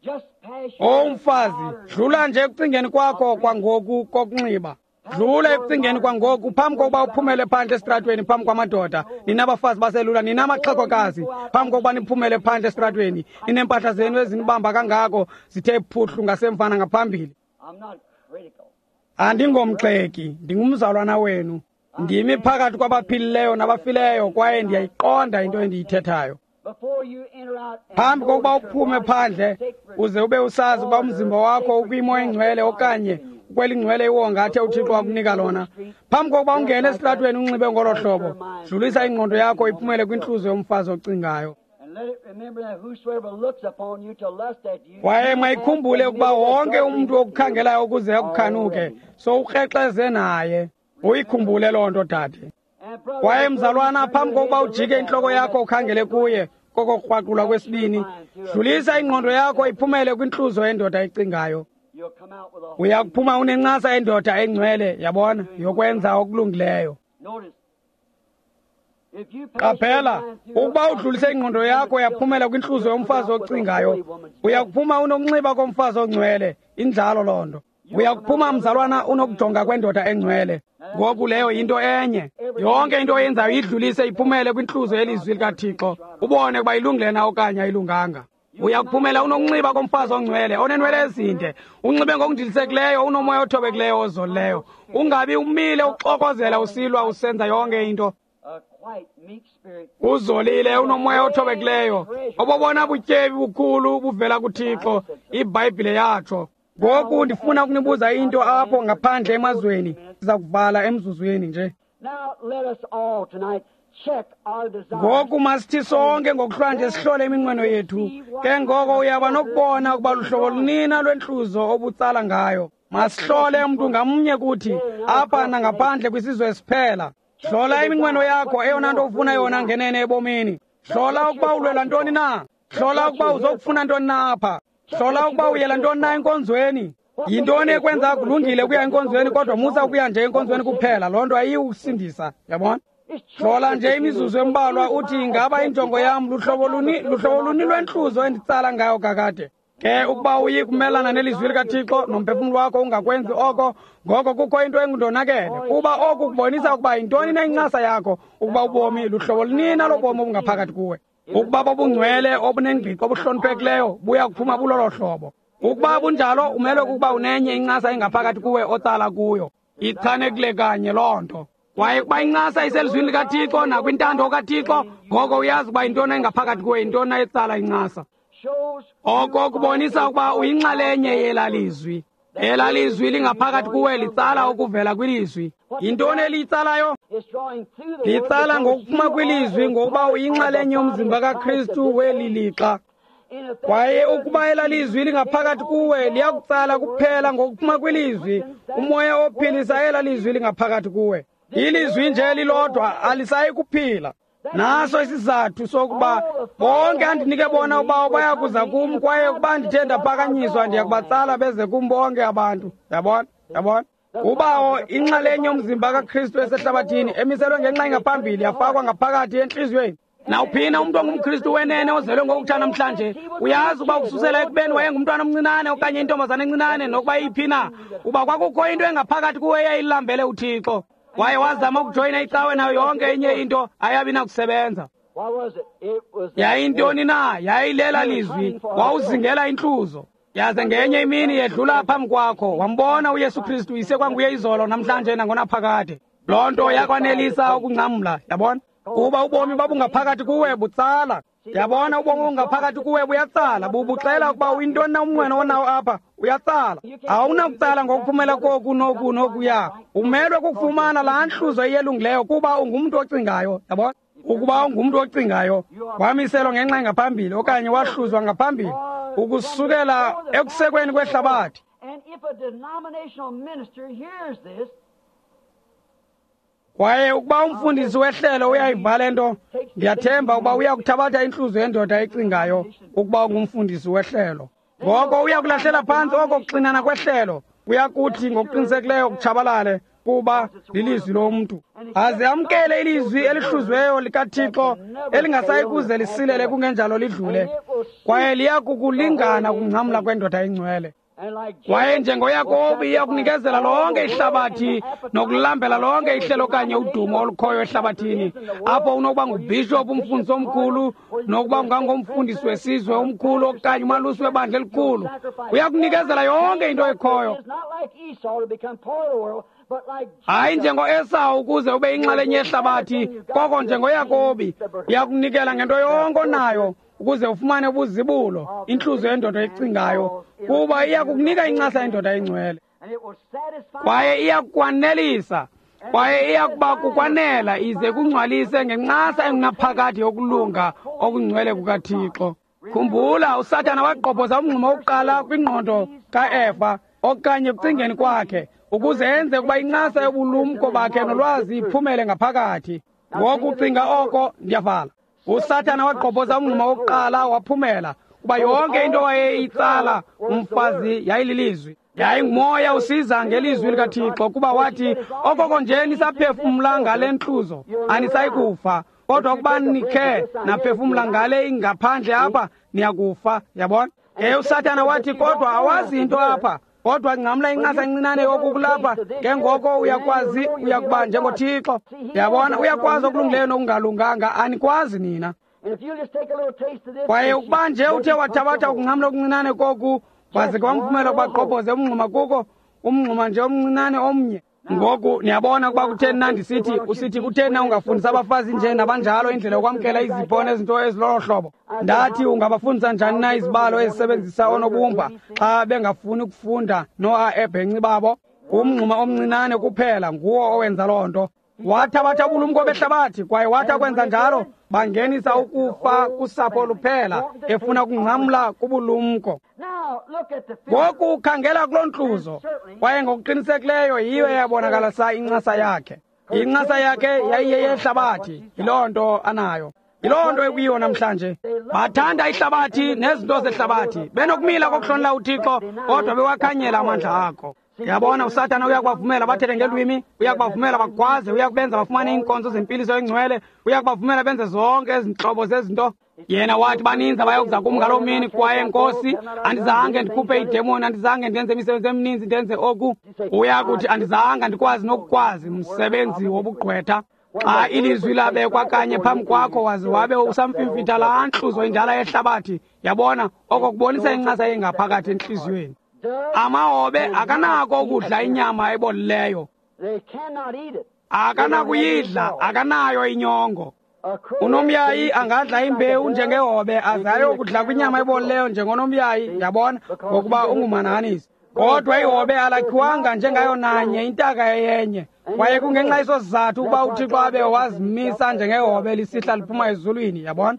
Just pass your O mfazi, dlula nje ekucingeni kwakho kwangoku kokunxiba. Dlula ekucingeni kwangoku phambi kokuba uphumele phandle esitratweni phambi kwamadoda. Nina bafazi baselula, nina maxhegokazi, phambi kokuba niphumele phandle esitratweni, nineempahla zenu ezinibamba kangako zithe phuhlu ngasemva nangaphambili. I'm not critical. Andingomgxeki, ndingumzalwana wenu. Ndimi phakathi kwabaphilileyo nabafileyo kwaye ndiyayiqonda into endiyithethayo. Before you enter out and Phambi know kokuba that your uphume body phandle is sacred, uze ube usazi ukuba umzimba wakho ukwimo engcwele okanye ukwelingcwele iwonga athe uThixo wakunika lona. Phambi kokuba ungene esitratweni unxibe ngolo hlobo, dlulisa ingqondo yakho iphumele kwintluzo yomfazi ocingayo. And let it remember that whosoever looks upon you to lust at you. Kwaye mayikhumbule ukuba wonke umntu okukhangelayo ukuze akukhanuke, sowukrexeze naye. Uyikhumbule loo nto, dade. And brother, Kwaye before mzalwana, you turn phambi your kokuba head to ujike look at intloko her, yakho ukhangele kuye kokokukrwaqulwa kwesibini, dlulisa ingqondo yakho iphumele kwintluzo yendoda ecingayo. Uya kuphuma unencasa endoda engcwele, yabona, yokwenza okulungileyo. Qaphela, ukuba udlulise ingqondo yakho yaphumela kwintluzo yomfazi ocingayo, uya kuphuma unokunxiba komfazi ongcwele. Injalo loo nto. Uya kuphuma, mzalwana, unokujonga kwendoda engcwele. Ngoku leyo yinto enye. Yonke into oyenzayo idlulise iphumele kwintluzo yelizwi likaThixo, ubone ukuba ilungile na okanye ayilunganga. Uya kuphumela unokunxiba komfazi ongcwele, onenwele ezinde, unxibe ngokundilisekileyo, unomoya othobekileyo ozolileyo. Ungabi umile uxokozela usilwa usenza yonke into. Uzolile, unomoya othobekileyo. Obobona butyebi bukhulu buvela kuThixo, iBhayibhile yatsho. Ngoku ndifuna ukunibuza into apho ngaphandle emazweni. Siza kuvala emzuzwini nje. Ngoku masithi sonke ngokuhlwanje sihlole iminqweno yethu. Ke ngoko uyaba nokubona ukuba luhlobo lunina lwentluzo obutsala ngayo. Masihlole umntu ngamnye kuthi apha nangaphandle kwisizwe esiphela. Hlola iminqweno yakho, eyona nto ufuna yona ngenene ebomini. Hlola ukuba ulwela ntoni na. Hlola ukuba uzokufuna ntoni na apha. Hlola ukuba uyela ntoni na enkonzweni. Yintoni ekwenza kulungile ukuya enkonzweni, kodwa musa ukuya nje enkonzweni kuphela. Loo nto ayiyikusindisa, yabona? Hlola nje imizuzu embalwa uthi, ingaba injongo yam luhlobo luni lwentluzo enditsala ngayo kakade? Ke ukuba uyi kumelana nelizwi likaThixo nomphefumlo wakho ungakwenzi oko, ngoko kukho into engundonakele. Kuba oku kubonisa ukuba yintoni na incasa yakho, ukuba ubomi luhlobo lunina lobomi obungaphakathi kuwe. Ukuba bobungcwele obunengqiqo obuhloniphekileyo buya kuphuma bulolo hlobo. Ukuba bunjalo, umelwe kukuba unenye incasa engaphakathi kuwe otsala kuyo. Ichanekile kanye loo nto. Kwaye ukuba incasa iselizwini likaThixo nakwintando kaThixo, ngoko uyazi ukuba yintoni engaphakathi kuwe, yintoni etsala incasa. Oko kubonisa ukuba uyinxalenye yelalizwi. Elalizwi lingaphakathi kuwe litsala okuvela kwilizwi. Yintoni eliyitsalayo? Litsala ngokuphuma kwilizwi, ngokuba uyinxalenye yomzimba kaKristu weli lixa. Kwaye ukuba elalizwi lingaphakathi kuwe, liyakutsala kuphela ngokuphuma kwilizwi. Umoya ophilisa elalizwi lingaphakathi kuwe. Ilizwi nje lilodwa alisayi kuphila. Naso isizathu sokuba bonke andinike bona uba baya kuza kum, kwaye ukuba ndithe ndaphakanyiswa ndiya kubatsala beze kum bonke abantu. Yabona? Yabona? Ubawo inxalenye yomzimba kaKristu esehlabathini emiselwe ngenxa engaphambili yafakwa ngaphakathi entliziyweni. Nawuphina umntu ongumKristu wenene ozelwe ngokutsha namhlanje, uyazi uba ukususela ekubeni wayengumntwana omncinane okanye intombazana encinane, nokuba iyiphi na, uba kwakukho into engaphakathi kuwe eyayilambele uThixo. Kwaye wazama ukujoyina icawe nayo yonke enye into, ayabi nakusebenza. Yayintoni na? Yayilela lizwi. Wawuzingela intluzo. Yaze ngenye imini yedlula phambi kwakho, wambona uYesu Kristu isekwanguye izolo namhlanje nangonaphakade. Loo nto yakwanelisa ukungcamla, yabona? Kuba ubomi babungaphakathi kuwe butsala. Yabona, ubomi obungaphakathi kuwe buyatsala, bubuxela ukuba uyintoni na umnqweno onawo apha, uyatsala. Awunakutsala ngokuphumela koku noku nokuya. Umelwe kukufumana laa ntluzo iyelungileyo kuba ungumntu ocingayo, yabona? Ukuba ungumntu ocingayo, wamiselwa ngenxa engaphambili okanye wahluzwa ngaphambili ukusukela ekusekweni kwehlabathi. Kwaye ukuba umfundisi wehlelo uyayiva le nto, ndiyathemba ukuba uya kuthabatha intluzo yendoda ecingayo ukuba ungumfundisi wehlelo. Ngoko uya kulahlela phantsi oko kuxinana kwehlelo, uya kuthi ngokuqinisekileyo kutshabalale, kuba lilizwi lomntu. Aze amkele ilizwi elihluziweyo likaThixo elingasayi kuze lisilele kungenjalo lidlule, kwaye liya kukulingana ukungcamla kwendoda engcwele. Kwaye njengoYakobi iya kunikezela lonke ihlabathi nokulambela lonke ihlelo okanye udumo olukhoyo ehlabathini, apho unokuba ngubhishophu, umfundisi omkhulu, nokuba ungangomfundisi wesizwe omkhulu okanye umalusi webandla elikhulu. Uya kunikezela yonke into ekhoyo. Hayi njengoEsawu ukuze ube yinxalenye yehlabathi, koko njengoYakobi uya kunikela ngento yonke onayo ukuze ufumane ubuzibulo, intluzo yendoda ecingayo, kuba iya kukunika incasa yendoda engcwele. Kwaye iya kukwanelisa, kwaye iya kuba kukwanela ize kungcwalise ngencasa engunaphakade yokulunga okungcwele kukaThixo. Khumbula, uSathana wagqobhoza umngxuma wokuqala kwingqondo kaEva okanye ekucingeni kwakhe, ukuze enze ukuba incasa yobulumko bakhe nolwazi iphumele ngaphakathi. Ngoku cinga oko, ndiyavala. USathana wagqobhoza umngxuma wokuqala waphumela, kuba yonke into wayeyitsala umfazi yayililizwi. Yayingumoya usiza ngelizwi likaThixo, kuba wathi, okoko nje nisaphefumla ngale ntluzo anisayikufa, kodwa ukuba nikhe naphefumla ngale ingaphandle apha niyakufa. Yabona? Ke uSathana wathi, kodwa awazi into apha, kodwa ngcamla incasa encinane yoku kulapha, ke ngoko uyakwazi, uyakuba njengoThixo. Yabona, uyakwazi okulungileyo nokungalunganga, anikwazi nina. Kwaye ukuba nje uthe wathabatha ukungcamla okuncinane koku, waze ke wamvumela ukuba gqobhoze umngxuma kuko, umngxuma nje omncinane omnye. Ngoku niyabona ukuba kutheni na ndisithi, usithi kutheni na ungafundisa abafazi nje nabanjalo indlela yokwamkela izipho nezinto ezilolo hlobo. Ndathi, ungabafundisa njani na izibalo ezisebenzisa oonobumba xa bengafuni ukufunda noa ebhenci babo? Umngxuma omncinane kuphela nguwo owenza loo nto. Wathabatha ubulumko behlabathi, kwaye wathi akwenza njalo bangenisa ukufa kusapho luphela, efuna ukungcamla kubulumko. Ngoku khangela kuloo ntluzo, kwaye ngokuqinisekileyo yiyo eyabonakalisa incasa yakhe. Incasa yakhe yayiyeyehlabathi, yiloo nto anayo. Yiloo nto ekuyiyo namhlanje. Bathanda ihlabathi nezinto zehlabathi, benokumila kokuhlonela uThixo, kodwa bewakhanyela amandla akho. Yabona, uSathana uyakubavumela bathethe ngelwimi, uyakubavumela bagwaze, uyakubenza bafumane iinkonzo zempiliso engcwele, uyakubavumela benze zonke ezi ntlobo zezinto. Yena wathi, baninzi abayokuza kum ngaloo mini, kwaye Nkosi, andizange ndikhuphe iidemoni, andizange ndenze imisebenzi emininzi, ndenze oku. Uyakuthi, andizange ndikwazi nokukwazi, msebenzi wobugqwetha. Xa ilizwi labekwa kanye phambi kwakho, waze wabe usamfimfitha laa ntluzo indala yehlabathi. Yabona, oko kubonisa incasa engaphakathi entliziyweni. Amahobe akanako ukudla inyama ebolileyo, akanakuyidla, akanayo inyongo. Unomyayi angadla imbewu njengehobe, aze ayokudla kwinyama ebolileyo njengonomyayi, yabona, ngokuba ungumhanahanisi. Kodwa ihobe alakhiwanga njengayo nanye intaka eyenye, kwaye kungenxa yeso sizathu ukuba uThixo abe wazimisa njengehobe lisihla liphuma ezulwini, yabona.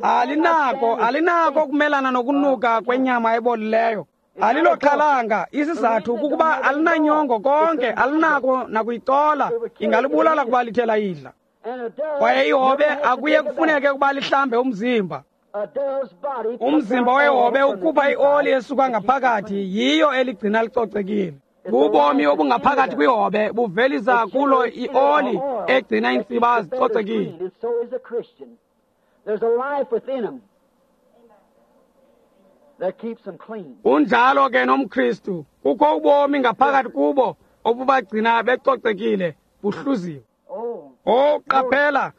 Alinako ukumelana nokunuka kwenyama ebolileyo. Aliloxhalanga, isizathu kukuba alinanyongo konke, alinako nakuyicola, ingalibulala kuba lithe layidla. Kwaye ihobe akuye kufuneke ukuba lihlambe umzimba. Umzimba wehobe ukhupha ioli esuka ngaphakathi, yiyo eligcina licocekile. Bubomi obungaphakathi kwihobe buvelisa kulo ioli egcina iintsiba zicocekile. Unjalo ke nomKristu, kukho ubomi ngaphakathi kubo obubagcina becocekile, buhluziwe. Oh, qaphela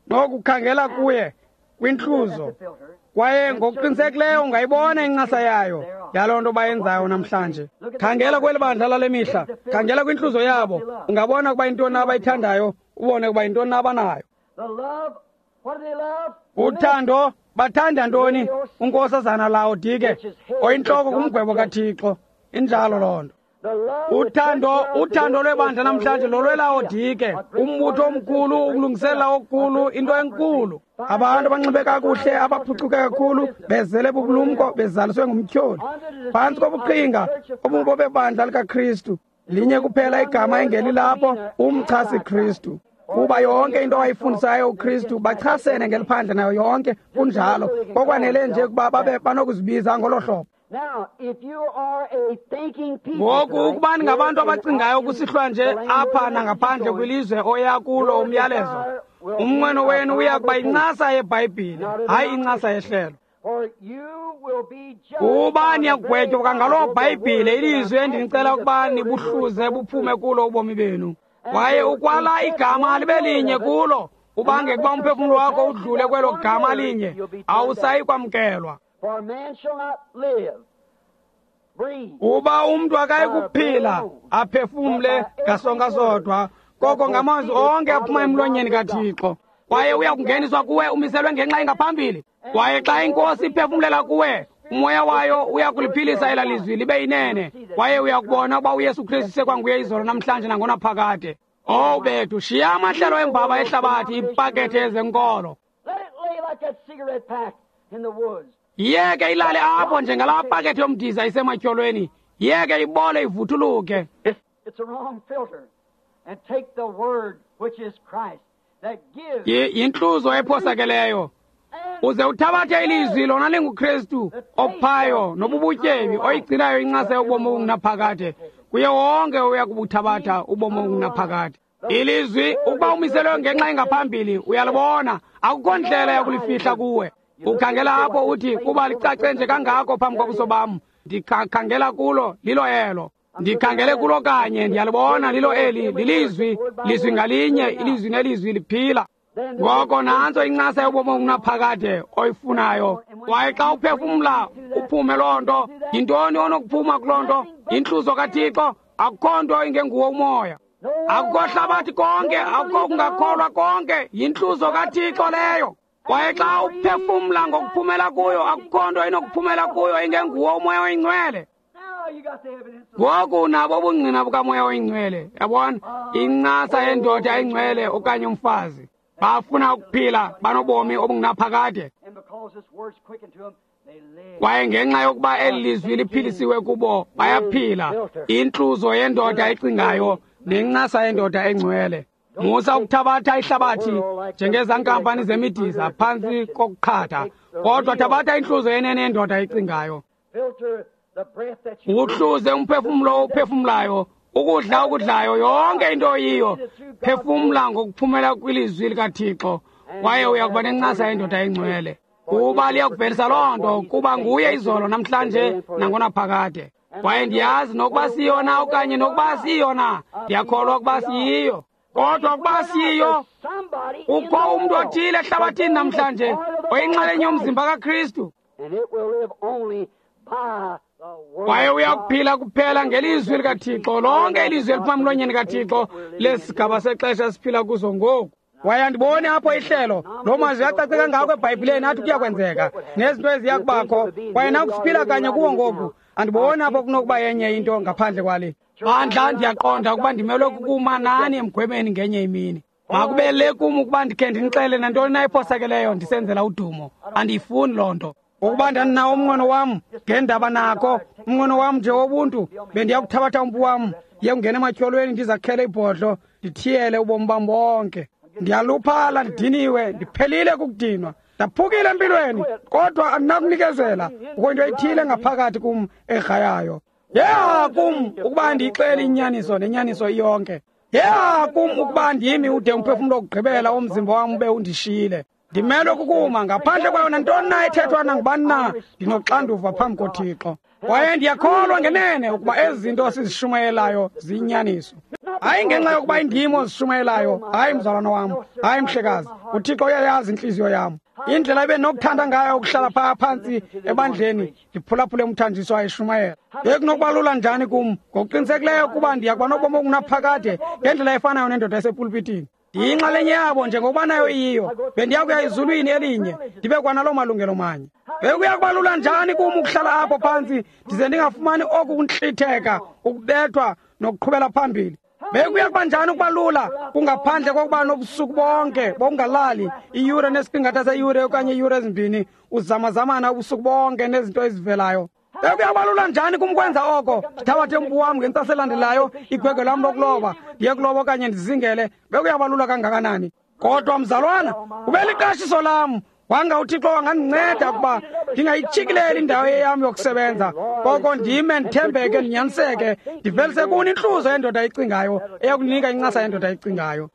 nokukhangela kuye kwintluzo, kwaye ngokuqinisekileyo ungayibona incasa yayo yaloo nto bayenzayo namhlanje. Khangela kweli bandla lale mihla, khangela kwintluzo yabo, ungabona ukuba yintoni abayithandayo, ubone ukuba yintoni abanayo. Uthando, bathanda ntoni? Unkosazana Laodike, oyintloko kumgwebo kaThixo. Injalo loo nto. Uthando lwebandla namhlanje lolweLaodike, umbutho omkhulu, ukulungiselela okukhulu, into enkulu. Abantu abanxibe kakuhle, abaphucuke kakhulu, bezele bubulumko, bezaliswe ngumtyholi. Phantsi kobuqhinga obubo bebandla likaKristu, linye kuphela igama engelilapho, umchasi Kristu. Kuba yonke into awayifundisayo uKristu bachasene ngeliphandle nayo yonke, kunjalo. Kokwanele nje ukuba babe banokuzibiza ngolo hlobo. Ngoku ukuba ningabantu abacingayo kusihlwa nje apha nangaphandle kwilizwe oya kulo umyalezo, umnqweno wenu uya kuba yincasa yeBhayibhile, hayi incasa yehlelo. Kuba niyakugwetywa kwangaloo Bhayibhile, ilizwi endinicela ukuba nibuhluze buphume kulo ubomi benu. Kwaye ukwala igama libe linye kulo, ubange kuba umphefumlo wakho udlule kwelo gama linye, awusayi kwamkelwa. Uba umntu akayi kuphila aphefumle ngasonka sodwa, koko ngamazwi onke aphuma emlonyeni kaThixo. Kwaye uya kungeniswa kuwe umiselwe ngenxa engaphambili. Kwaye xa iNkosi iphefumlela kuwe, umoya wayo uya kuliphilisa ela lizwi libe yinene, kwaye uya kubona ukuba uYesu Kristu sekwanguye izolo, namhlanje nangonaphakade. Owu bethu, shiya amahlelo embaba ehlabathi, iipakethe ezenkolo. Yeke ilale apho njengalaa pakethe yomdiza isematyholweni. Yeke ibole ivuthuluke. Yintluzo ephosakeleyo. Uze uthabathe ilizwi lona linguKristu ophayo nobubutyebi oyigcinayo incasa yobomi obungunaphakade. Kuye wonke uya kubuthabatha ubomi obungunaphakade. Ilizwi ukuba umiselwe ngenxa engaphambili uyalibona, akukho ndlela yakulifihla kuwe. Ukhangela apho uthi kuba licace nje kangako phambi kobuso bam, ndikhangela kulo lilo elo. Ndikhangele kulo kanye, ndiyalibona lilo eli, lilizwi, lizwi ngalinye, ilizwi nelizwi liphila. Ngoko nantso incasa yobomi obungunaphakade oyifunayo. Kwaye xa uphefumla uphume loo nto, yintoni onokuphuma kuloo nto? Yintluzo kaThixo. Akukho nto ingenguwo umoya, akukho hlabathi konke, akukho kungakholwa konke, yintluzo kaThixo leyo. Kwaye xa uphefumla ngokuphumela kuyo, akukho nto inokuphumela kuyo ingenguwo umoya oyingcwele. Ngoku unabo ubungqina bukamoya oyingcwele. Yabona, incasa yendoda engcwele okanye umfazi. Bafuna ukuphila banobomi obungunaphakade. Kwaye ngenxa yokuba eli lizwi liphilisiwe kubo, bayaphila. Intluzo yendoda ecingayo nencasa yendoda engcwele. Musa ukuthabatha ihlabathi njengezankampani zemidiza phantsi kokuqhatha, kodwa thabatha intluzo yenene yendoda ecingayo. Uhluze umphefumlo owuphefumlayo, ukudla okudlayo, yonke into oyiyo. Phefumla ngokuphumela kwilizwi likaThixo, kwaye uya kuba nencasa yendoda engcwele. Kuba liyakuvelisa loo nto, kuba nguye izolo, namhlanje, nangonaphakade. Kwaye ndiyazi nokuba siyona okanye nokuba siyona, ndiyakholwa ukuba siyiyo. Kodwa ukuba siyiyo, kukho umntu othile ehlabathini namhlanje oyinxalenye yomzimba kaKristu. Kwaye uyakuphila kuphela ngelizwi likaThixo, lonke ilizwi eliphuma emlonyeni kaThixo lesigaba sexesha siphila kuso ngoku. Kwaye andiboni apho ihlelo loo mazwi acace kangako eBhayibhileni athi kuyakwenzeka nezinto eziya kubakho, kwaye nakusiphila kanye kuwo ngoku. Andiboni apho kunokuba yenye into ngaphandle kwale. Bandla, ndiyaqonda ukuba ndimelwe kukuma nani emgwebeni ngenye imini. Makube le kum ukuba ndikhe ndinixele nantoni na ephosakeleyo ndisenzela udumo. Andiyifuni loo nto. Ukuba ndandinawo umnqweno wam ngendaba nako, umnqweno wam nje wobuntu, bendiya kuthabatha umpu wam, ndiye kungena ematyholweni ndizakhele ibhodlo, ndithiyele ubomi bam bonke. Ndiyaluphala, ndidiniwe, ndiphelile kukudinwa, ndaphukile empilweni, kodwa andinakunikezela. Kukho into ethile ngaphakathi kum egrayayo. Yeha kum ukuba ndiyixele inyaniso nenyaniso iyonke. Yeha kum ukuba ndimi ude umphefumlo wokugqibela womzimba wam ube undishiyile. Ndimelwe kukuma ngaphandle kwayo nantoni na ethethwa nangubani na, ndinoxanduva phambi koThixo. Kwaye ndiyakholwa ngenene ukuba ezi zinto sizishumayelayo ziyinyaniso. Hayi ngenxa yokuba indim ozishumayelayo, hayi mzalwana wam, hayi mhlekazi, uThixo uyayazi intliziyo yam. Indlela ebendinokuthanda ngayo ukuhlala phaa phantsi ebandleni ndiphulaphule umthanjiso ayeshumayela. Bekunokuba lula njani kum ngokuqinisekileyo kuba ndiya kuba nobomi obungunaphakade ngendlela efanayo nendoda esepulpitini. Ndiyinxalenye yabo njengokuba nayo iyiyo. Bendiya kuya ezulwini elinye ndibe kwanaloo malungelo manye. Bekuya kuba lula njani kum ukuhlala apho phantsi ndize ndingafumani oku kuntlitheka, ukubethwa nokuqhubela phambili. Bekuya kuba njani ukuba lula kungaphandle kokuba nobusuku bonke bokungalali iyure nesiqingatha seyure okanye iiyure ezimbini uzamazamana ubusuku bonke nezinto ezivelayo. Bekuya kuba lula njani kum ukwenza oko? Ndithabathe umpu wam ngentsasa elandelayo, igwegwe lam lokuloba, ndiye kuloba okanye ndizingele. Bekuya kuba lula kangakanani? Kodwa mzalwana, ube liqashiso lam. Wanga uThixo wangandinceda ukuba ndingayitshikileli indawo yam yokusebenza, koko ndime ndithembeke, ndinyaniseke, ndivelise kuni intluzo yendoda ecingayo eyakunika incasa yendoda ecingayo.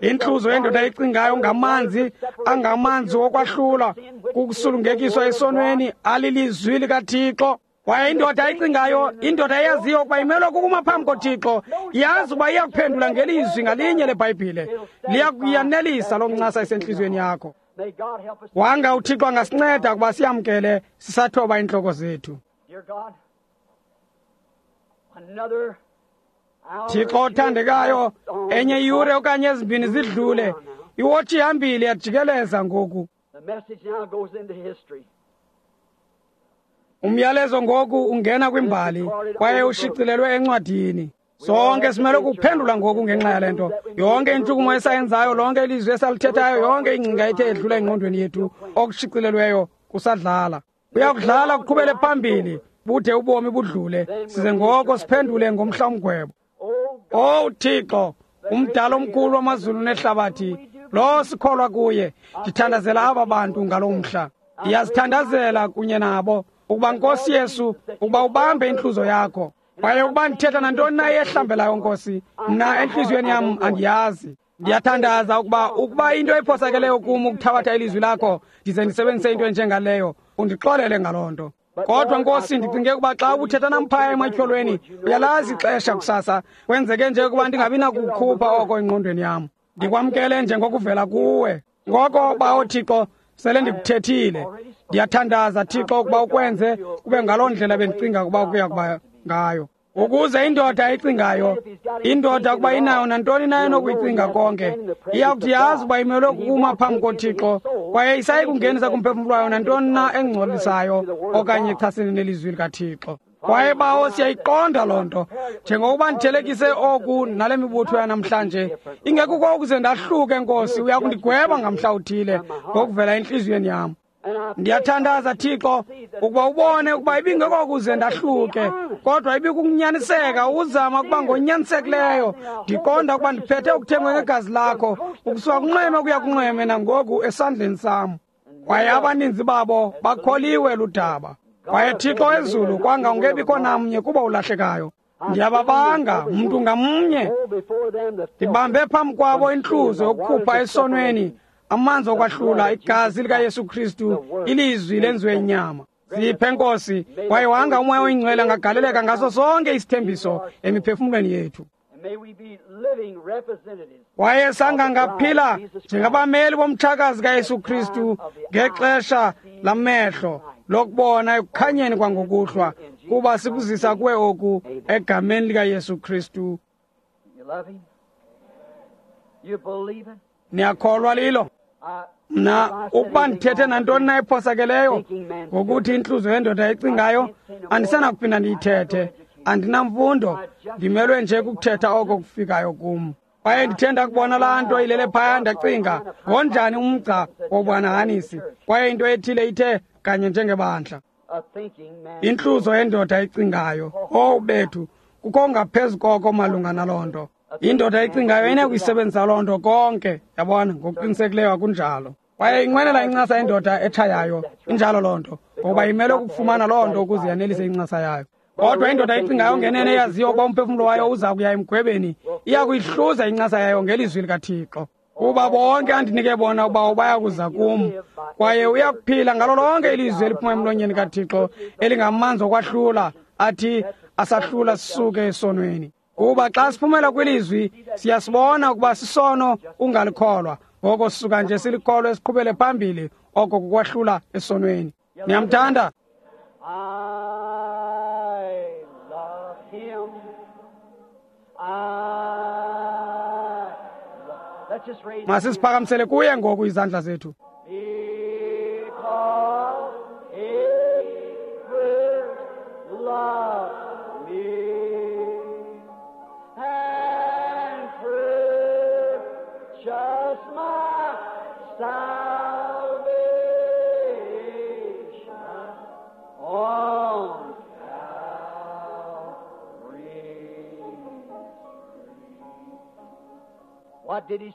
Intluzo yendoda ecingayo ngamanzi angamanzi wokwahlula kukusulungekiswa esonweni alilizwi likaThixo. Kwaye indoda ecingayo, indoda eyaziyo ukuba imelwe kukuma phambi koThixo, yazi ukuba iyakuphendula ngelizwi ngalinye leBhayibhile. Liyakuyanelisa loo ncasa esentliziyweni yakho. Wanga uThixo angasinceda ukuba siyamkele sisathoba iintloko zethu. Thixo othandekayo, enye iyure okanye ezimbini zidlule, iwotshi ihambile yajikeleza ngoku. Umyalezo ngoku ungena kwimbali kwaye ushicilelwe encwadini. Sonke simele ukuphendula ngoku ngenxa yale nto. Yonke intshukumo esayenzayo, lonke ilizwi esalithethayo, yonke ingcinga ethe edlula engqondweni yethu, okushicilelweyo kusadlala. Kuyakudlala kuqhubele phambili, bude ubomi budlule, size ngoko siphendule ngomhla umgwebo. Owu Thixo, umdala omkhulu wamazulu nehlabathi, Lo sikholwa kuye. Ndithandazela aba bantu ngalo mhla. Ndiyazithandazela kunye nabo ukuba Nkosi Yesu, ukuba ubambe intluzo yakho. Kwaye ukuba ndithetha nantoni na ehlambelayo Nkosi, mna entliziyweni yam andiyazi. Ndiyathandaza ukuba into ephosakeleyo kum ukuthabatha ilizwi lakho ndize ndisebenzise into enjengaleyo, undixolele ngaloo nto. Kodwa Nkosi, ndicinge ukuba xa ubuthetha namphaya ematyholweni, uyalazi ixesha kusasa, kwenzeke nje ukuba ndingabi nakukhupha oko engqondweni yam. Ndikwamkele njengokuvela kuwe. Ngoko Bawo Thixo, sele ndikuthethile. Ndiyathandaza Thixo ukuba ukwenze kube ngaloo ndlela bendicinga ukuba kuya kuba ngayo. Ukuze indoda ecingayo, indoda ukuba inayo nantoni na enokuyicinga konke, iyakuthi yazi ukuba imelwe kukuma phambi koThixo, kwaye isayikungenisa kumphefumlo wayo nantoni na engcolisayo okanye echasene nelizwi likaThixo. Kwaye Bawo, siyayiqonda loo nto. Njengokuba ndithelekise oku nale mibutho yanamhlanje, ingekuko ukuze ndahluke Nkosi, uya kundigweba ngamhla uthile ngokuvela entliziyweni yam. Ndiyathandaza Thixo ukuba ubone ukuba ibingekokuze ndahluke, kodwa ibikunyaniseka uzama ukuba ngonyanisekileyo. Ndiqonda ukuba ndiphethe ukuthengwa ngegazi lakho, ukusuka kunxweme ukuya kunxweme nangoku esandleni sam. Kwaye abaninzi babo bakholiwe ludaba. Kwaye Thixo wezulu, kwanga ungebikho namnye kuba ulahlekayo. Ndiyababanga mntu ngamnye, ndibambe phambi kwabo intluzo yokukhupha esonweni, amanzi okwahlula, igazi likaYesu Kristu, ilizwi lenziwe inyama. Siphe Nkosi, kwaye wanga uMoya oyiNgcwele angagaleleka ngaso sonke isithembiso emiphefumlweni yethu. Kwaye sangangaphila njengabameli bomtshakazi kaYesu Kristu ngexesha lamehlo lokubona ekukhanyeni kwangokuhlwa, kuba sikuzisa kuwe oku egameni likaYesu Kristu. Niyakholwa lilo? Mna ukuba ndithethe nantoni na ephosakeleyo ngokuthi intluzo yendoda ecingayo, andisenakuphinda ndiyithethe. Andinamfundo, ndimelwe nje kukuthetha oko kufikayo kum. Kwaye ndithe ndakubona laa nto ilele phaya, ndacinga ngonjani umgca wobanahanisi, kwaye into ethile ithe kanye njengebandla. Intluzo yendoda ecingayo, owu bethu, kukho ngaphezu koko malunga naloo nto. Indoda ecingayo inakuyisebenzisa loo nto konke, yabona, ngokuqinisekileyo akunjalo. Kwaye inqwenela incasa yendoda etshayayo, injalo loo nto, ngoba imele ukufumana loo nto ukuze yanelise incasa yayo. Kodwa indoda ecingayo ngenene eyaziyo ukuba umphefumlo wayo uza kuya emgwebeni, iya kuyihluza incasa yayo ngelizwi likaThixo. Kuba bonke andinike bona uba baya kuza kum, kwaye uya kuphila ngalo lonke ilizwi eliphuma emlonyeni kaThixo, elingamanzi okwahlula, athi asahlula sisuke esonweni. Kuba xa siphumela kwilizwi, siyasibona ukuba sisono ungalikholwa, ngoko sisuka nje silikholwe siqhubele phambili, oko kukwahlula esonweni. Niyamthanda? Masisiphakamisele kuye ngoku izandla zethu.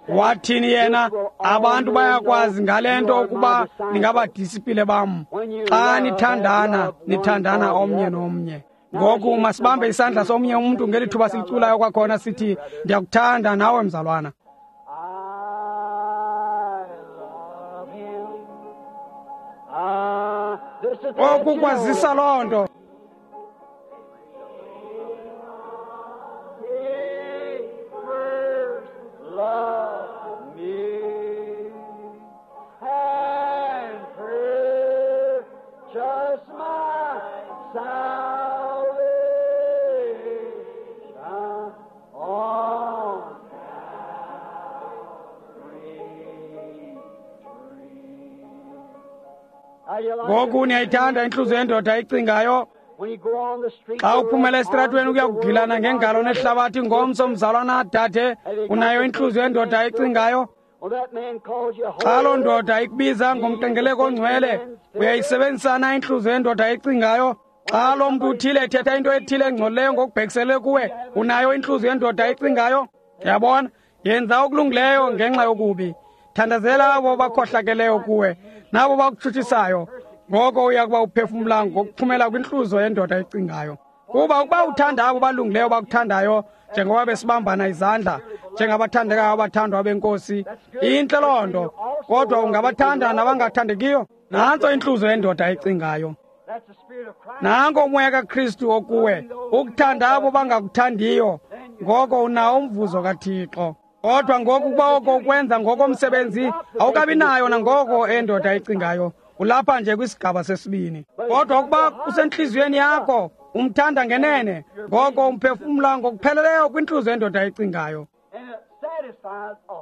Wathini yena? Abantu bayakwazi ngale nto ukuba ningabadisipile bam, xa nithandana, nithandana omnye nomnye. Ngoku masibambe isandla somnye umntu ngeli thuba siliculayo kwakhona, sithi ndiyakuthanda nawe mzalwana. Oku kwazisa loo nto. Ngoku niyayithanda intluzo yendoda ecingayo. Xa uphumela esitratweni ukuya kugilana ngengalo nehlabathi ngomso, mzalwana dade, unayo intluzo yendoda ecingayo. Xa loo ndoda ikubiza ngomqengeleko ongcwele, uyayisebenzisana intluzo yendoda ecingayo. Xa loo mntu uthile ethetha into ethile engcolileyo ngokubhekisele kuwe, unayo intluzo yendoda ecingayo. Yabona, yenza okulungileyo ngenxa yokubi. Thandazela abo bakhohlakeleyo kuwe nabo bakutshutshisayo. Ngoko uya kuba uphefumla ngokuphumela kwintluzo yendoda ecingayo. Kuba ukuba uthanda abo balungileyo bakuthandayo, njengoba besibambana izandla njengabathandekayo abathandwa benkosi, intle loo nto. Kodwa ungabathanda nabangathandekiyo. Nantso intluzo yendoda ecingayo. Nanko umoya kaKristu okuwe, ukuthanda abo bangakuthandiyo, ngoko unawo umvuzo kaThixo. Kodwa ngoku ukuba oko ukwenza ngokomsebenzi, awukabi nayo nangoko endoda ecingayo. Ulapha nje kwisigaba sesibini. Kodwa ukuba kusentliziyweni yakho, umthanda ngenene, ngoko umphefumla ngokupheleleyo kwintluzo yendoda ecingayo.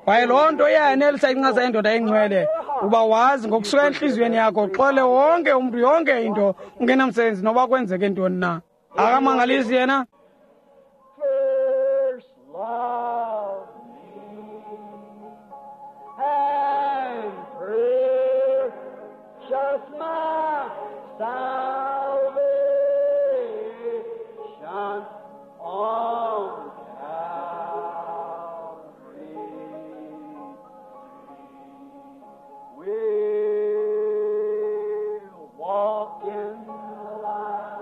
Kwaye loo nto iyayanelisa incasa yendoda engcwele, uba wazi ngokusuka entliziyweni yakho uxole wonke umntu, yonke into, ungenamsebenzi noba kwenzeke ntoni na. Akamangalisi yena? First love me and purchase my salvation on Calvary. We'll walk in the light.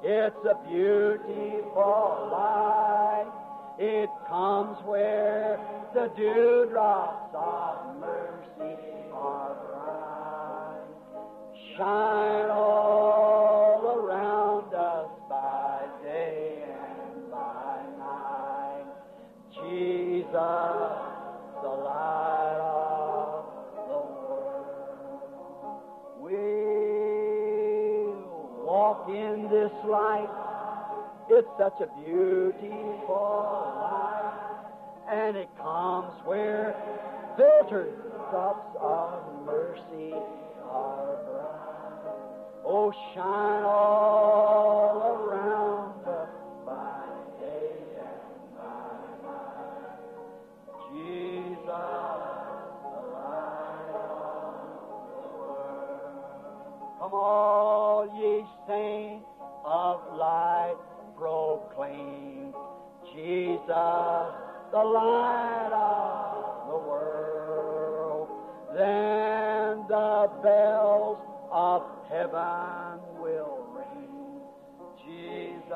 It's a beautiful light. It comes where the dewdrops of mercy are bright. Shine all around us by day and by night. Jesus, the light of the world. We'll walk in this light. It's such a beautiful light, and it comes where filtered drops of mercy are bright. Oh, shine all around us by day and by night. Jesus, the light of the world. Come all ye saints of light, proclaim Jesus, the light of the world. Then the bells of heaven will ring. Jesus,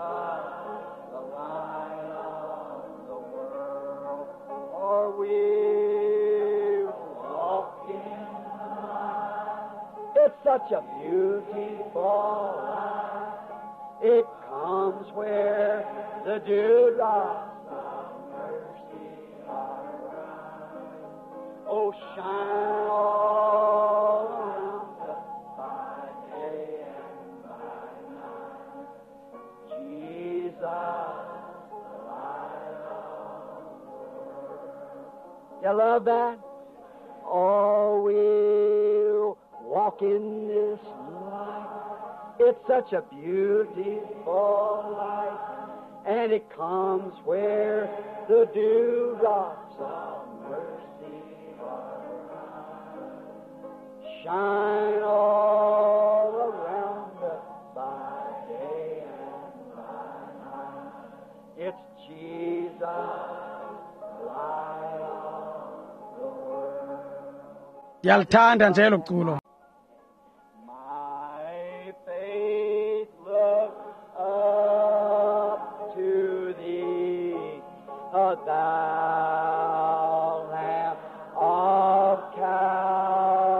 the light of the world. For we walk in the light. It's such a beautiful light. It comes where the dewdrops of mercy are bright. Oh, shine all around us by day and by night. Jesus, the light of the world. You love that? Oh, we'll walk in this light. It's such a beautiful light, and it comes where the dewdrops of mercy are bright. Shine all around us by day and by night. It's Jesus, the light of the world. Ndiyalithanda nje elo culo. My faith look up to thee, O thou Lamb of Calvary,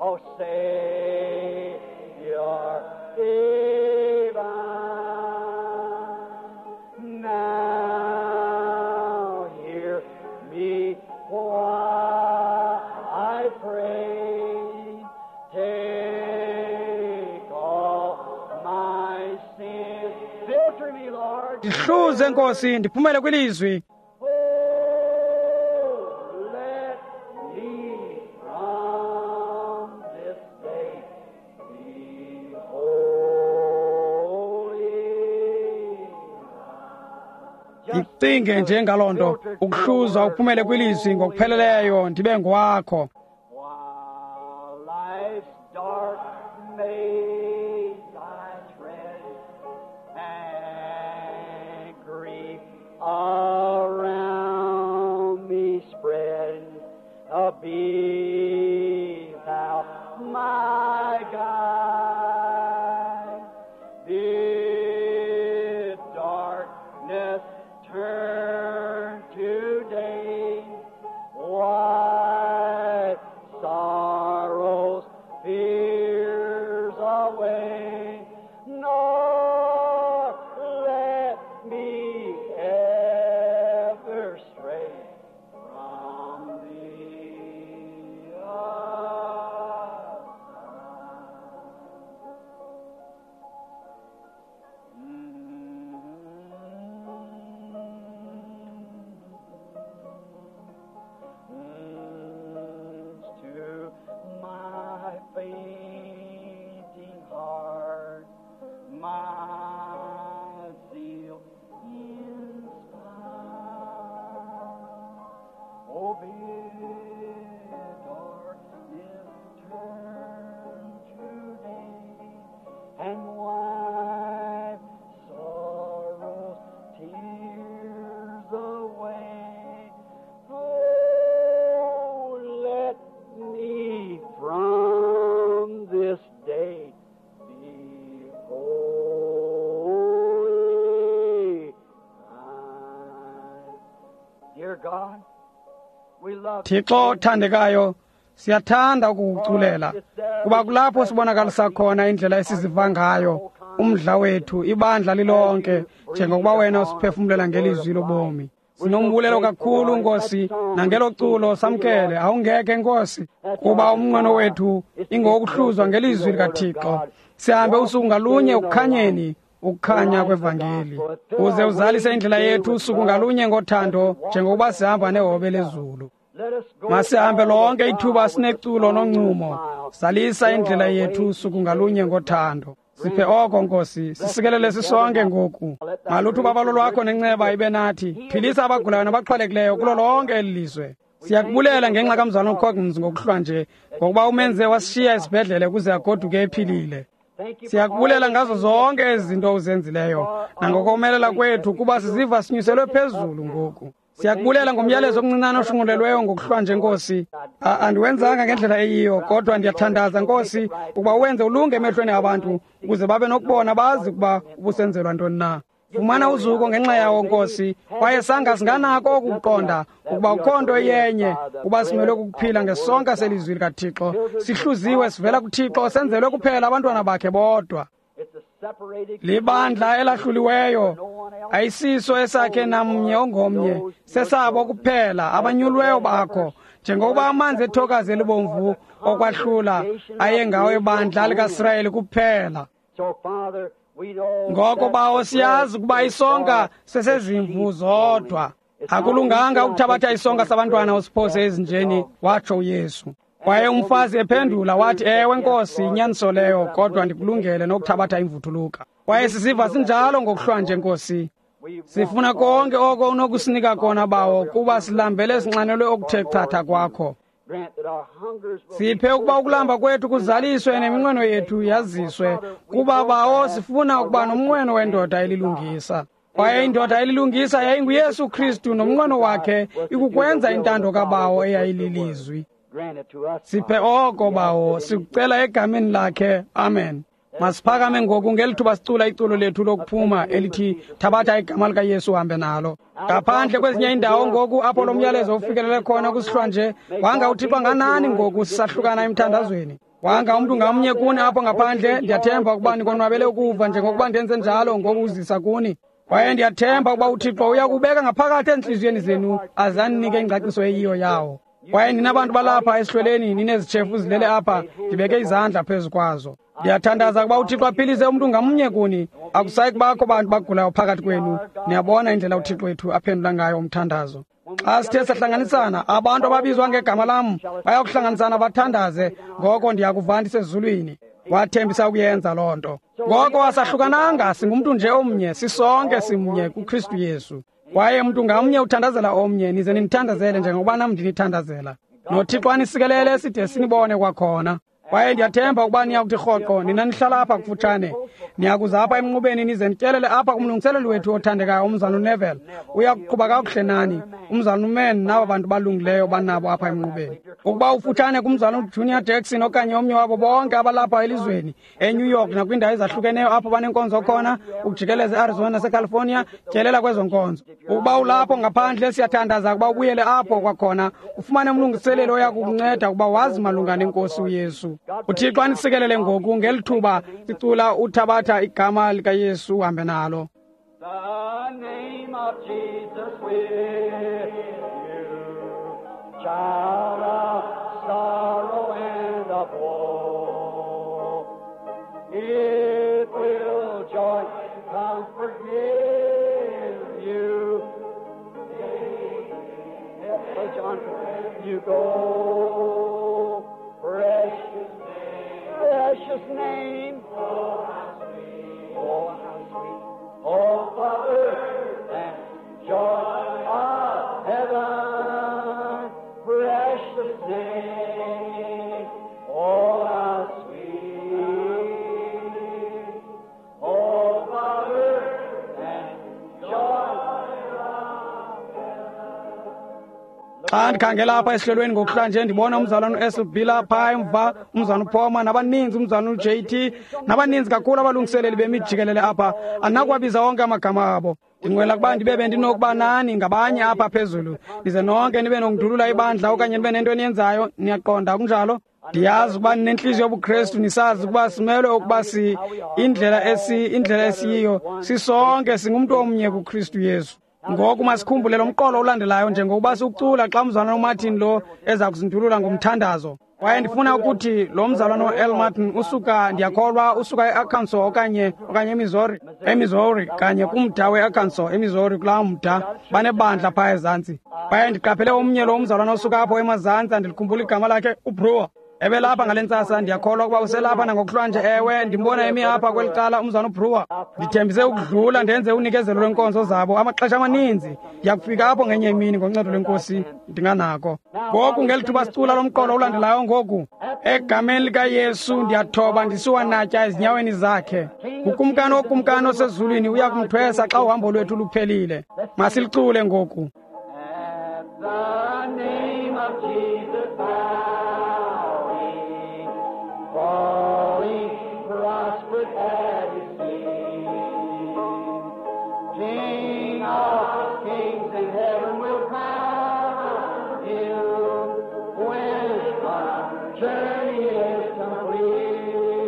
O Savior divine. Now hear me while I pray. Take all my sin. Filter me, Lord. Ndihluze Nkosi, ndiphumele kwilizwi. Oh, let me from this day be holy. Ndicinge nje ngaloo nto, ukuhluzwa uphumele kwilizwi ngokupheleleyo, ndibe ngowakho. While life's dark maze I tread, and grief around me spread. Oh, bitter darkness turn to day, and wipe sorrow's tears away. Oh, let me from this day be holy. Dear God, we love Thixo othandekayo, siyathanda ukukuculela kuba kulapho sibonakalisa khona indlela esiziva ngayo, umdla wethu, ibandla lilonke, njengokuba wena usiphefumlela ngelizwi lobomi. Sinombulelo kakhulu Nkosi, nangelo culo samkele. Awungeke Nkosi, kuba umnqweno wethu ingowokuhluzwa ngelizwi likaThixo. Sihambe usuku ngalunye ukukhanyeni, ukukhanya kwevangeli, uze uzalise indlela yethu usuku ngalunye ngothando, njengokuba sihamba nehobe lezulu. Let us go Masihambe lonke ithuba sineculo noncumo. Zalisa indlela yethu usuku ngalunye ngothando. Siphe oko Nkosi, sisikelele sisonke ngoku. Maluthi ubabalo lwakho nenceba ibe nathi. Philisa abagulayo nabaxhwalekileyo kulo lonke eli lizwe. Siyakubulela ngenxa kamzalwana uCoggins ngokuhlwa nje, ngokuba umenze wasishiya esibhedlele ukuze agoduke ephilile. Thank you for Siyakubulela all ngazo zonke ezi zinto uzenzileyo nangokomelela kwethu kuba siziva sinyuselwe phezulu ngoku. Siyakubulela ngomyalezo omncinane oshunqulelweyo ngokuhlwa nje Nkosi. Andiwenzanga ngendlela eyiyo, kodwa ndiyathandaza Nkosi ukuba uwenze ulunge emehlweni abantu ukuze babe nokubona bazi ukuba ubusenzelwa ntoni na. Fumana uzuko ngenxa yawo Nkosi, kwaye sanga singanako ukuqonda ukuba ukho nto iyenye, kuba simelwe kukuphila ngesonka selizwi likaThixo. Sihluziwe sivela kuThixo, senzelwe kuphela abantwana bakhe bodwa. It's a separated Libandla elahluliweyo, ayisiso esakhe namnye ongomnye, sesabo kuphela abanyulweyo bakho, njengokuba amanzi ethokazi elibomvu okwahlula ayengawo ebandla likaSirayeli kuphela. So, Father, we know Ngoko that bawo the siyazi bread ukuba is isonka for sesezimvu the sheep zodwa. only. It's not Akulunganga we ukuthabatha take isonka the sabantwana bread usiphose of ezinjeni, the watsho uYesu. Kwaye umfazi ephendula wathi, ewe Nkosi, inyaniso leyo, kodwa ndikulungele nokuthabatha imvuthuluka. Kwaye sisiva sinjalo ngokuhlwa nje Nkosi. We Sifuna konke oko unokusinika kona bawo, kuba silambele sinxanelwe okuthe chatha kwakho. Grant that our hungers will Siphe be ukuba ukulamba fulfilled kwethu kuzaliswe neminqweno yethu yaziswe, kuba bawo sifuna ukuba nomnqweno wendoda elilungisa. Kwaye indoda elilungisa yayinguYesu Kristu, nomnqweno wakhe ikukwenza intando kabawo eyayililizwi. Grant it to us, Siphe Father. oko bawo, sikucela egameni lakhe. Amen. Masiphakame ngoku ngeli thuba sicula iculo lethu lokuphuma elithi thabatha igama likaYesu uhambe nalo. Ngaphandle kwezinye iindawo ngoku apho lo myalezo ufikelele khona kusihlwa nje, wanga uThixo anganani ngoku sisahlukana emthandazweni. Wanga umntu ngamnye kuni apho ngaphandle, ndiyathemba ukuba nikonwabele ukuva njengokuba ndenze njalo ngokuzisa kuni. Kwaye ndiyathemba ukuba uThixo uyakubeka ngaphakathi entliziyweni zenu aze aninike ingcaciso eyiyo yawo. Kwaye nina bantu balapha esihlweleni ninezitshefu zilele apha, ndibeke izandla phezu kwazo. Ndiyathandaza ukuba uThixo aphilise umntu ngamnye kuni. Akusayi kubakho bantu bagulayo phakathi kwenu. Niyabona indlela uThixo wethu aphendula ngayo umthandazo. Xa sithe sahlanganisana, abantu ababizwa ngegama lam bayakuhlanganisana bathandaze, ngoko ndiyakuva ndisezulwini. Wathembisa ukuyenza loo nto. Ngoko asahlukananga, singumntu nje omnye, sisonke simnye kuKristu Yesu. Kwaye mntu ngamnye uthandazela omnye, nize ninithandazele njengokuba nam ndinithandazela. NoThixo anisikelele side sinibone kwakhona. Kwaye ndiyathemba ukuba niyakuthi rhoqo, nina nihlala apha kufutshane. Niyakuza apha emnqubeni nize nityelele apha kumlungiseleli wethu othandekayo umzalwana uNeville. Uya kuqhuba kakuhle nani, umzalwana uMan naba bantu balungileyo banabo apha emnqubeni. Ukuba ufutshane kumzalwana uJunior Jackson okanye omnye wabo bonke abalapha elizweni, eNew York nakwiindawo ezahlukeneyo apho banenkonzo khona, ukujikeleza eArizona naseCalifornia, tyelela kwezo nkonzo. Ukuba ulapho ngaphandle, siyathandaza ukuba ubuyele apho kwakhona, ufumane umlungiseleli oya kukunceda ukuba wazi malunga nenkosi uYesu. UThixo anisikelele ngoku ngeli thuba sicula uthabatha igama likaYesu uhambe nalo. The name of Jesus with you, child of sorrow and of woe. It will joy, comfort, give you. John, you go, precious, precious name. Oh, how sweet, oh, how sweet, oh, Father, and joy of heaven. Xa ndikhangela apha esihlelweni ngokuhlanje ndibona umzalwana uSLB lapha emva, umzalwana uPhoma nabaninzi, umzalwana uJT nabaninzi kakhulu abalungiseleli bemijikelele apha. Andinakuwabiza wonke amagama abo. Ndinqwela ukuba ndibe bendinokuba nani ngabanye apha phezulu, nize nonke nibe nokundulula ibandla okanye nibe nento eniyenzayo. Niyaqonda, kunjalo? Ndiyazi ukuba ninentliziyo yobuKrestu, nisazi ukuba simelwe ukuba si indlela esiyiyo sisonke singumntu omnye kuKristu Yesu. Ngoku masikhumbule lo mqolo ulandelayo njengokuba siwucula xa umzalwana uMartin lo eza kuzindulula ngomthandazo. Kwaye ndifuna ukuthi lo mzalwana uL Martin usuka, ndiyakholwa usuka eArkansas okanye eMissouri, eMissouri kanye kumda weArkansas, eMissouri kulaa mda banebandla phaa ezantsi. Kwaye ndiqaphele omnye lo mzalwana osuka apho emazantsi, andilikhumbula igama lakhe, uBrewer. Ebelapha ngale ntsasa, ndiyakholwa ukuba uselapha nangokuhlwanje. Ewe, ndimbona emi apha kweli cala umzalwana uBrewer. Ndithembise ukudlula ndenze unikezelo lwenkonzo zabo amaxesha amaninzi. Ndiyakufika apho ngenye imini ngoncedo lweNkosi ndinganako. Ngoku ngeli thuba sicula lo mqolo ulandelayo ngoku, egameni likaYesu ndiyathoba ndisiwanatya ezinyaweni zakhe. Ukumkani wokumkani osezulwini uya kumthwesa xa uhambo lwethu luphelile. Masilicule ngoku. At the name of Jesus, bowing, falling, prostrate at his feet. King of kings in heaven will crown him when our journey is complete.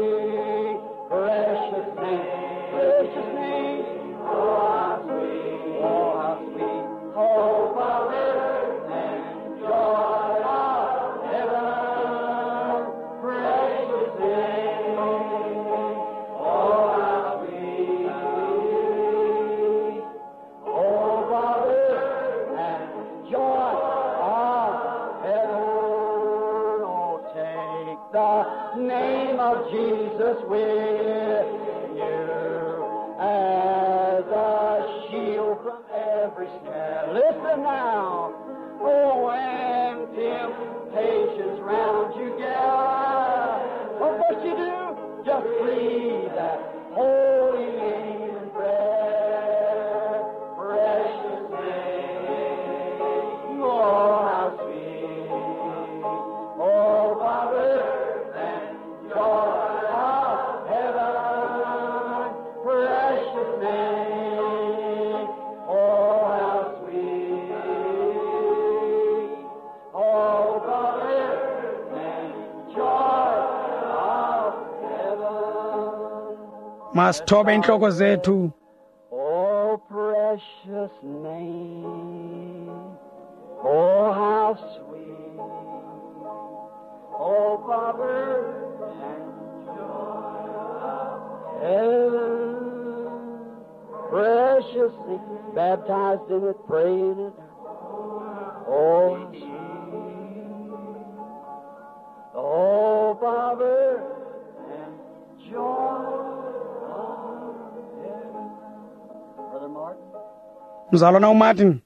Precious name, oh how sweet, oh how sweet, oh Father and joy of heaven. Precious name, oh how sweet, oh Father and joy of heaven. Oh, take the name of Jesus with you as a shield from every snare. Listen now. Oh, when temptations round you gather, what must you do? Just breathe that holy name in prayer. Precious name, oh, how sweet. Oh, Father, and joy of heaven, precious name, oh, how sweet. Oh, Father, and joy of heaven. Masithobe intloko zethu. Oh, precious name, oh, how sweet, oh, Father, and joy of heaven, precious name, baptized in it, pray in it, oh, how sweet, oh, Father, and joy of heaven. Brother Martin. Mzalwana uMartin.